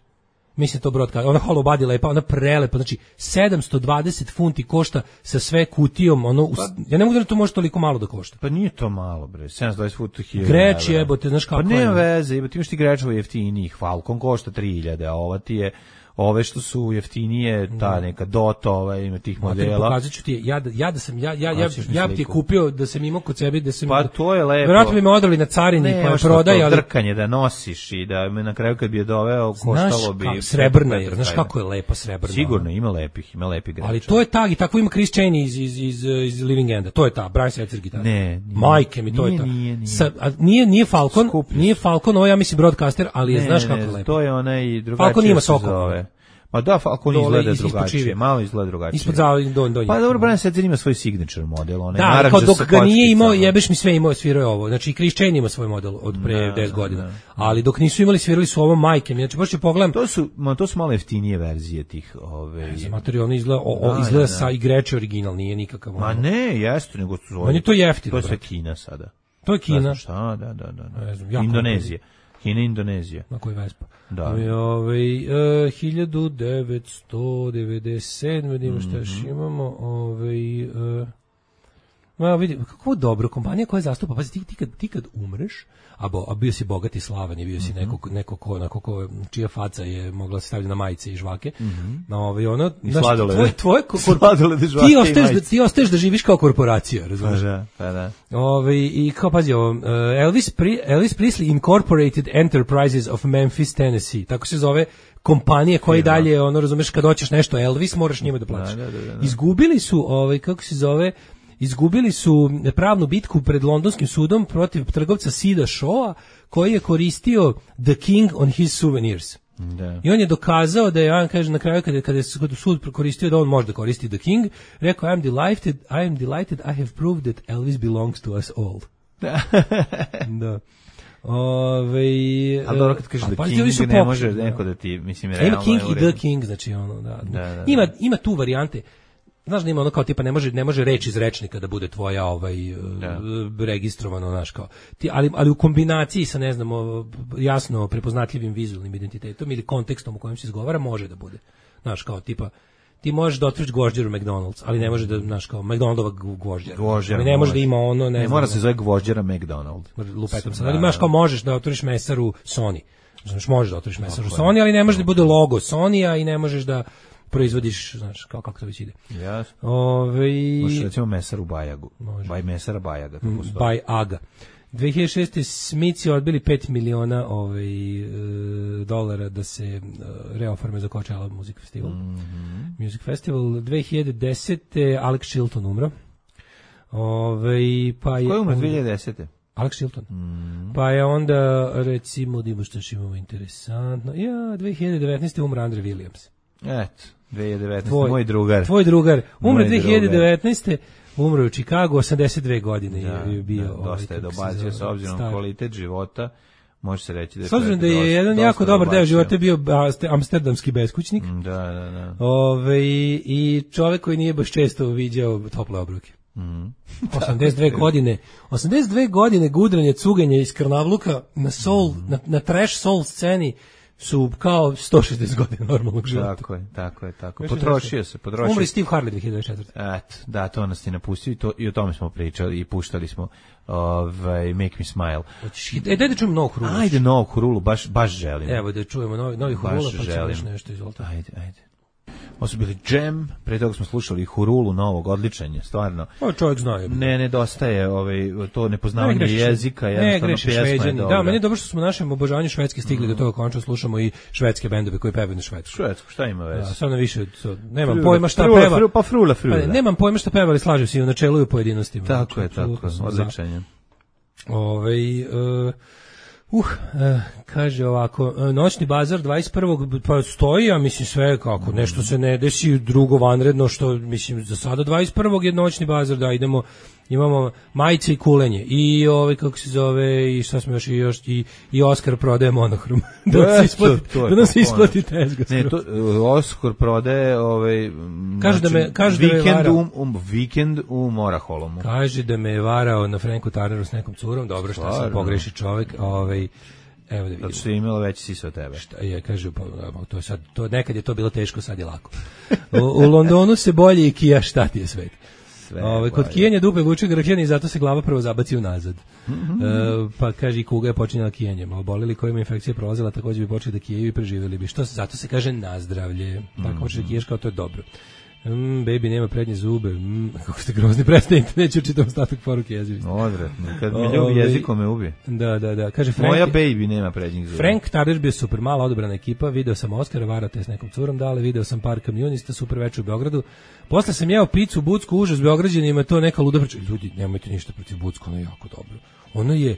Mislim to broadcast, ona hollow body lepa, ona prelepa, znači sedamsto dvadeset funti košta sa sve kutijom, ono, pa, ja ne mogu da to može toliko malo da košta. Pa nije to malo, bre, sedamsto dvadeset funti hiljada. Greč jebote, znaš kako pa je. Pa nema veze, jebote, imaš ti grečevo jeftinijih, Falcon košta tri hiljade, a ova ti je, ove što su jeftinije, ta neka Dota, ova ima tih modela. Pokazat ću ti, ja da, ja da sam, ja, ja, ja, ja bi ti je kupio da sam imao kod sebe, da sam... Pa to je lepo. Vjerojatno bi me odali na carini ne, koja prodaje, ali... drkanje da nosiš i da me na kraju kad bi je doveo, koštalo bi... Znaš, srebrna je, znaš kako je lepa srebrna. Sigurno, ima lepih, ima lepih greća. Ali to je tag i tako ima Chris Chaney iz, iz, iz, iz Living Enda, to je ta, Brian Setzer gitara. Ne, nije. Majke mi, to nije, je ta. Nije, nije. Sa, a, nije, nije Falcon, Skupljiš. Nije Falcon, ovo ja mislim broadcaster, ali je, ne, znaš kako ne, je lepo. to je onaj drugačije. Falcon ima sokol. Pa da, Falcon izgleda drugačije, malo izgleda drugačije. Ispod zavljeg do do. Pa dobro, Brian Setzer ima svoj signature model, onaj da, naranđa kao dok sa ga nije imao, kočkicama. jebeš mi sve imao, svirao je ovo. Znači Chris Chaney ima svoj model od pre deset godina. Da. Ali dok nisu imali, svirali su ovo majke. Znači baš ću pogledam. To su, ma, to su malo jeftinije verzije tih, ove. Za materijalno izgleda, o, o, izgleda da, da. Sa igreče original, nije nikakav. Ma ne, jeste, nego su. On je to jeftino. To je sve Kina sada. To je Kina. Šta, da, da, da. Ne znam, Indonezija. Kina, Indonezija. Na koji Vespa? Da. Ove, uh, hiljadu devetsto devedeset sedme vidimo šta još imamo. Ove, uh, ma vidi, kako dobro, kompanija koja zastupa, pazi, ti, ti, kad, ti kad umreš, a, bo, a bio si bogat i slavan i bio si neko, neko ko, neko ko, čija faca je mogla se staviti na majice i žvake. Mm-hmm. No, ove, ono, I sladolede. Tvoje, tvoje, sladolede, žvake ti ostaješ, da, ti ostaješ da živiš kao korporacija, razumiješ? Pa da, pa da. Ove, i kao, pazi ovo, uh, Elvis, Pri, Elvis Presley Incorporated Enterprises of Memphis, Tennessee, tako se zove kompanije koji dalje, ono, razumeš, kad hoćeš nešto Elvis, moraš njima da platiš. Da, da, da, da. Izgubili su, ovaj, kako se zove, izgubili su pravnu bitku pred londonskim sudom protiv trgovca Sida Shawa, koji je koristio The King on his souvenirs. Da. I on je dokazao da je, on kaže na kraju kada, kada je sud koristio da on može da koristi The King, rekao, I am delighted, I am delighted, I have proved that Elvis belongs to us all. Da. Ove, ali dobro kad kažeš The King ne može neko da ti, mislim, realno ima King i The King, znači ono, da. da, da, da. Ima, ima tu varijante. Znaš da ima ono kao tipa ne može ne može reč iz rečnika da bude tvoja ovaj da. registrovano, znaš kao. Ti, ali ali u kombinaciji sa ne znam jasno prepoznatljivim vizualnim identitetom ili kontekstom u kojem se izgovara može da bude. Znaš kao tipa ti možeš da otvoriš gvožđer u McDonald's, ali ne može da, znaš kao McDonaldova gvožđera. Ali ne može da ima ono, ne, ne znam, mora se zove gvožđera McDonald. Lupetom sad, ali imaš kao možeš da otvoriš mesaru Sony. Znaš, možeš da otvoriš mesaru Sony, ali ne može da bude logo Sony-a i ne možeš da proizvodiš, znaš, kao kako to već ide. Jasno. Ove... Možeš recimo mesaru Bajagu. Može. Baj mesara Bajaga. Mm, Baj Aga. dve hiljade šeste. Smici odbili pet miliona ovaj, e, dolara da se e, reoforme za Coachella Music Festival. Mm-hmm. Music Festival. dve hiljade desete. Alex Chilton umro. Ove, pa je... Ko je umro dve hiljade desete? Alex Chilton. Mm. Pa je onda, recimo, da što što imamo interesantno. Ja, dve hiljade devetnaeste. umro Andre Williams. Eto, dve hiljade devetnaeste. Tvoj, moj drugar. Tvoj drugar. Umre dve hiljade devetnaeste. Umro u Chicagu, osamdeset dve godine da, je bio. Da, dosta je dobacio s obzirom na kvalitet života. Može se reći da je... S obzirom da je dosta, jedan jako dobar deo života bio amsterdamski beskućnik. Da, da, da. Ove, i čovjek koji nije baš često viđao tople obruke. Mm. osamdeset dve godine. osamdeset dve godine gudranje, cuganje iz Krnavluka na soul, mm. na, na trash soul sceni su kao sto šezdeset godina normalnog života. Tako je, tako je, tako. Potrošio se, potrošio. Umri Steve Harley dve hiljade četvrte. Eto, da, to nas je napustio i, to, i o tome smo pričali i puštali smo ovaj, Make Me Smile. E, daj da čujemo novog Hurulu. Ajde, novog Hurulu, baš, baš želim. Evo da čujemo novi, novi Hurula, pa ćemo još nešto izvolite. Ajde, ajde. Ovo su bili Jam, pre toga smo slušali Hurulu novog, odličan je, stvarno. Ovo čovjek zna. Je. Ne, nedostaje ovaj, to nepoznavanje ne jezika, jednostavno pjesma je dobra. Da, meni je dobro što smo u našem obožavanju švedske stigli mm. do toga končno slušamo i švedske bendove koji pevaju na švedsku. Švedsku, šta ima veze? Da, sad na više, so, nemam frula, pojma šta frula, peva. Frula, pa frula, frula. Pa, nemam pojma šta peva, ali slažem se i u načelu i u pojedinostima. Tako znači, je, tako, odličan je. Ovaj... Uh, Uh, eh, kaže ovako, noćni bazar dvadeset prvog pa stoji, a mislim sve kako, nešto se ne desi drugo vanredno, što mislim za sada dvadeset prvog je noćni bazar, da idemo, imamo majice i kulenje i ovaj kako se zove i šta smo još i još i, i Oskar prodaje monohrom. da e, se isplati, to, to da se isplati tezga. Ne, to Oskar prodaje ovaj kaže da me kaže da me vikend um, um vikend u Moraholomu. Kaže da me je varao na Franku Tarneru s nekom curom, dobro što sam pogreši čovjek, ovaj Evo da vidimo. Zato što je imala veći sisa od tebe. Šta je, kaže, pa, to je sad, to, nekad je to bilo teško, sad je lako. U, u Londonu se bolje i kija, šta ti je svet. Ove, kod kijenja dupe vuče grkljani i zato se glava prvo zabaci unazad. Mm-hmm. E, pa kaže i kuga je počinjala kijenjem. Obolili kojima infekcija prolazila također bi počeli da kijaju i preživjeli bi. Što zato se kaže nazdravlje. Mm-hmm. Tako počeš da kiješ kao to je dobro. Mm, baby nema prednje zube. Mm, kako ste grozni, prestanite, neću čitam ostatak poruke jezivi. Odvratno, kad me ljubi jezikom me ubi. Da, da, da. Kaže Frank, moja baby nema prednjih zuba. Frank Tarder bio super, mala odobrana ekipa, video sam Oskara, varate s nekom curom dale, video sam par kamionista, super večer u Beogradu. Posle sam jeo picu Bucku, užas Beograđanima, to neka luda priča. Ljudi, nemojte ništa protiv Bucku, ono je jako dobro. Ono je,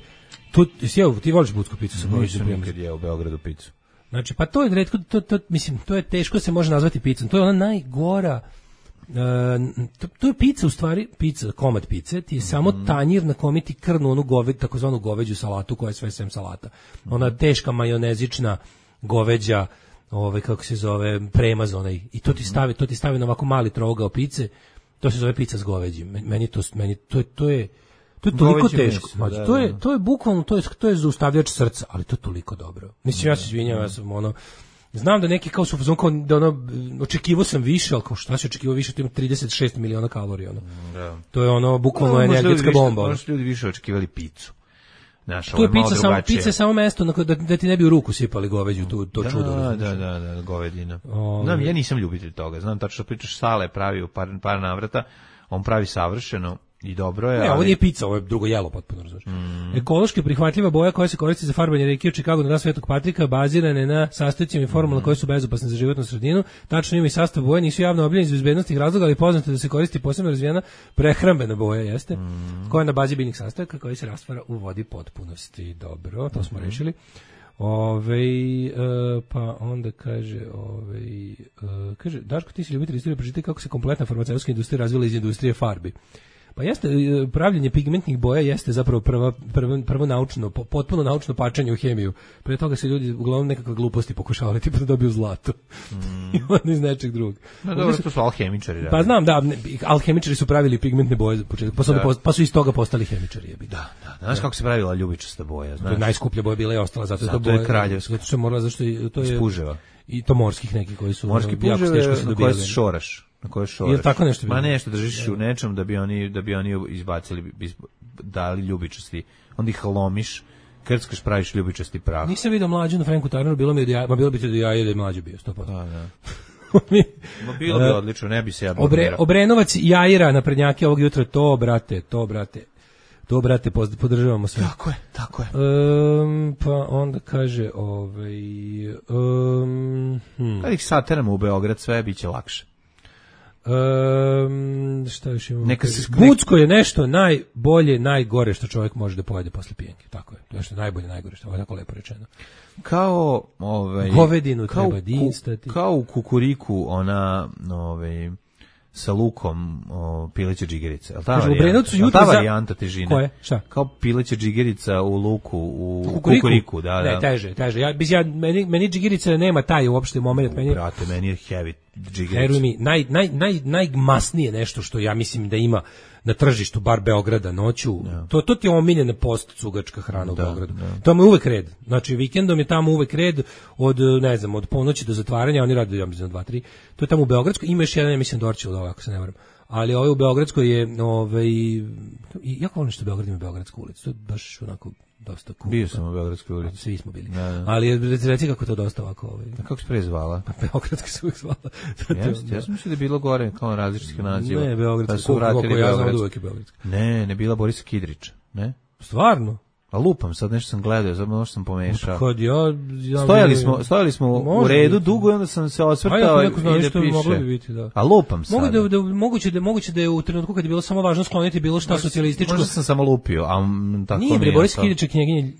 to, jeo, ti voliš Bucku picu? Sam nisam nikad jeo u Beogradu picu. Znači, pa to je retko, to, to, mislim, to je teško se može nazvati picom, to je ona najgora. Uh, to, to je pizza u stvari, pizza, komad pice, ti je mm-hmm. samo tanjir na kome ti krnu onu goved, takozvanu goveđu salatu koja je sve sem salata. Ona teška majonezična goveđa, ovaj kako se zove, premaz onaj, i to ti stavi, to ti stavi na ovako mali trougao pice, to se zove pizza s goveđim. Meni to meni to je to je to je toliko goveđi teško. Meso, da, to je da. to je bukvalno to je to je zaustavljač srca, ali to je toliko dobro. Mislim ja se izvinjavam, ja sam ono znam da neki kao su fazon kao da ono očekivao sam više, al kao šta se očekivao više, to ima trideset šest miliona kalorija ono. Da. To je ono bukvalno no, energetska bomba. Možda ljudi više očekivali picu. Naša, to je pica samo pica samo mesto na da, da ti ne bi u ruku sipali goveđu tu to da, čudo. Da, da, da, da, govedina. O, znam, ja nisam ljubitelj toga. Znam tačno pričaš Sale pravi u par par navrata, on pravi savršeno. I dobro je. Ne, ali... ovo nije pizza, ovo je drugo jelo potpuno, razumiješ. Mm. Ekološki prihvatljiva boja koja se koristi za farbanje reke u Čikagu na dan Svetog Patrika bazirane na sastojcima i formulama mm. koje su bezopasne za životnu sredinu. Tačno ima i sastav boje, nisu javno objavljeni iz bezbednosnih razloga, ali poznato da se koristi posebno razvijena prehrambena boja, jeste, mm. koja je na bazi biljnih sastojaka koji se rastvara u vodi potpunosti. Dobro, to smo mm. rešili. Ove, e, pa onda kaže, ove, e, kaže, Daško, ti si ljubitelj istorije, pročitaj kako se kompletna farmaceutska industrija razvila iz industrije farbi. Pa jeste, pravljenje pigmentnih boja jeste zapravo prva, prvo, prvo naučno, potpuno naučno pačanje u hemiju. Pre toga se ljudi uglavnom nekakve gluposti pokušavali, tipa da dobiju zlato. Mm. I onda iz nečeg drugog. No, dobro, to su alhemičari. Pa znam, da, alhemičari su pravili pigmentne boje, pa su, da. pa su iz toga postali hemičari. Da, da, da. Znaš kako se pravila ljubičasta boja? Znaš? Najskuplja boja bila i ostala, zato, zato je to boja, je kraljevska. Zato što je morala, zašto je, to je... Spuževa. I to morskih neki koji su... Morski puževe na koje se šoraš. Na koje šoraš. Ili tako nešto. Ma nešto držiš u nečem da bi oni da bi oni izbacili, dali ljubičasti. Onda ih lomiš, krckaš, praviš ljubičasti prah. Nisam vidio mlađu na Franku Tarneru, bilo mi da ja, ma bilo bi te da ja je da je mlađi bio sto posto. Da, da. Ma bilo bi odlično, ne bi se ja Obre, Obrenovac Jajira na prednjake ovog jutra, to brate, to brate. To, brate, podržavamo sve. Tako je, tako je. Um, pa onda kaže, ovaj... Um, hmm. Kad ih sateramo u Beograd, sve bit će lakše. Um, šta još imamo? Neka se sklik... Bucko je nešto najbolje, najgore što čovjek može da pojede posle pijenke. Tako je, to je nešto najbolje, najgore što je tako lepo rečeno. Kao, ovaj... Govedinu kao, treba dinstati. Kao u Kukuriku, ona, ovaj... sa lukom o, pileće džigerice. Jel ta varijanta, jel ta varijanta težine? Koje? Šta? Kao pileće džigerica u luku, u kukuriku, kukuriku da, da. Ne, teže, teže. Ja, ja, meni, meni džigerica nema taj uopšte moment. Meni, brate, meni je heavy džigerica. Veruj mi, naj, naj, naj, najmasnije nešto što ja mislim da ima na tržištu, bar Beograda noću, ja. to, to ti je omiljena post-cugačka hrana u da, Beogradu. Da. Tamo je uvek red. Znači, vikendom je tamo uvek red od, ne znam, od ponoći do zatvaranja, oni rade, ja mislim, dva, tri. To je tamo u Beogradskoj, ima još jedan, ja mislim, Dorčil, da ako se ne varam. Ali ovaj u Beogradskoj je, ovaj, jako volim što Beograd ima Beogradsku ulicu, to je baš onako dosta cool. Bio sam u Beogradskoj ulici. Svi smo bili. Da, da. Ali reci kako to dosta ovako. Ovaj. A kako se prezvala? Beogradska se uvijek zvala. Jeste, ja sam mislio da je bilo gore kao različitih naziva. Ne, Beogradska. Su vratili ja znam da uvijek je Beogradska. Ne, ne bila Borisa Kidrića. Ne? Stvarno? A lupam, sad nešto sam gledao, sad možda sam pomešao. Kad ja, ja stojali smo, stojali smo u redu biti. Dugo i onda sam se osvrtao i da piše. Moglo bi biti, da. A lupam sad. Mogu da, da, moguće, da, moguće da je u trenutku kad je bilo samo važno skloniti bilo šta socijalističko. Možda sam samo lupio, a tako nije. Nije, Boris Kidrić knjeginje.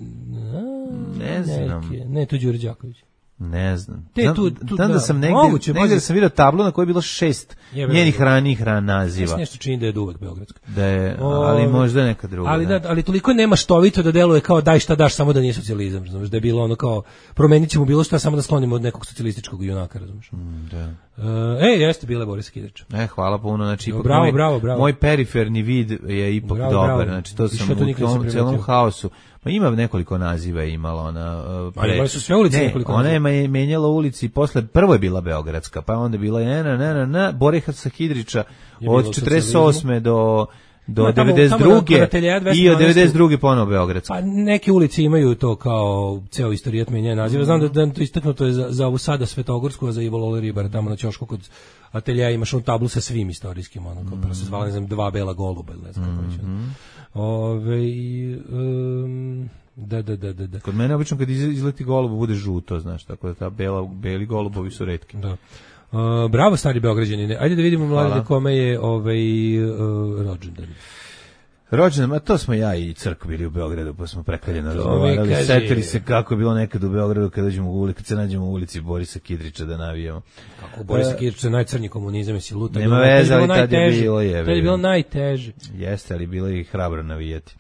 Ne znam. Ne, ne, to je Đure Đaković. Ne znam. Te, znam, tu, tu, znam da, da sam negdje, moguće, negdje da sam vidio tablu na kojoj je bilo šest Jebe, njenih ranijih ran naziva. Ja nešto čini da je uvek Beogradska. Da je, ali o, možda neka druga. Ali, da, ali toliko nema štovito da deluje kao daj šta daš, samo da nije socijalizam. Razumiješ, da je bilo ono kao promenit ćemo bilo šta, samo da sklonimo od nekog socijalističkog junaka. Razumiješ. Mm, da. Uh, e, jeste bile Boris Kidrić. E, hvala puno, znači ipak bravo, moj, bravo, bravo. moj periferni vid je ipak bravo, dobar, bravo. znači to sam to u tom celom haosu. Ma ima nekoliko naziva imala ona. Uh, pre... Ali su sve ulice ne, nekoliko ona naziva. je menjala ulici i posle, prvo je bila Beogradska, pa onda bila je na, na, na, na, Borisa Kidrića od četrdeset osme do... do no, tamo, devedeset druge tamo i od devedeset druge ponovo Beogradska. Pa neke ulice imaju to kao ceo istorijat menjanja naziva. Znam da, da to istaknuto je za, za ovu sada Svetogorsku, a za Ivo Lole Ribar, tamo na ćošku kod ateljeja imaš on tablu sa svim istorijskim, ono, kao mm. se zvala, ne znam, dva bela goluba, ili ne znam kako reći. Mm. Ove, um, da, da, da, da, da. Kod mene obično kad izleti golub bude žuto, znaš, tako da ta bela, beli golubovi su retki. Da. Uh, bravo stari Beograđani. Ajde da vidimo mlade kome je ovaj uh, rođendan. Rođendan, a to smo ja i Crk bili u Beogradu, pa smo prekaljeno razgovarali. Setili se kako je bilo nekad u Beogradu kad dođemo u ulici, kad se nađemo u ulici Borisa Kidrića da navijamo. Kako Borisa Kidrića je najcrnji komunizam i si luta. Nema veze, ali tad je bilo je. Tad je bilo najteže. Jeste, ali bilo je i hrabro navijati.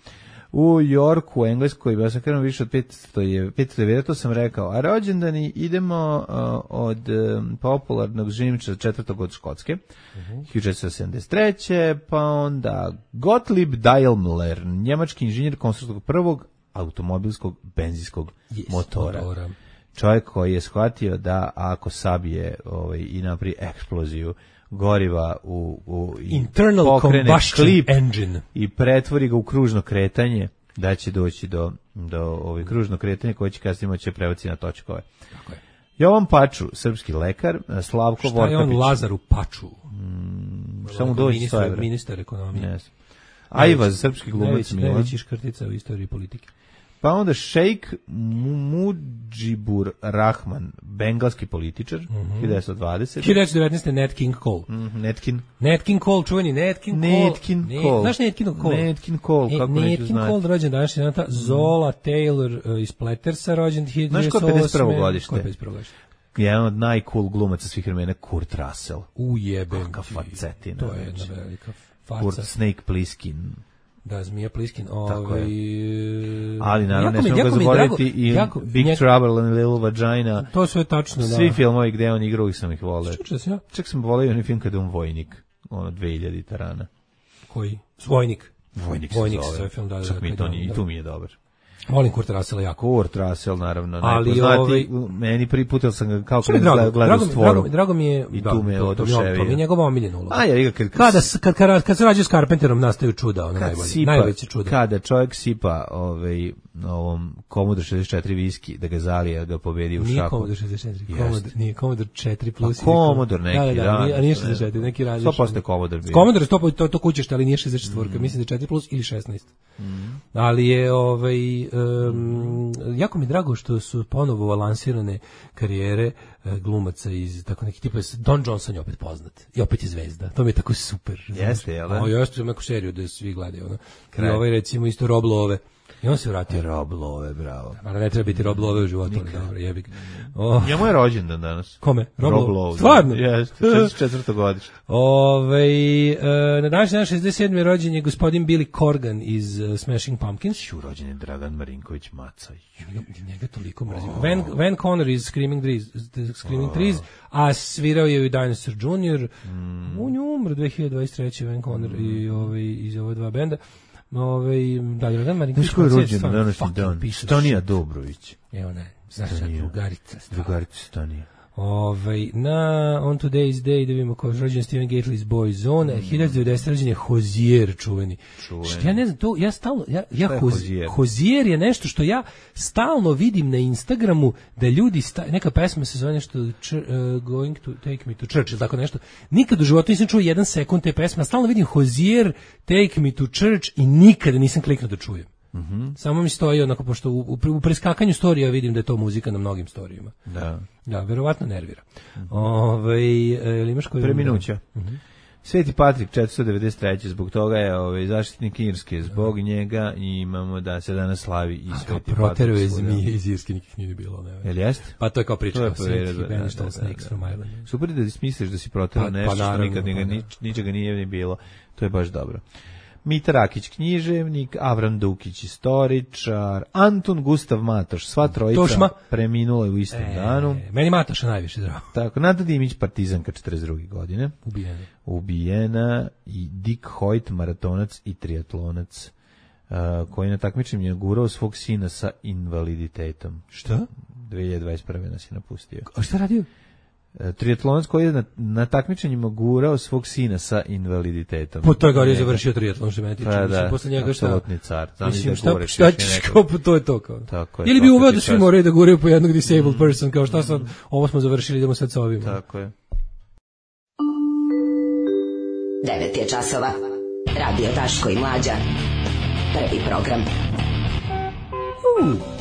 U Yorku, u Engleskoj, ja sam krenuo više od petsto devedeset, to sam rekao, a rođendani idemo uh, od um, popularnog živničara četvrtog od Škotske, uh-huh. hiljadu četiristo sedamdeset treće pa onda Gottlieb Daimler, njemački inženjer konstruktorskog prvog automobilskog benzinskog yes, motora. motora. Čovjek koji je shvatio da ako sabije ovaj, i napravi eksploziju goriva u, u internal combustion klip engine i pretvori ga u kružno kretanje, da će doći do, do ovaj kružno kretanje koje će kasnije moći prebaci na točkove. Tako je. Jovan Paču, srpski lekar, Slavko Vorkapić. Šta je on Lazaru Paču? Mm, samo doći ministar, ministar ekonomije. Yes. Ajvaz, srpski glumac Milan. Najveći škrtica u istoriji politike. Pa onda šejk Mudžibur Rahman, bengalski političar, mm-hmm. hiljadu devetsto dvadesete hiljadu devetsto devetnaeste. Nat King Cole. Mm, Nat King. Nat King Cole, čuveni Nat King Cole. Nat King Cole. Znaš Nat King Cole? Nat King Cole, kako neću znati. Nat King Cole rođen današnji dan, Zola Taylor uh, iz Plettersa rođen hiljadu devetsto osme. Znaš ko je pedeset prvo godište? Ko je pedeset prvo godište? Jedan od najcool glumaca svih vremena, Kurt Russell. Ujebem. Kakav facetina. To je jedna velika faca. Kurt Snake Plissken. Da, Zmija Pliskin. Ovaj, ali naravno ne smemo ga zaboraviti i jako, Big njeg... Trouble in Little Vagina. To sve je tačno, da. Svi filmovi gde on igrao, ih sam ih voleo. Ja? Čak sam voleo onaj film kada je on vojnik. Ono, dve hiljade tarana. Koji? Vojnik. Vojnik, Vojnik se zove. Film, da, Čak da, mi da, to da, nije, da. i tu mi je dobar. Volim Kurt Russell jako. Kurt Russell, naravno. Ali ovaj... Meni prvi put sam ga kao kad gledao gleda stvoru. Drago, drago mi je... I da, tu me je oduševio. To mi je njegova omiljena uloga. A ja, kad, kada, kad, kad, kad se rađe s Carpenterom nastaju čuda, ono najbolje. Sipa, najveće čuda. Kada čovjek sipa ovaj, ovom Commodore šezdeset četiri viski, da ga zalije, da ga pobedi u šaku. Nije Commodore šezdeset četiri, Commodore, nije Commodore četiri plus. A Commodore neki, da. Da, da, nije, a nije šezdeset četiri, neki različit. sto posto je Commodore bio. Commodore sto to, to kućeš, ali nije šezdeset četiri, mm. mislim da je četiri plus ili šesnaest. Mm. Ali je, ovaj, um, jako mi je drago što su ponovo lansirane karijere uh, glumaca iz tako neki tipa. Don Johnson je opet poznat i opet je zvezda. To mi je tako super. Jeste, jel da? O, ja sam neku seriju da svi gledaju. Ono. I ovaj recimo isto Rob Lowe. I on se vratio. Rob Lowe, bravo. Ali ne treba biti Rob Lowe u životu. Dobro, jebik. Oh. Njemu je rođendan danas. Kome? Rob, Rob Lowe. Stvarno? Jeste, šezdeset četvrto godište. Ove, uh, na današnji dan šezdeset sedme rođen je gospodin Billy Corgan iz uh, Smashing Pumpkins. Šu, rođen je Dragan Marinković Maca. Njega, njega toliko mrzim. Oh. Van, Van Conner iz Screaming Trees, Screaming oh. Trees, a svirao je i Dinosaur junior Mm. On je umro dve hiljade dvadeset treće Van Conner mm. i ovaj, iz ove dva benda. Ove, da, Dragan Marinković Maca. Znaš je rođen na današnji dan? Stanija Dobrović. Evo ne, znaš, drugarica. Drugarica Stanija. Ovaj, na On Today's Day, da vidimo ko je rođen Steven Gately iz Boyzone, mm. hiljadu devetsto rođen je Hozier čuveni. čuveni. Što ja ne znam, to, ja stalno, ja, ja Hozier? Hozier? Hozier je nešto što ja stalno vidim na Instagramu, da ljudi, sta, neka pesma se zove nešto ch, uh, Going to Take Me to Church, ili tako nešto. Nikad u životu nisam čuo jedan sekund te pesme, a stalno vidim Hozier, Take Me to Church i nikada nisam kliknuo da čujem. Mm-hmm. Samo mi stoji onako, pošto u, u, u preskakanju storija vidim da je to muzika na mnogim storijima. Da. Da, verovatno nervira. Mm-hmm. Ove, ili imaš koji... Preminuća. Mm-hmm. Sveti Patrik četiristo devedeset treće Zbog toga je ovaj, zaštitnik Irske. Zbog njega i imamo da se danas slavi i Sveti Patrik. Proterao je zmije iz Irske, nikih nije bilo. Ne, jel jeste? Pa to je kao priča. To je povjerao. Da, da, da, da, da. Super da ti smisliš da si proterao pa, nešto pa, što nikad ničega nije ni bilo. To je baš dobro. Mita Rakić književnik, Avram Dukić istoričar, Antun Gustav Matoš, sva trojica Tošma. Preminula u istom e, danu. Meni Matoša najviše drago. Tako, Nada Dimić, partizanka četrdeset druge godine. Ubijena. Ubijena i Dick Hoyt, maratonac i triatlonac, uh, koji na takmičenju je gurao svog sina sa invaliditetom. Šta? dve hiljade dvadeset prve nas je napustio. A šta radio? Triatlonac koji je na, na takmičenjima gurao svog sina sa invaliditetom. Po toj gori je završio triatlon, što mene tiče. Pa mislim, da, posle njega šta? Apsolutni car. Mislim, šta, šta ćeš kao, to je to kao. Tako je. Ili bi uveo da svi moraju da guraju po jednog disabled mm. person, kao šta sad, ovo smo završili, idemo sad sa ovim. Tako je. devet je časova. Radio Daško i Mlađa. Prvi program. Uh.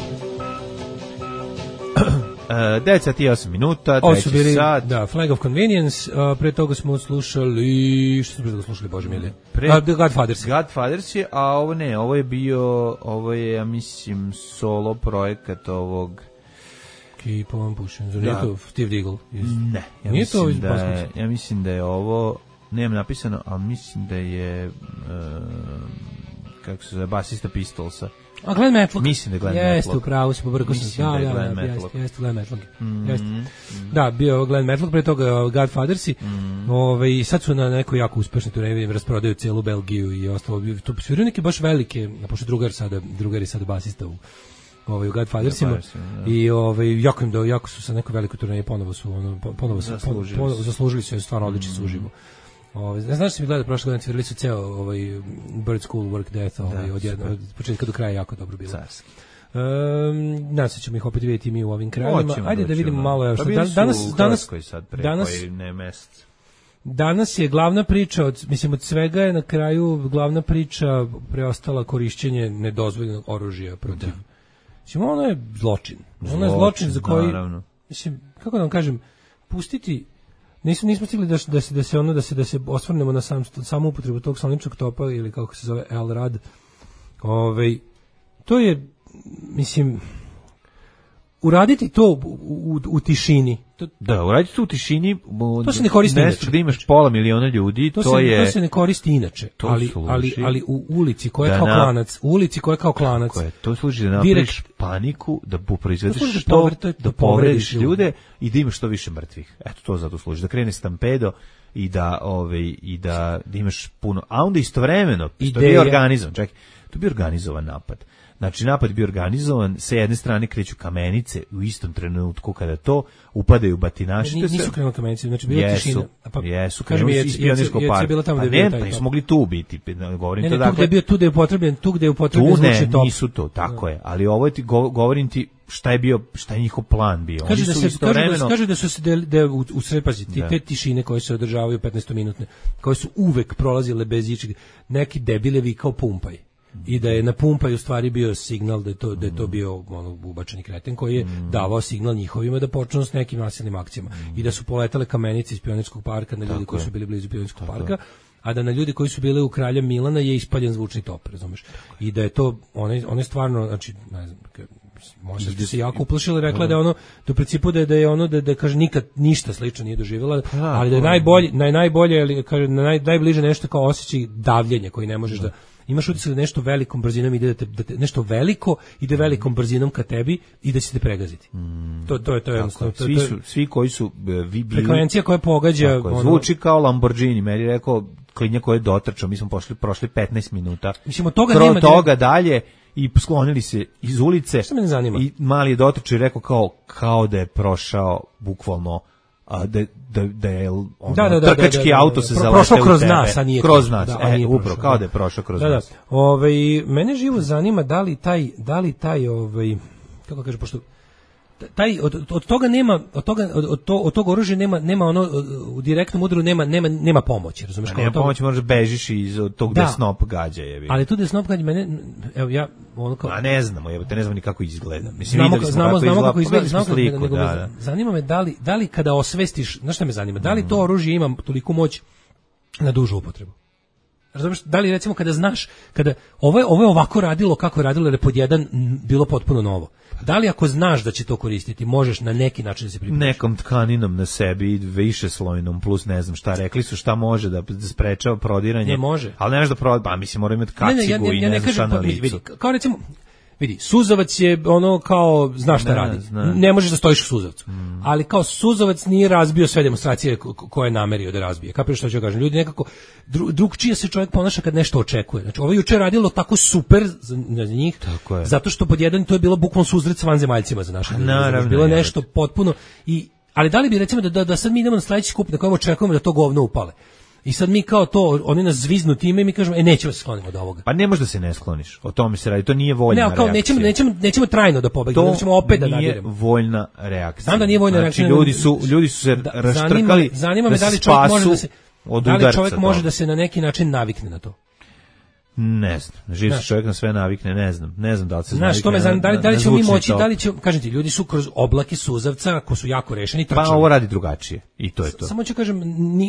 Uh, devet sati i osam minuta, Ovo su treći bili, sat. da, Flag of Convenience, uh, pre toga smo slušali, što smo pre toga slušali, Bože mili? Pre, uh, Godfathers. Godfathers je, a ovo ne, ovo je bio, ovo je, ja mislim, solo projekat ovog... Keep on pushing, zar nije to Steve Diggle? Ne, ja nije mislim, to da je, ja mislim da je ovo, nemam napisano, ali mislim da je, uh, kako se zove, basista Pistolsa. A Glenn Matlock. Mislim da je Glenn Matlock. Jeste, upravo si pobrkao sam. Da, da, da, Glenn da, jeste, jeste Glenn Matlock. Mm, jeste. mm. Da, bio Glenn Matlock, pre toga Godfathersi. Mm. Ove, i sad su na nekoj jako uspešni turneji, rasprodaju celu Belgiju i ostalo. Tu sviraju neke baš velike, pošto drugar sada, drugar je sada basista u ovaj u Godfathersima ja, i ovaj jako im do jako su sa nekoj velikoj turneji ponovo su ono ponovo su zaslužili, ponovo, zaslužili su stvarno odlični su uživo. Ovaj ne znaš se mi gleda prošle godine svirali su ceo ovaj Bird School Work Death ovaj, od jednog od početka do kraja jako dobro bilo. Carski. Um, nas ćemo ih opet vidjeti mi u ovim krajevima. Oćemo, Ajde da vidimo malo ja što dan, danas danas sad pre danas koji ne mesec. Danas je glavna priča od mislim od svega je na kraju glavna priča preostala korišćenje nedozvoljenog oružja protiv. Mislim, ono je zločin. Ono je zločin za koji, naravno. Mislim, kako da vam kažem, pustiti, nismo, nismo stigli da, da, se, da se ono, da se, da se osvrnemo na sam, samu upotrebu tog saloničnog topa ili kako se zove El Rad. Ove, to je, mislim, uraditi to u, u, u tišini. To, da, uraditi to u tišini. To se ne koristi inače. Gde imaš pola miliona ljudi, to, to se, je... To se ne koristi inače, ali, ali, ali u ulici koja je kao na, klanac, u ulici koja je kao klanac. Je, to služi da napraviš paniku, da proizvedeš što, da, da povrediš ljude i da imaš što više mrtvih. Eto, to zato služi. Da krene stampedo i da, ove, i da, da imaš puno... A onda istovremeno, to je bio organizovan, čekaj, to je bio organizovan napad. Znači, napad je bio organizovan, sa jedne strane kreću kamenice u istom trenutku kada to upadaju batinaši. Ne, nisu krenuli kamenice, znači bila jesu, tišina. Pa, jesu, krenuli su iz Pionirskog parka. Pa ne, pa nisu mogli tu biti. Govorim ne, to ne, dakle, tu gde je bio, tu gde je upotrebljen, tu gde je upotrebljen zvučni top. Tu ne, nisu to, tako no. je. Ali ovo ti, govorim ti šta je bio, šta je njihov plan bio. Kaže Oni da su se, kaže da, kaže da su se, da u, u srepaziti, te tišine koje se održavaju petnaestominutne, koje su uvek prolazile bez ičeg, neki debilevi kao pumpaj. I da je na pumpaju u stvari bio signal da je to, da je to bio ono, ubačeni kreten koji je mm. davao signal njihovima da počnu s nekim nasilnim akcijama. Mm. I da su poletale kamenice iz Pionirskog parka na ljudi Tako koji je. su bili blizu Pionirskog Tako parka, je. a da na ljudi koji su bili u Kralja Milana je ispaljen zvučni top, razumeš? I da je to, one, one stvarno, znači, ne znam, možda ste se jako uplašili, rekla da je ono, da u principu da je, da je ono, da, da kaže nikad ništa slično nije doživjela, ali da je najbolje, naj, najbolje, ali kaže, naj, najbliže nešto kao osjećaj davljenja koji ne možeš da imaš utisak da nešto velikom brzinom ide da te, da te nešto veliko ide velikom brzinom ka tebi i da će te pregaziti. Mm. To to je to je jednostavno. Svi su svi koji su vi bili frekvencija koja pogađa tako, ono, zvuči kao Lamborghini, meni rekao klinja koji je dotrčao, mi smo pošli prošli petnaest minuta. Mislim od toga Kro nema toga dalje i sklonili se iz ulice. Što me ne zanima. I mali je dotrčao i rekao kao kao da je prošao bukvalno a da da da je ono, da, da, da, trkački da, da, da, auto se zaleteo prošao kroz nas, a nije kroz nas, da, e, upravo kao da je prošao kroz da, nas. Da. Ovaj mene živo zanima da li taj da li taj ovaj kako kaže pošto taj od, od toga nema od toga od, od, to, od tog oružja nema nema ono u direktnom udaru nema nema nema pomoći, razumeš kako? Nema pomoći, možeš bežiš iz tog da snop gađa je. Ali tu da snop gađa mene evo ja ono kao a ne znamo, jebote, ne znamo ni kako izgleda. Mislim znamo, videli smo znamo, kako znamo izgleda, kako izgleda, znamo kako sliku, nego, da, da. Zanima me da li da li kada osvestiš, znaš šta me zanima, da li to oružje ima toliku moć na dužu upotrebu? Razumeš, da li recimo kada znaš, kada ovo je, ovo je ovako radilo kako je radilo, jer je pod jedan bilo potpuno novo. Da li ako znaš da će to koristiti, možeš na neki način da se pripremiš? Nekom tkaninom na sebi, više slojnom, plus ne znam šta, rekli su šta može da sprečava prodiranje. Ne može. Ali ne može da prodir, pa mislim mora imati kacigu ne, ne, ja, ja, ja, i ne, ne znam šta na licu. Vidi, kao recimo, vidi, suzavac je ono kao, znaš šta ne, radi, zna. Ne možeš da stojiš u suzavcu, mm. ali kao suzavac nije razbio sve demonstracije koje je namerio da razbije. Kapiraš što ću kažem, ljudi nekako, dru, drugčije se čovjek ponaša kad nešto očekuje. Znači, ovo juče radilo tako super za, za njih, zato što pod jedan to je bilo bukvalno suzret s vanzemaljcima za naše. Naravno. Bilo je nešto potpuno, i, ali da li bi recimo da, da, da sad mi idemo na sledeći skup na kojem očekujemo da to govno upale. I sad mi kao to, oni nas zviznu time i mi kažemo, e, nećemo se skloniti od ovoga. Pa ne može da se ne skloniš, o tome se radi, to nije voljna reakcija. Ne, kao nećemo, nećemo, nećemo trajno da pobegnemo, nećemo opet da nadiremo. To nije voljna reakcija. Znam da nije voljna znači, reakcija. Ljudi su, ljudi su se da, raštrkali, zanima me da li čovjek može da se, da li čovjek može da se na neki način navikne na to. Ne znam, živ se čovjek na sve navikne, ne znam, ne znam da li se znaš, navikne. Znaš, to me znam, da li, da li ćemo mi moći, da li će, kažem ti, ljudi su kroz oblake suzavca, ko su jako rešeni, trčali. Pa ovo radi drugačije, i to je to. Samo ću kažem,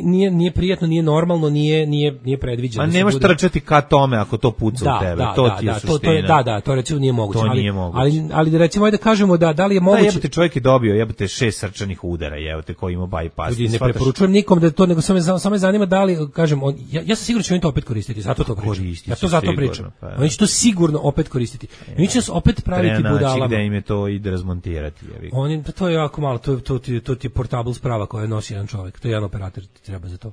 nije, nije prijatno, nije normalno, nije, nije, nije predviđeno. A nemaš bude... trčati ka tome ako to puca da, u tebe, da, to da, ti je da, suština. To, to je, da, da, to recimo nije moguće. To ali, nije moguće. Ali, ali recimo, ajde da kažemo da, da li je moguće... Da, jebote, čovjek je dobio, jebote, šest srčanih udara, jebote, koji ima bypass. Ljudi, ne preporučujem nikom da to, nego samo, samo me zanima da li, kažem, on, ja, ja sam siguran da će oni to opet koristiti, zato to pričam. Ja to zato pričam. Pa, oni će to sigurno opet koristiti. I oni će nas opet praviti budalama. Gde im je to i da razmontirati. Oni, to je jako malo, to, to, to, to ti je portable sprava koja nosi jedan čovjek. To je jedan operator, ti treba za to.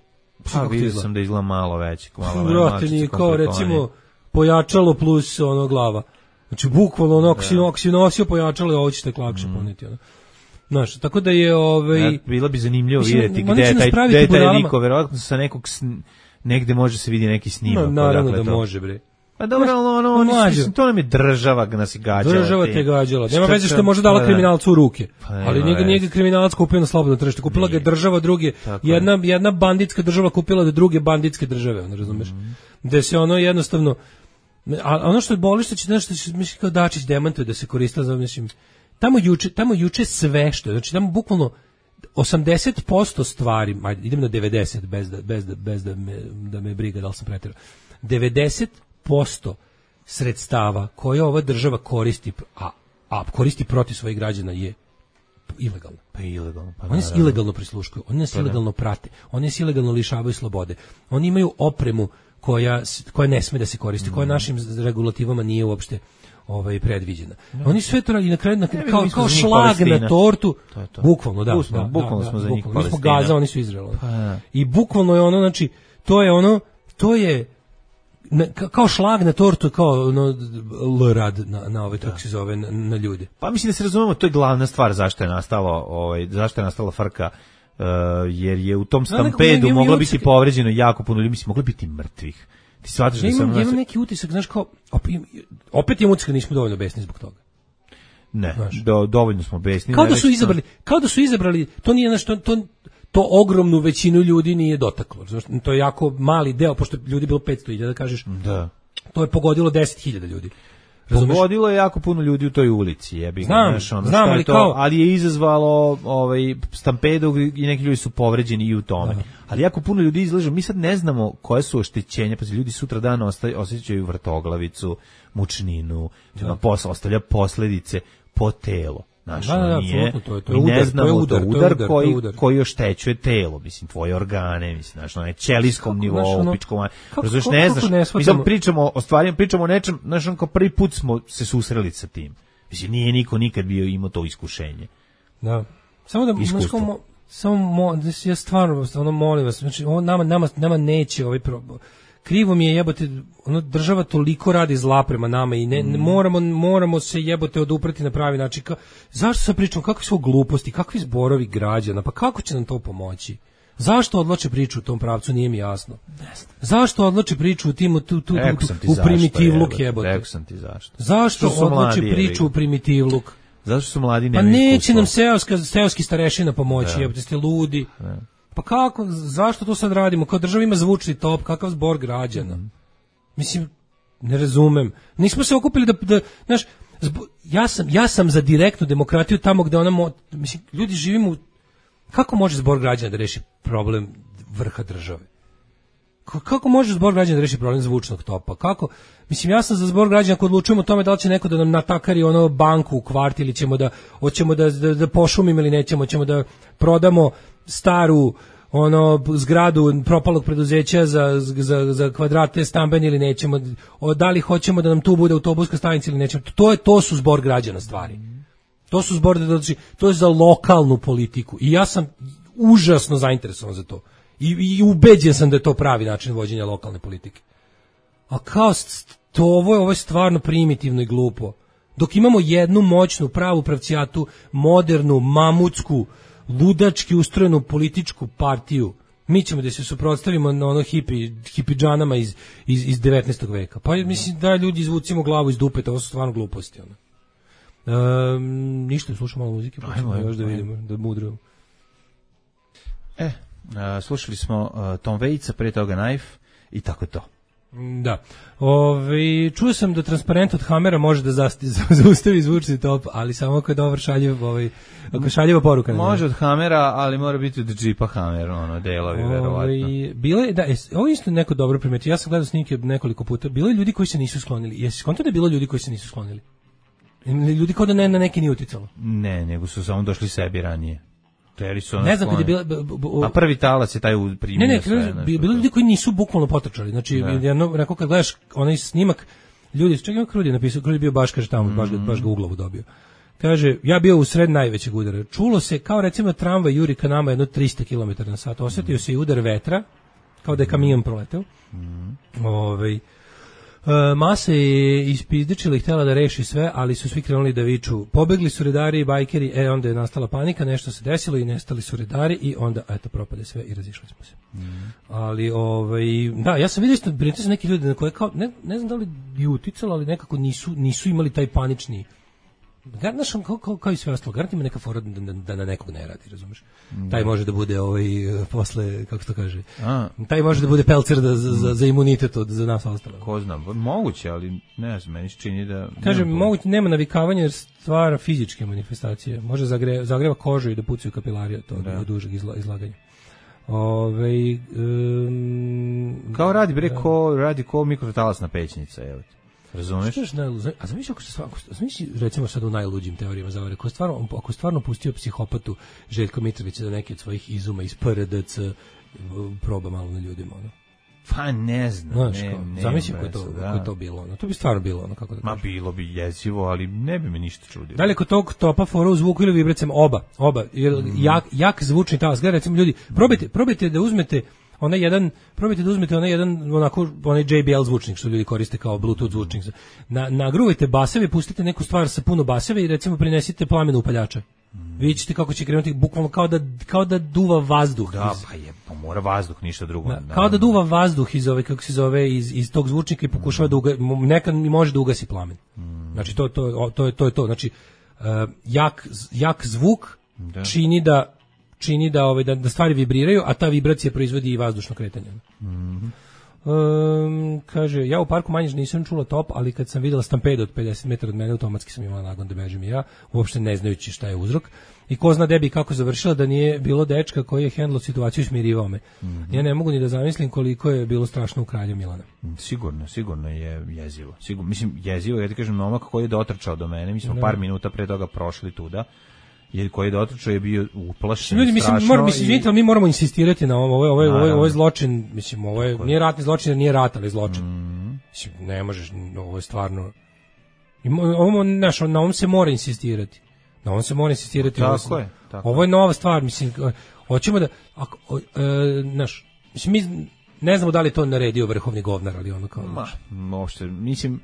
Pa vidio sam da izgleda malo veći. Vrati, nije kao recimo pojačalo plus ono glava. Znači bukvalno ono, ako si, ako si nosio pojačalo, ovo ćete lakše mm. poneti. Ono. Znaš, tako da je... Ovaj, ja, bilo bi zanimljivo mislim, vidjeti gde je taj, gde je taj liko, verovatno sa nekog, negde može se vidi neki snimak. No, naravno da to može, bre. Pa dobro, ono, ono, ono mislim, to nam je država ga nas i gađala. Država te gađala. Nema veze što je možda dala kriminalcu u ruke. Pa, ali njega njega kriminalac kupio na slobodno tržište. Kupila ga država, druge, jedna, jedna banditska država kupila da druge banditske države, ono, razumeš? Mm. Gde se ono jednostavno, a ono što je boli što će, nešto će, mislim, kao Dačić demantuje da se koristila, za, mislim, tamo juče, tamo juče sve što, znači tamo bukvalno osamdeset posto stvari, ajde, idem na devedeset bez da, bez da, bez da me, da me briga da li sam preterao. devedeset posto sredstava koje ova država koristi, a, a koristi protiv svojih građana je ilegalno. Pa ilegalno. Pa oni se ilegalno prisluškuju, oni nas pa ilegalno prate, oni se ilegalno lišavaju slobode. Oni imaju opremu koja, koja ne sme da se koristi, mm. koja našim regulativama nije uopšte ovaj predviđena. No. Oni sve to radi na kraju na, kao, kao, kao šlag na tortu. To je to. Bukvalno, da. Bukvalno, da, bukvalno da, smo da, za njih bukvalno. Palestina. Mi smo Gaza, oni su Izrael. Pa, ja. I bukvalno je ono, znači, to je ono, to je na, kao šlag na tortu, kao ono l rad na na ove kako se zove na, na ljude. Pa mislim da se razumemo, to je glavna stvar zašto je nastalo, ovaj zašto je nastala frka, uh, jer je u tom stampedu moglo biti povređeno jako puno ljudi, mislim moglo biti mrtvih. Ti shvataš da sam imam neki utisak, znaš, kao opet je utisak da nismo dovoljno besni zbog toga. Ne, do, dovoljno smo besni. Kao da su izabrali, kao da su izabrali, to nije nešto, to to ogromnu većinu ljudi nije dotaklo. To je jako mali deo, pošto ljudi bilo petsto hiljada, da kažeš. Da. To je pogodilo deset hiljada ljudi. Razumeš? Pogodilo je jako puno ljudi u toj ulici, jebi ga, znam, znaš, ono, znam, je ali, to, kao... ali je izazvalo ovaj stampedu i neki ljudi su povređeni i u tome. Da. Ali jako puno ljudi izlaže, mi sad ne znamo koje su oštećenja, pa ljudi sutra dan osjećaju vrtoglavicu, mučninu, da. Posle ostavlja posledice po telo. Znaš, da, da, nije, to je, to je udar, ne znamo, to je udar, to udar, to je udar koji, udar. koji oštećuje telo, mislim, tvoje organe, mislim, znaš, na ćelijskom nivou, ono, pičkom, razumiješ, ne znaš, ne mi sad pričamo o stvarima, pričamo o nečem, znaš, on kao prvi put smo se susreli sa tim, mislim, nije niko nikad bio imao to iskušenje. Da, samo da, mo, samo, mo, ja stvarno, ono, molim vas, znači, ovo nama, nama, nama neće ovaj problem. Krivo mi je, jebote, ono, država toliko radi zla prema nama i ne, ne moramo, moramo se, jebote, oduprati na pravi način. Ka, zašto se pričamo, kakve su gluposti, kakvi zborovi građana, pa kako će nam to pomoći? Zašto odlače priču u tom pravcu, nije mi jasno. Zašto odlače priču u tim, tu, tu, tu, tu, u primitivluk, jebote? Rekao sam ti zašto. Zašto odlače priču u primitivluk? Zašto su mladi nemaju iskustva? Pa neće nam seoska, seoski starešina pomoći, jebote, ste ludi. Ne. Pa kako, zašto to sad radimo? Kao država ima zvučni top, kakav zbor građana? Mm. Mislim, ne razumem. Nismo se okupili da, da znaš, zbo, ja, sam, ja sam za direktnu demokratiju tamo gde ona, mo, mislim, ljudi živimo, kako može zbor građana da reši problem vrha države? kako može zbor građana da reši problem zvučnog topa? Kako? Mislim, ja sam za zbor građana ako odlučujemo o tome da li će neko da nam natakari ono banku u kvart ili ćemo da, hoćemo da, da, da pošumimo ili nećemo, hoćemo da prodamo staru ono zgradu propalog preduzeća za, za, za kvadrate stambeni ili nećemo, o, da li hoćemo da nam tu bude autobuska stanica ili nećemo. To, je, to su zbor građana stvari. To su zbor, to je za lokalnu politiku i ja sam užasno zainteresovan za to. I, i ubeđen sam da je to pravi način vođenja lokalne politike. A kao to ovo je, ovo je stvarno primitivno i glupo. Dok imamo jednu moćnu, pravu pravcijatu, modernu, mamutsku, ludački ustrojenu političku partiju, mi ćemo da se suprotstavimo na ono hipi, hipidžanama iz, iz, iz devetnaestog veka. Pa mislim da ljudi izvucimo glavu iz dupeta, ovo su stvarno gluposti. Ono. Um, ništa, slušamo malo muzike, pa ćemo još da vidimo, da mudrujemo. E, Uh, slušali smo uh, Tom Waitsa, pre toga Knife i tako to. Da. Ove, čuo sam da transparent od Hamera može da zasti, zaustavi zvučni top, ali samo ako je dobar šaljiv, ovaj, ako šaljiva poruka. Može od Hamera, ali mora biti od džipa Hamer, ono, delovi, ove, verovatno. Bilo je, da, ovo isto neko dobro primetio, ja sam gledao snimke nekoliko puta, bilo je ljudi koji se nisu sklonili. Jesi skonto da je bilo ljudi koji se nisu sklonili? Ljudi kao da ne, na neki nije uticalo? Ne, nego su samo došli sebi ranije. Ne znam kad je bila... A prvi talac je taj primio. Ne, ne, sve, bilo ljudi koji nisu bukvalno potrčali. Znači, jedno, rekao kad gledaš onaj snimak, ljudi, čekaj ima Krudi napisao, Krudi bio baš, kaže tamo, mm. baš, ga, baš ga u glavu dobio. Kaže, ja bio u sred najvećeg udara. Čulo se kao recimo tramvaj juri ka nama jedno tristo kilometara na sat. Osjetio mm. se i udar vetra, kao da je kamion proleteo. Mm. Ovaj... Uh, masa je ispizdičila i htjela da reši sve, ali su svi krenuli da viču. Pobegli su redari i bajkeri, e onda je nastala panika, nešto se desilo i nestali su redari i onda, eto, propade sve i razišli smo se. Mm. Ali, ovaj, da, ja sam vidio isto, brinite se neki ljudi na koje kao, ne, ne znam da li je uticalo, ali nekako nisu, nisu imali taj panični. Znaš, kao, kao, kao i sve ostalo, garant ima neka fora da, da, da na nekog ne radi, razumeš? Mm. Taj može da bude ovaj, posle, kako se to kaže, A. taj može da bude pelcer da, za, za, za imunitet od, za nas ostalo. Ko znam, moguće, ali ne znam, meni se čini da... Kaže, moguće, nema navikavanja jer stvara fizičke manifestacije, može zagre, zagreva kožu i da pucaju kapilarije, to da. Od dužeg izla, izlaganja. Ove, um, kao radi, bre, ko, radi ko mikrotalasna pećnica, evo ti. Razumeš? A zamisli ako se zamisli recimo sad u najluđim teorijama zavere, ako stvarno ako stvarno pustio psihopatu Željko Mitrovića da neke od svojih izuma iz P R D C proba malo na ljudima, ono. Pa ne znam, Znaš, ne, kao, ne. Zamisli kako to, kako to bilo, ono. To bi stvarno bilo, ono, kako da Ma kažem. Bilo bi jezivo, ali ne bi me ništa čudilo. Da li kod tog topa fora u zvuku ili vibracijama oba, oba, jer mm. jak, jak zvučni talas. Gledajte, recimo ljudi, probajte, probajte da uzmete onaj jedan, probajte da uzmete onaj jedan, onako, onaj J B L zvučnik što ljudi koriste kao Bluetooth zvučnik. Na, nagruvajte baseve, pustite neku stvar sa puno baseve i recimo prinesite plamenu upaljača. Mm. Vidjet ćete kako će krenuti, bukvalno kao da, kao da duva vazduh. Da, iz, pa je, pa mora vazduh, ništa drugo. Da, kao da duva vazduh iz ove, kako se zove, iz, iz tog zvučnika i pokušava mm. da uga, nekad mi može da ugasi plamen. Mm. Znači, to, to, to, je, to je to. Znači, uh, jak, jak zvuk da. čini da čini da ove da, da stvari vibriraju, a ta vibracija proizvodi i vazdušno kretanje. Mhm. Um, kaže, ja u parku Manjiž nisam čula top, ali kad sam videla stampedo od pedeset metara od mene, automatski sam imala nagon da bežim i ja, uopšte ne znajući šta je uzrok. I ko zna debi kako završila da nije bilo dečka koji je hendlo situaciju i smirivao me. Mm-hmm. Ja ne mogu ni da zamislim koliko je bilo strašno u Kralju Milana. Sigurno, sigurno je jezivo. Sigurno, mislim, jezivo, ja ti kažem, momak koji je dotrčao do mene, mi smo ne. par minuta pre toga prošli tuda, jer koji je dotrčao je bio uplašen, ljudi, mislim, strašno. Mora, mislim, i... mi moramo insistirati na ovom, ovo je, ovo je, ovo je, ovo je zločin, mislim, ovo je, nije ratni zločin, jer nije rat, ali zločin. Mm. Mislim, ne možeš, ovo je stvarno, ovo, naš, na ovom se mora insistirati. Na ovom se mora insistirati. Tako ovo, je. Tako. Ovo je nova stvar, mislim, hoćemo da, ako, e, naš, mislim, mi ne znamo da li to naredio vrhovni govnar, ali ono kao, Ma, uopšte, mislim,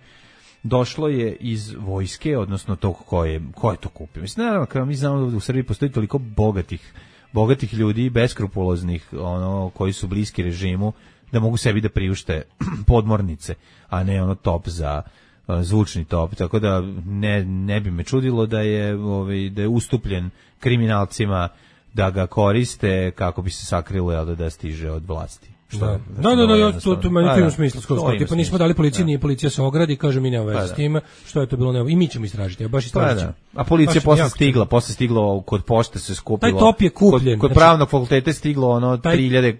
došlo je iz vojske, odnosno tog ko je, ko je to kupio. Mislim, naravno, kao mi znamo da u Srbiji postoji toliko bogatih, bogatih ljudi, beskrupuloznih, ono, koji su bliski režimu, da mogu sebi da priušte podmornice, a ne ono top za uh, zvučni top. Tako da ne, ne bi me čudilo da je, ovaj, da je ustupljen kriminalcima da ga koriste kako bi se sakrilo, jel, da, da stiže od vlasti. Što da, da, da, da, ja, to, to meni to ima smisla. Skoro, tipa nismo dali policiji, nije policija se ogradi, kaže mi nema veze s time, što je to bilo, nema. I mi ćemo istražiti, ja baš istražiti. A policija posle stigla, posle stiglo kod pošte se skupilo. Taj top je kupljen. Kod, kod pravnog fakulteta je stiglo ono tri hiljade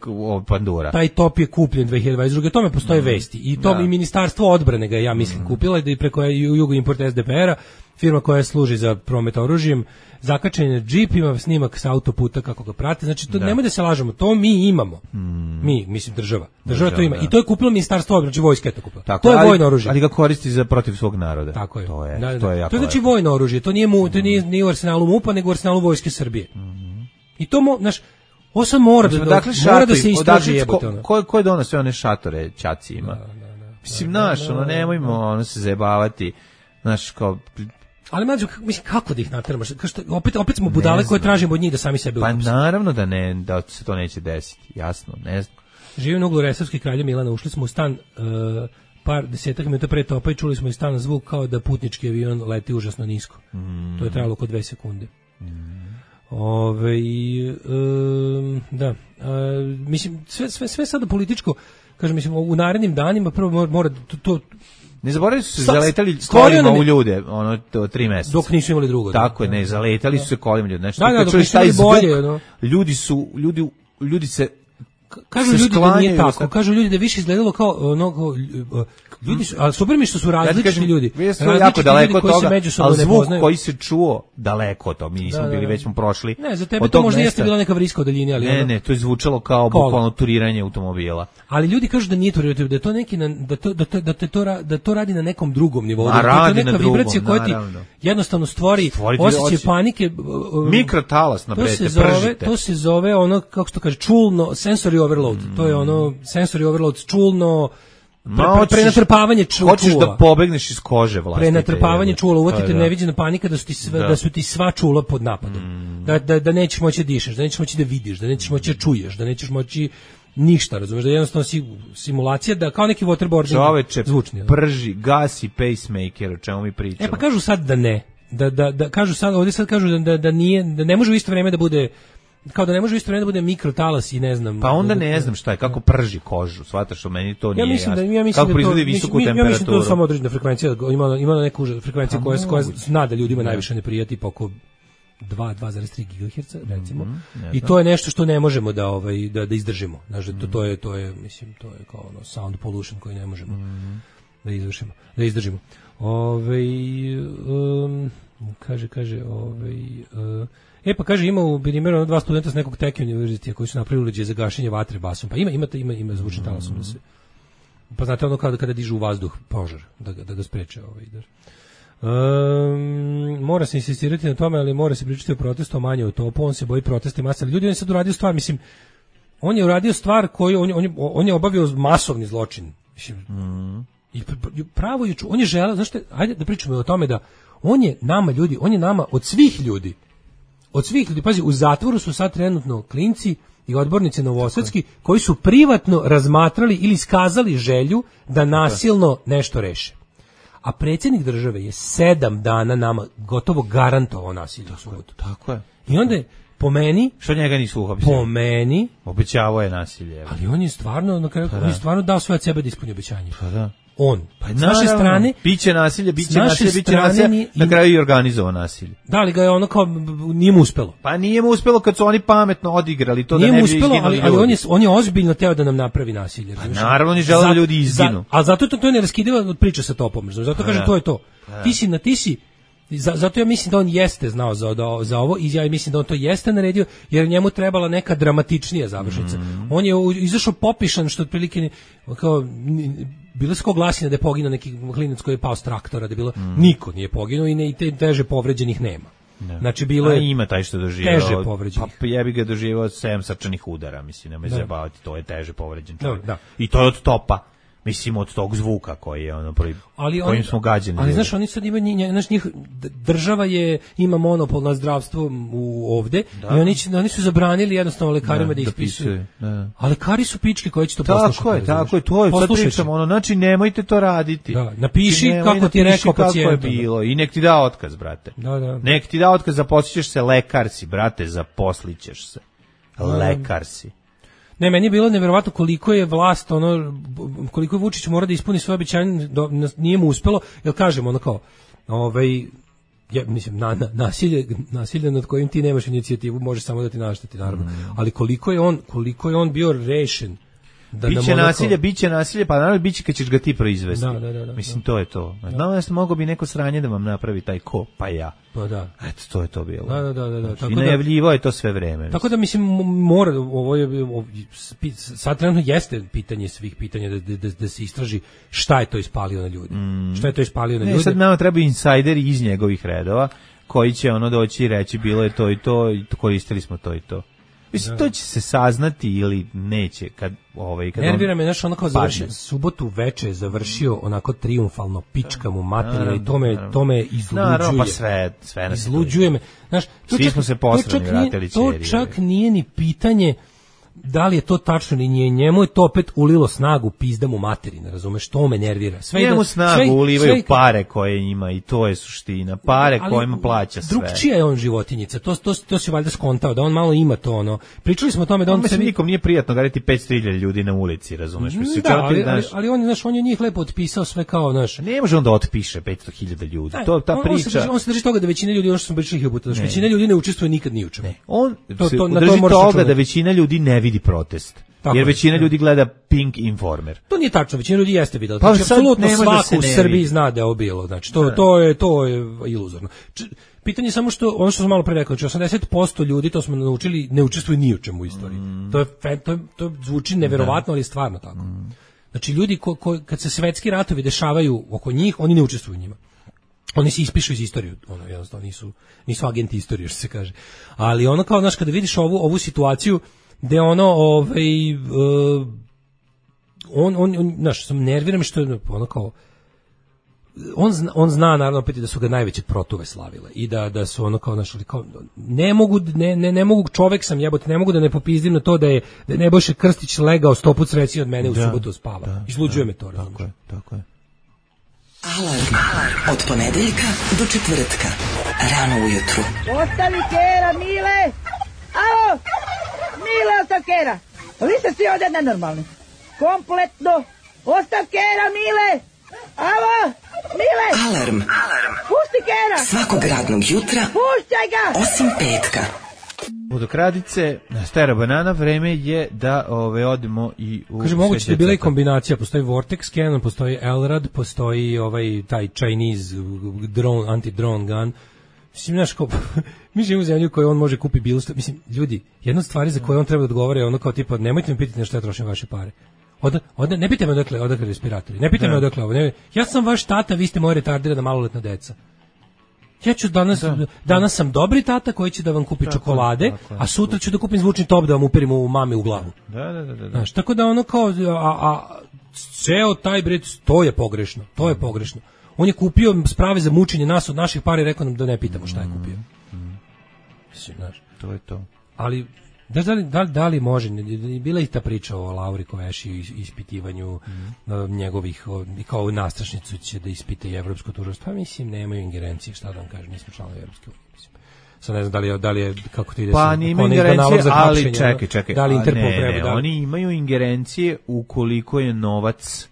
pandura. Taj top je kupljen dve hiljade dvadeset druge. O tome postoje vesti. I to i Ministarstvo odbrane ga ja mislim kupila i da i preko Jugo Import S D P R-a, firma koja služi za promet oružjem, zakačen je džip, ima snimak sa autoputa kako ga prate, znači to da. Nemoj da se lažemo, to mi imamo. Mm. Mi, mislim država. Država Država, to ima. Da. I to je kupilo Ministarstvo odbrane, znači vojska je to kupila. Tako, to je ali, vojno oružje. Ali ga koristi za protiv svog naroda. Tako je. To je, da, da, to je jako. To je znači lepo. Vojno oružje, to nije mu, to nije, nije u arsenalu MUP-a, nego u arsenalu Vojske Srbije. Mm. I to mo, znaš, ovo sad mora da, dakle, mora šatovi, da se istraži jebote. Ko, ko, ko je donosio one šatore ćaci ima? Da, da, da, mislim, naš, da, da, ono, nemojmo ono se zajebavati, znaš, kao... Ali mlađo, mislim, kako da ih nateramo? Što, opet, opet smo budale koje tražimo od njih da sami sebe uhapse. Pa naravno da ne, da se to neće desiti, jasno, ne znam. Živim na uglu Resavske kralja Milana, ušli smo u stan uh, par desetak minuta pre topa i čuli smo iz stana zvuk kao da putnički avion leti užasno nisko. Mm. To je trajalo oko dve sekunde. Mm. Ove, um, da, uh, mislim, sve, sve, sve sada političko, kažem, mislim, u narednim danima prvo mora, mora to, to ne zaboravili su se zaletali kolima u ljude, ono, to, tri meseca. Dok nisu imali drugo. Tako je, ne, zaletali su se kolima ljudi. Znači, da, da, dok nisu imali bolje. No. Ljudi su, ljudi, ljudi se kažu ljudi da nije tako, kažu ljudi da više izgledalo kao ono, ljudi su, a super mi što su različiti ja kažem, ljudi. Jako daleko od toga, ali zvuk koji se čuo daleko od toga, mi nismo da, da, bili, već smo prošli. Ne, za tebe to možda mesta, jeste bila neka vriska u daljini, ali ne, ono, ne, to je zvučalo kao bukvalno turiranje automobila. Ali ljudi kažu da nije turiranje, da je to neki, da to, da to, da to, da to radi na nekom drugom nivou, da je to neka vibracija koja ti jednostavno stvori osjećaj panike. Mikrotalas na brete, pržite. To se zove ono, kako se to kaže, čulno, sensory overload, to je ono, sensory overload, čulno, Pre, pre, prenatrpavanje čula. Hoćeš da pobegneš iz kože vlastite. Prenatrpavanje čula, uvotite neviđena panika da su ti sve, da. da su ti sva čula pod napadom. Mm. Da, da, da nećeš moći da dišeš, da nećeš moći da vidiš, da nećeš moći da čuješ, da nećeš moći ništa, razumeš, da je jednostavno si, simulacija da kao neki waterboarding Čoveče, zvučni. Prži, gasi pacemaker, o čemu mi pričamo. E pa kažu sad da ne. Da, da, da kažu sad, ovdje sad kažu da, da, da nije, da ne može u isto vrijeme da bude kao da ne može u isto vrijeme da bude mikrotalas i ne znam. Pa onda ne znam šta je, kako prži kožu, shvataš, što meni to nije ja mislim jasno. Da, ja mislim kako proizvodi visoku mislim, temperaturu. Ja mislim da to je samo određena frekvencija, ima, ima neku frekvenciju koja, koja zna da ljudima najviše ne prija, tipa oko dva, dva zarez tri gigaherca, recimo. Mm -hmm, I to je nešto što ne možemo da ovaj da, da izdržimo. Znači, to, to je to je mislim to je kao ono sound pollution koji ne možemo mm. da izvršimo, da izdržimo. Ovaj um, kaže kaže ovaj uh, E pa kaže ima u primjeru dva studenta s nekog Teke univerziteta koji su napravili uređaj za gašenje vatre basom. Pa ima ima ima ima zvučni talasom da se. Pa znate ono kada kada dižu u vazduh požar da ga da ga spreče ovaj da. Um, mora se insistirati na tome, ali mora se pričati o protestu manje o topu, on se boji protesta masa. Ljudi, on je sad uradio stvar, mislim, on je uradio stvar koju, on, on, on je obavio masovni zločin. Mislim, mm. i pravo je, on je želeo, znaš te, ajde da pričamo o tome da on je nama ljudi, on je nama od svih ljudi, od svih ljudi, pazi, u zatvoru su sad trenutno klinci i odbornici novosadski koji su privatno razmatrali ili iskazali želju da nasilno nešto reše. A predsjednik države je sedam dana nama gotovo garantovao nasilje u subotu. Tako je. I onda je, po meni... Što njega nisu uhapsili? Po meni... Obećavao je nasilje. Ali on je stvarno, na kraju, pa on je stvarno dao sve od sebe da ispuni obećanje. Pa da. On. Pa s naše strane... Biće nasilje, biće nasilje, biće nasilje, ni, na kraju i organizovao nasilje. Da li ga je ono kao, nije mu uspelo? Pa nije mu uspelo kad su oni pametno odigrali to nije da ne bi uspelo, izginuli ali, ali on, je, on je ozbiljno teo da nam napravi nasilje. Pa naravno ni žele da ljudi izginu. Za, a zato to, to je neраskidivo od priče sa topom. Zato kažem, to je to. Ti si na ti si... Zato ja mislim da on jeste znao za, da, za ovo i ja mislim da on to jeste naredio jer njemu trebala neka dramatičnija završnica. Mm. On je izašao popišan što otprilike kao bilo se ko glasina da je poginuo neki klinac koji je pao s traktora, da je bilo mm. niko nije poginuo i ne i te teže povređenih nema. Ne. Znači bilo je a ima taj što doživio teže povređenih. Pa jebi ga doživio sedam srčanih udara, mislim, nemoj zajebavati, to je teže povređen čovjek. Da, da. I to je od topa. Mislim od tog zvuka koji je ono prvi, ali kojim on, smo gađeni. Ali znaš, oni sad imaju, znaš, njih, država je, ima monopol na zdravstvo u ovde da. I oni, oni su zabranili jednostavno lekarima da, da ispisuju. Da. A lekari su pičke koji će to poslušati. Tako je, tako je, to je, sad pričamo, ono, znači nemojte to raditi. Da, napiši znači, kako ti je rekao pacijent. Kako je bilo i nek ti da otkaz, brate. Da, da. Nek ti da otkaz, zaposlićeš se, lekar si, brate, zaposlićeš se. Lekar si. Ne, meni je bilo neverovatno koliko je vlast, ono, koliko je Vučić mora da ispuni svoje obećanje, nije mu uspelo, jer kažemo, ono kao, ovaj, ja, mislim, na, na, nasilje, nasilje nad kojim ti nemaš inicijativu može samo da ti našteti, naravno, mm. ali koliko je on, koliko je on bio rešen. Da biće nasilje, biće nasilje, pa naravno biće kad ćeš ga ti proizvesti. Da, da, da, da, mislim, to je to. Znam da mogao bi neko sranje da vam napravi taj ko, pa ja. Pa da. Eto, to je to bilo. Da, da, da. da. Znači, tako i najavljivo je to sve vreme. Tako da, mislim, mora, ovo je, ovo, sad trenutno jeste pitanje svih pitanja da, da, da se istraži šta je to ispalio na ljudi. Mm. Šta je to ispalio na ne, ljudi. Sad nama treba insajderi iz njegovih redova koji će ono doći i reći bilo je to i to i koristili smo to i to. Mislim, to će se saznati ili neće kad ovaj kad nervira me, znaš, ono kao završio subotu veče je završio onako trijumfalno, pička mu materina i to me, to me izluđuje. Naravno, pa sve, sve nas izluđuje me. Znaš, to svi čak, smo se posrani vratili to čak nije ni pitanje da li je to tačno ili nije, njemu je to opet ulilo snagu pizda mu materina, razumeš, to me nervira. Sve njemu da, snagu sve, ulivaju sve, pare koje ima i to je suština, pare ali, kojima plaća sve. Drugčija je on životinjica, to, to, to se valjda skontao, da on malo ima to ono. Pričali smo o tome da on... Mislim, sebi... nikom nije prijatno gaditi petsto hiljada ljudi na ulici, razumeš? Mislim, da, ali, ali, ali on, znaš, on je njih lepo otpisao sve kao, znaš... Ne može on da otpiše petsto hiljada ljudi, to ta on, priča... On se, drži, on se drži toga da većina ljudi, ono što smo pričali hiljadu puta, većina ljudi ne učestvuje nikad ni u čemu. On to, se to, drži toga da većina ljudi ne vidi protest. Tako jer većina ljudi gleda Pink Informer. To nije tačno, većina ljudi jeste videla. Pa znači, apsolutno svako u Srbiji zna da je ovo bilo. Znači, to, to, je, to je iluzorno. Č, pitanje je samo što, ono što sam malo pre rekao, znači osamdeset posto ljudi, to smo naučili, ne učestvuju ni u čemu u istoriji. Mm. To, je, to, to zvuči neverovatno, ali je stvarno tako. Mm. Znači, ljudi ko, ko, kad se svetski ratovi dešavaju oko njih, oni ne učestvuju u njima. Oni se ispišu iz istorije, ono, jednostavno nisu, nisu agenti istorije, što se kaže. Ali ono kao, znaš, kada vidiš ovu, ovu situaciju, gde ono, ovaj, uh, on, on, on, znaš, sam nerviram što je ono kao, on zna, on zna naravno opet da su ga najveće protuve slavile i da, da su ono kao, znaš, kao, ne mogu, ne, ne, ne mogu, čovek sam jebote, ne mogu da ne popizdim na to da je, da je Nebojša Krstić legao sto put srećniji od mene u da, subotu spava. Da, izluđuje da, me to, tako je, tako je. Alarm od ponedeljka do četvrtka, rano ujutru. Ostavi kera, Mile! Alo! Mile, ostav kera! Vi ste svi ovdje nenormalni. Kompletno! Ostav kera, Mile! Alo! Mile! Alarm! Alarm! Pusti kera! Svakog radnog jutra, puštaj ga! Osim petka. Vodokradice, Stara banana, vreme je da ove odemo i u... Kaže, moguće da je bila i kombinacija, postoji Vortex Cannon, postoji Elrad, postoji ovaj taj Chinese drone, anti-drone gun. Mislim, znaš, kao, mi živimo u zemlju koju on može kupi bilo što, mislim, ljudi, jedna od stvari za koje on treba da odgovara je ono kao tipa, nemojte me pitati na što ja trošim vaše pare. Od, od, ne pitaj me odakle, odakle respiratori, ne pitaj me odakle ovo, ne, ja sam vaš tata, vi ste moja retardirana maloletna deca. Ja ću danas, da, danas sam dobri tata koji će da vam kupi tako, čokolade, tako, a sutra ću da kupim zvučni top da vam uperim u mame u glavu. Da, da, da, da. Znaš, tako da ono kao, a, a ceo taj bret, to je pogrešno, to je pogrešno. On je kupio sprave za mučenje nas od naših para i rekao nam da ne pitamo šta je kupio. Mm. Mislim, znaš. To je to. Ali, da li, da li, da li može, bila je ta priča o Lauri Koveši i ispitivanju mm. uh, njegovih, o, kao nastrašnicu će da ispita i evropsko tužilaštvo. Pa mislim, nemaju ingerencije, šta da vam kažem, nismo članovi Evropske unije. Mislim. Sad ne znam da li je, da li je kako to ide. Pa nima ingerencije, ali čekaj, čekaj. Da li Interpol ne, treba, ne, da li... oni imaju ingerencije ukoliko je novac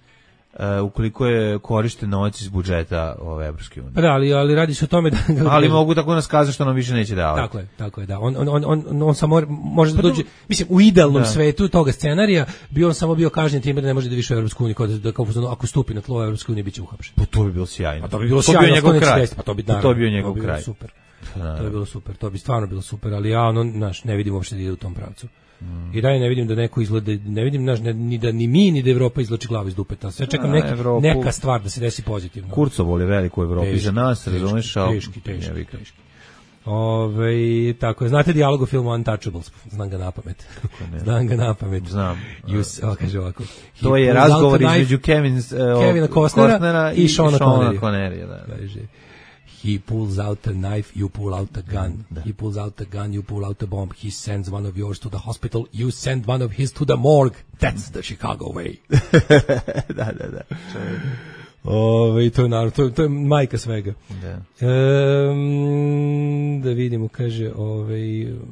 Uh, ukoliko je korišten novac iz budžeta ove Evropske unije. Da, ali, ali radi se o tome da... ali mogu tako nas kazati što nam više neće davati. Tako je, tako je, da. On, on, on, on, on samo može da dođe, mislim, u idealnom da. svetu toga scenarija bi on samo bio kažnjen time da ne može da više u Evropsku uniju, da, kao, ako stupi na tlo Evropske unije biće uhapšen. Pa to bi bilo sjajno. Pa to bi bilo sjajno, to bi njegov kraj. Pa to bi, naravno, to bi bio njegov to bi kraj. Super. To bi bilo super, to bi stvarno bilo super, ali ja ono, naš, ne vidim uopšte da ide u tom pravcu. Mm. I dalje ne vidim da neko izgleda, ne vidim naš, ne, ni da ni mi ni da Evropa izvlači glavu iz dupeta. Sve čekam neki, Evropu, neka stvar da se desi pozitivno. Kurcovol je veliko u Evropi za nas, razumeš, al teški, teški, teški. Ove, tako je, znate dijalog u filmu Untouchables, znam ga napamet. Znam ga napamet. Znam. Just, o, kaže ovako. To je razgovor između Kevin, uh, Kevina Costnera, Costnera i, i Seana Connerija. Da. Kaže, he pulls out a knife, you pull out a gun. Da. He pulls out a gun, you pull out a bomb. He sends one of yours to the hospital, you send one of his to the morgue. That's the Chicago way. da, da, da. Ove, to je naravno, to, to je majka svega. Da. E, da vidimo, kaže, ovaj,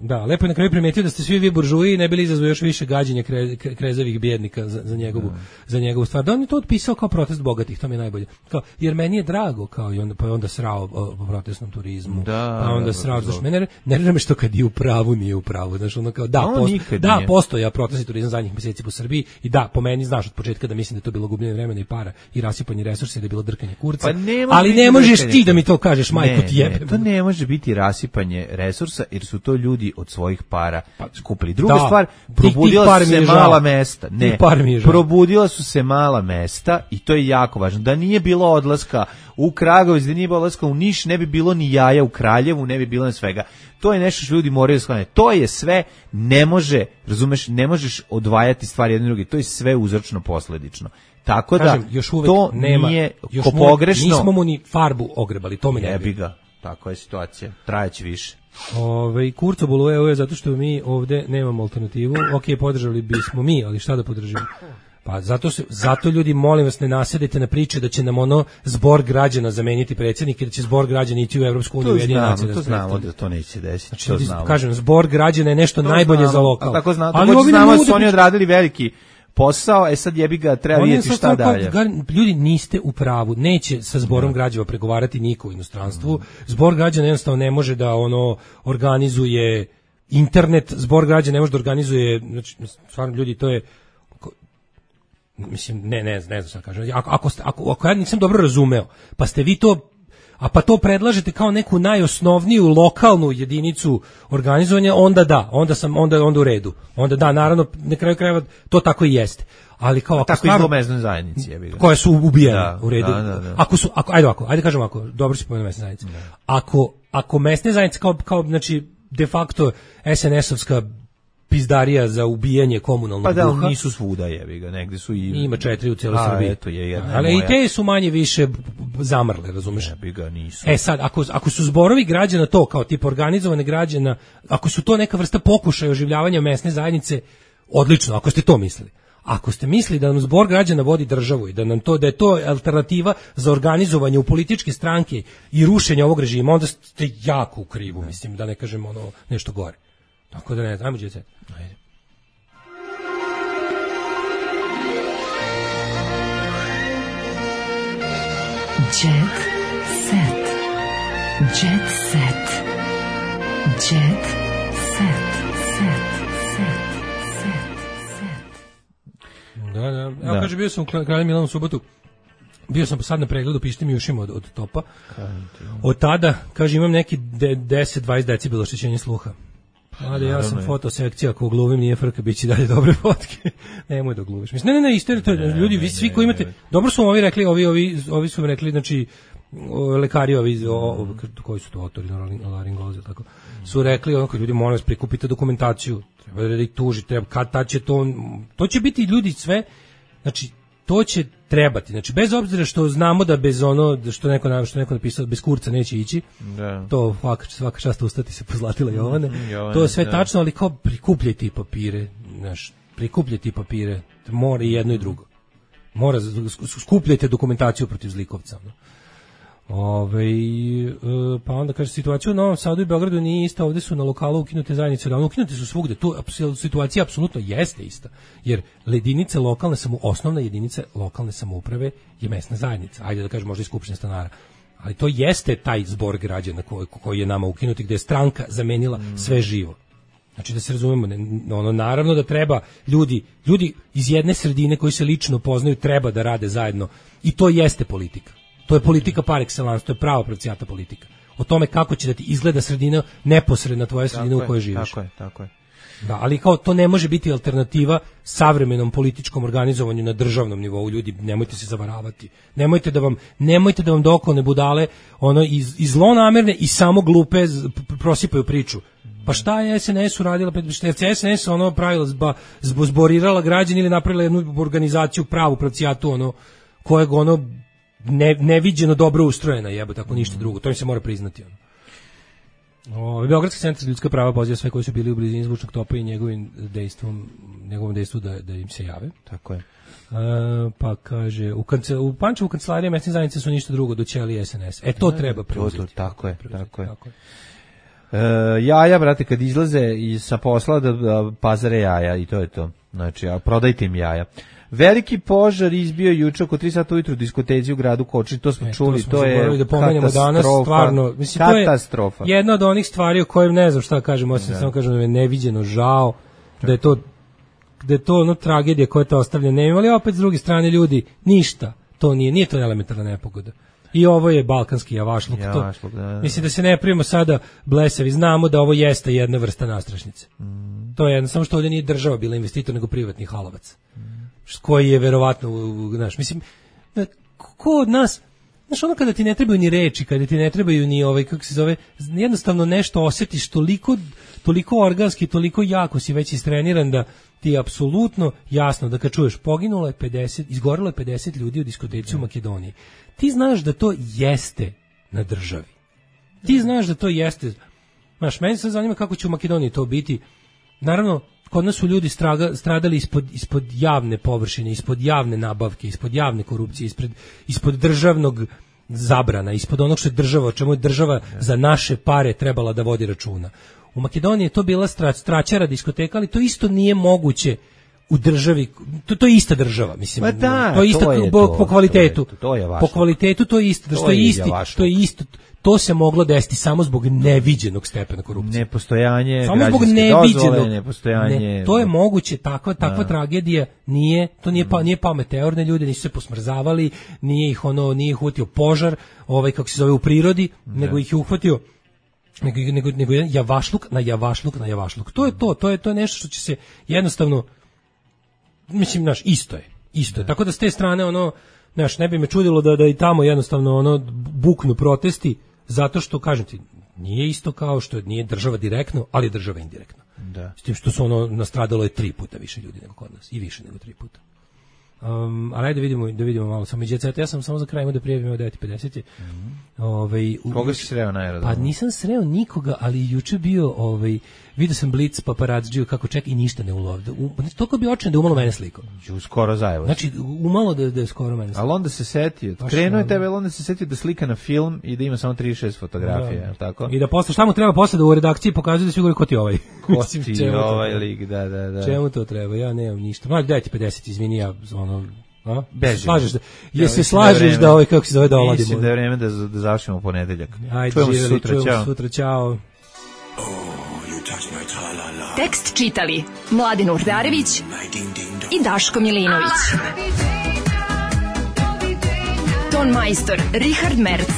da, lepo je na kraju primetio da ste svi vi buržuji i ne bili izazvali još više gađenja kre, krezavih bjednika za, za, njegovu, da. za njegovu stvar. Da on je to otpisao kao protest bogatih, to mi je najbolje. Kao, jer meni je drago, kao i onda, pa je onda srao o, o protestnom turizmu, da, pa onda da, srao, znaš, mene nervira me što kad je u pravu, nije u pravu, znaš, ono kao, da, posto, da postoja protestni turizam zadnjih mjeseci po Srbiji i da, po meni, znaš, od početka da mislim da je to bilo gubljenje vremena i para i rasipanje resursa i da je bilo drkanje kurca, pa ne ali ne možeš ti da mi to kažeš, majko ti jebem. To ne može biti rasipanje resursa, jer su to ljudi od svojih para skupili. Druga da, stvar, probudila su se mala mesta. Ne, probudila su se mala mesta i to je jako važno. Da nije bilo odlaska u Kragujevac, da nije bilo odlaska u Niš, ne bi bilo ni jaja u Kraljevu, ne bi bilo ni svega. To je nešto što ljudi moraju shvatiti. To je sve, ne može, razumeš, ne možeš odvajati stvari jedne druge. To je sve uzročno posledično. Tako kažem, da još to nema, nije još ko pogrešno. Nismo mu ni farbu ogrebali, to mi ne bi ga. Tako je situacija. Trajeće više. Ove, Kurco boluje zato što mi ovde nemamo alternativu. Ok, podržali bismo mi, ali šta da podržimo? Pa zato se, zato ljudi, molim vas, ne nasedite na priče da će nam ono zbor građana zameniti predsjednik i da će zbor građana ići u Evropsku uniju. To znamo, to znamo da to neće desiti. Znači, to znamo. Kažem, zbor građana je nešto to najbolje znamo, za lokal. Tako znamo, ali ovi znamo da su oni odradili veliki posao, e sad jebi ga, treba vidjeti šta dalje. Kao, ljudi, niste u pravu, neće sa zborom građana pregovarati niko u inostranstvu. Zbor građana jednostavno ne može da ono organizuje internet, zbor građana ne može da organizuje, znači, stvarno ljudi, to je mislim, ne, ne, ne znam šta kažem. Ako, ako, ako, ako ja nisam dobro razumeo, pa ste vi to, a pa to predlažete kao neku najosnovniju lokalnu jedinicu organizovanja, onda da, onda sam, onda, onda u redu. Onda da, naravno, na kraju krajeva to tako i jeste. Ali kao ako tako stvarno, i mesne zajednice, je koje su ubijene, da, u redu. Da, da, da. Ako su, ako, ajde ovako, ajde kažemo ako, dobro si pomenuo mesne zajednice. Da. Ako, ako mesne zajednice kao, kao, znači, de facto es en es-ovska pizdarija za ubijanje komunalnog pa da, duha. Pa nisu svuda, jebi ga, negde su i... Ima četiri u cijeloj Srbiji. Eto je jedna ali moja. I te su manje više zamrle, razumeš? Jebi ga, nisu. E sad, ako, ako su zborovi građana to, kao tip organizovane građana, ako su to neka vrsta pokušaja oživljavanja mesne zajednice, odlično, ako ste to mislili. Ako ste mislili da nam zbor građana vodi državu i da nam to da je to alternativa za organizovanje u političke stranke i rušenje ovog režima, onda ste jako u krivu, mislim, da ne kažem ono nešto gore. Tako da ne, ajmo djece. Ajde. Jet set. Jet set. Jet set. Set. Set. Set. Da, da. Evo da. Kaže, bio sam u Kralju Milanu u subotu. Bio sam sad na pregledu, pišite mi ušima od, od topa. Od tada, kaže, imam neki deset dvadeset decibela oštećenja sluha. Ali ja sam fotosekcija, ako gluvim nije frka, bit će dalje dobre fotke. Nemoj da gluviš. Mislim, ne, ne, ne, isto, to, ne, ljudi, vi svi koji imate, ne, ne. Dobro su ovi rekli, ovi, ovi, ovi su mi rekli, znači, lekari ovi, o, o, koji su to autori, laringozi, tako, su rekli, ono, kad ljudi, molim vas, prikupite dokumentaciju, treba da ih tuži, treba, kad ta će to, to će biti ljudi sve, znači, to će trebati. Znači, bez obzira što znamo da bez ono, što neko, što neko napisao, bez kurca neće ići, da. To svaka, svaka čast ustati se pozlatila Jovane, Jovane to je sve da. Tačno, ali kao prikupljajte i papire, znaš, prikupljajte i papire, mora i jedno i drugo. Mora, skupljajte dokumentaciju protiv zlikovca. No? Ove, pa onda kaže, situacija u Novom Sadu i Beogradu nije ista, ovdje su na lokalu ukinute zajednice, da ukinute su svugde, tu situacija apsolutno jeste ista, jer jedinice lokalne samu, osnovna jedinica lokalne samouprave je mesna zajednica, ajde da kažem možda i skupština stanara, ali to jeste taj zbor građana koji, koji je nama ukinuti, gdje je stranka zamenila mm. sve živo. Znači da se razumemo, ne, ono, naravno da treba ljudi, ljudi iz jedne sredine koji se lično poznaju treba da rade zajedno i to jeste politika. To je politika par excellence, to je prava pravcijata politika. O tome kako će da ti izgleda sredina neposredna tvoja sredina tako u kojoj živiš. Tako je, tako je. Da, ali kao to ne može biti alternativa savremenom političkom organizovanju na državnom nivou. Ljudi, nemojte se zavaravati. Nemojte da vam nemojte da vam dokolne budale ono iz, iz zlonamerne i samo glupe prosipaju priču. Pa šta je es en es uradila, šta je es en es ono pravila zba, zborirala građani ili napravila jednu organizaciju pravu pravcijatu ono kojeg ono Ne, neviđeno dobro ustrojena, jebo, tako ništa drugo, to im se mora priznati. Ono. O, Beogradski centar za ljudska prava poziva sve koji su bili u blizini zvučnog topa i njegovim dejstvom, njegovom dejstvu da, da im se jave. Tako je. Uh, pa kaže u, kance, u Pančevu kancelarije mesne zajednice su ništa drugo do ćelije S N S. E to da, treba preuzeti. To, to, tako je, preuzeti, tako je. Tako je. Uh, jaja, brate, kad izlaze iz sa posla da, da pazare jaja i to je to. Znači, a prodajte im jaja. Veliki požar izbio juče oko tri sata ujutru u diskoteci u gradu Koči, to smo e, čuli, to, to je da pomenemo danas, stvarno, mislim, katastrofa. To je jedna od onih stvari o kojim ne znam šta kažem, osim da. samo kažem da je neviđeno žao, da je to da je to ono tragedija koja je to ostavlja, ne imali opet s druge strane ljudi, ništa, to nije, nije to elementarna nepogoda. I ovo je balkanski javašluk. javašluk to, da, da. Mislim da se ne primimo sada blesavi, znamo da ovo jeste jedna vrsta nastrašnice. Mm. To je jedno, samo što ovdje nije država bila investitor, nego privatni halovac. Mm. Koji je verovatno, znaš, mislim, ko od nas, znaš, ono kada ti ne trebaju ni reči, kada ti ne trebaju ni ovaj, kako se zove, jednostavno nešto osjetiš toliko, toliko organski, toliko jako si već istreniran da ti je apsolutno jasno da kad čuješ poginulo je pedeset, izgorilo je pedeset ljudi u diskoteci u Makedoniji. Ti znaš da to jeste na državi. Ti znaš da to jeste. Znaš, meni se zanima kako će u Makedoniji to biti. Naravno, kod nas su ljudi straga, stradali ispod, ispod javne površine, ispod javne nabavke, ispod javne korupcije, ispred, ispod državnog zabrana, ispod onog što je država, o čemu je država za naše pare trebala da vodi računa. U Makedoniji je to bila stra, straćara diskoteka, ali to isto nije moguće u državi, to, to je ista država, mislim, pa da, to je isto to je po, to, po kvalitetu, to je, to je po kvalitetu to je isto, to, što je isti, to je isto, to se moglo desiti samo zbog neviđenog stepena korupcije. Nepostojanje samo zbog neviđenog, nepostojanje. Ne, to je moguće, takva takva da. tragedija nije, to nije pa nije pao meteorne ljude, nisu se posmrzavali, nije ih ono, nije ih uhvatio požar, ovaj kako se zove u prirodi, da. nego ih je uhvatio nego nego nego jedan javašluk na javašluk na javašluk. To je to, to je to je nešto što će se jednostavno, mislim, naš isto je, isto je. Tako da s te strane ono, znaš, ne bi me čudilo da da i tamo jednostavno ono buknu protesti, zato što, kažem ti, nije isto kao što nije država direktno, ali država indirektno. Da. S tim što su ono nastradalo je tri puta više ljudi nego kod nas i više nego tri puta. Um, ali da vidimo, da vidimo malo samo djeceta. Ja sam samo za kraj imao da prijavim o devet pedeset. Mm-hmm. Ovaj, koga si sreo na aerodromu? Pa nisam sreo nikoga, ali juče bio, ovaj, vidio sam Blitz paparazziju kako čeka i ništa ne ulovde. Znači, toliko bi očen da umalo mene sliko. Skoro zajevo. Znači, umalo da, da je skoro mene sliko. Ali onda se setio, krenuo je tebe, ali onda se setio da slika na film i da ima samo trideset šest fotografije, je li tako? I da posle, šta mu treba posle da u redakciji pokazuje da svi govori ko ti ovaj. Ko ti ovaj lik, da, da, da. Čemu to treba? Ja nemam ništa. Mlađe, devet pedeset, izvini, ja ono... A? Bežimo. Slažeš da, je ja, se slažeš da, da ovaj kako se zove da oladimo. Mislim da je vreme da da završimo ponedeljak. Ajde, čujemo se sutra, čujemo sutra, čao. Oh, tekst čitali Mladin Urdarević i Daško Milinović. Ton majstor Richard Merc.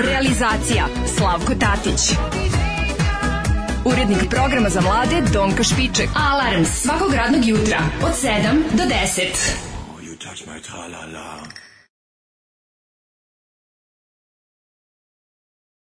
Realizacija Slavko Tatić. Urednik programa za mlade Donka Špiček. Alarms svakog radnog jutra od sedam do deset. Touch my tra-la-la.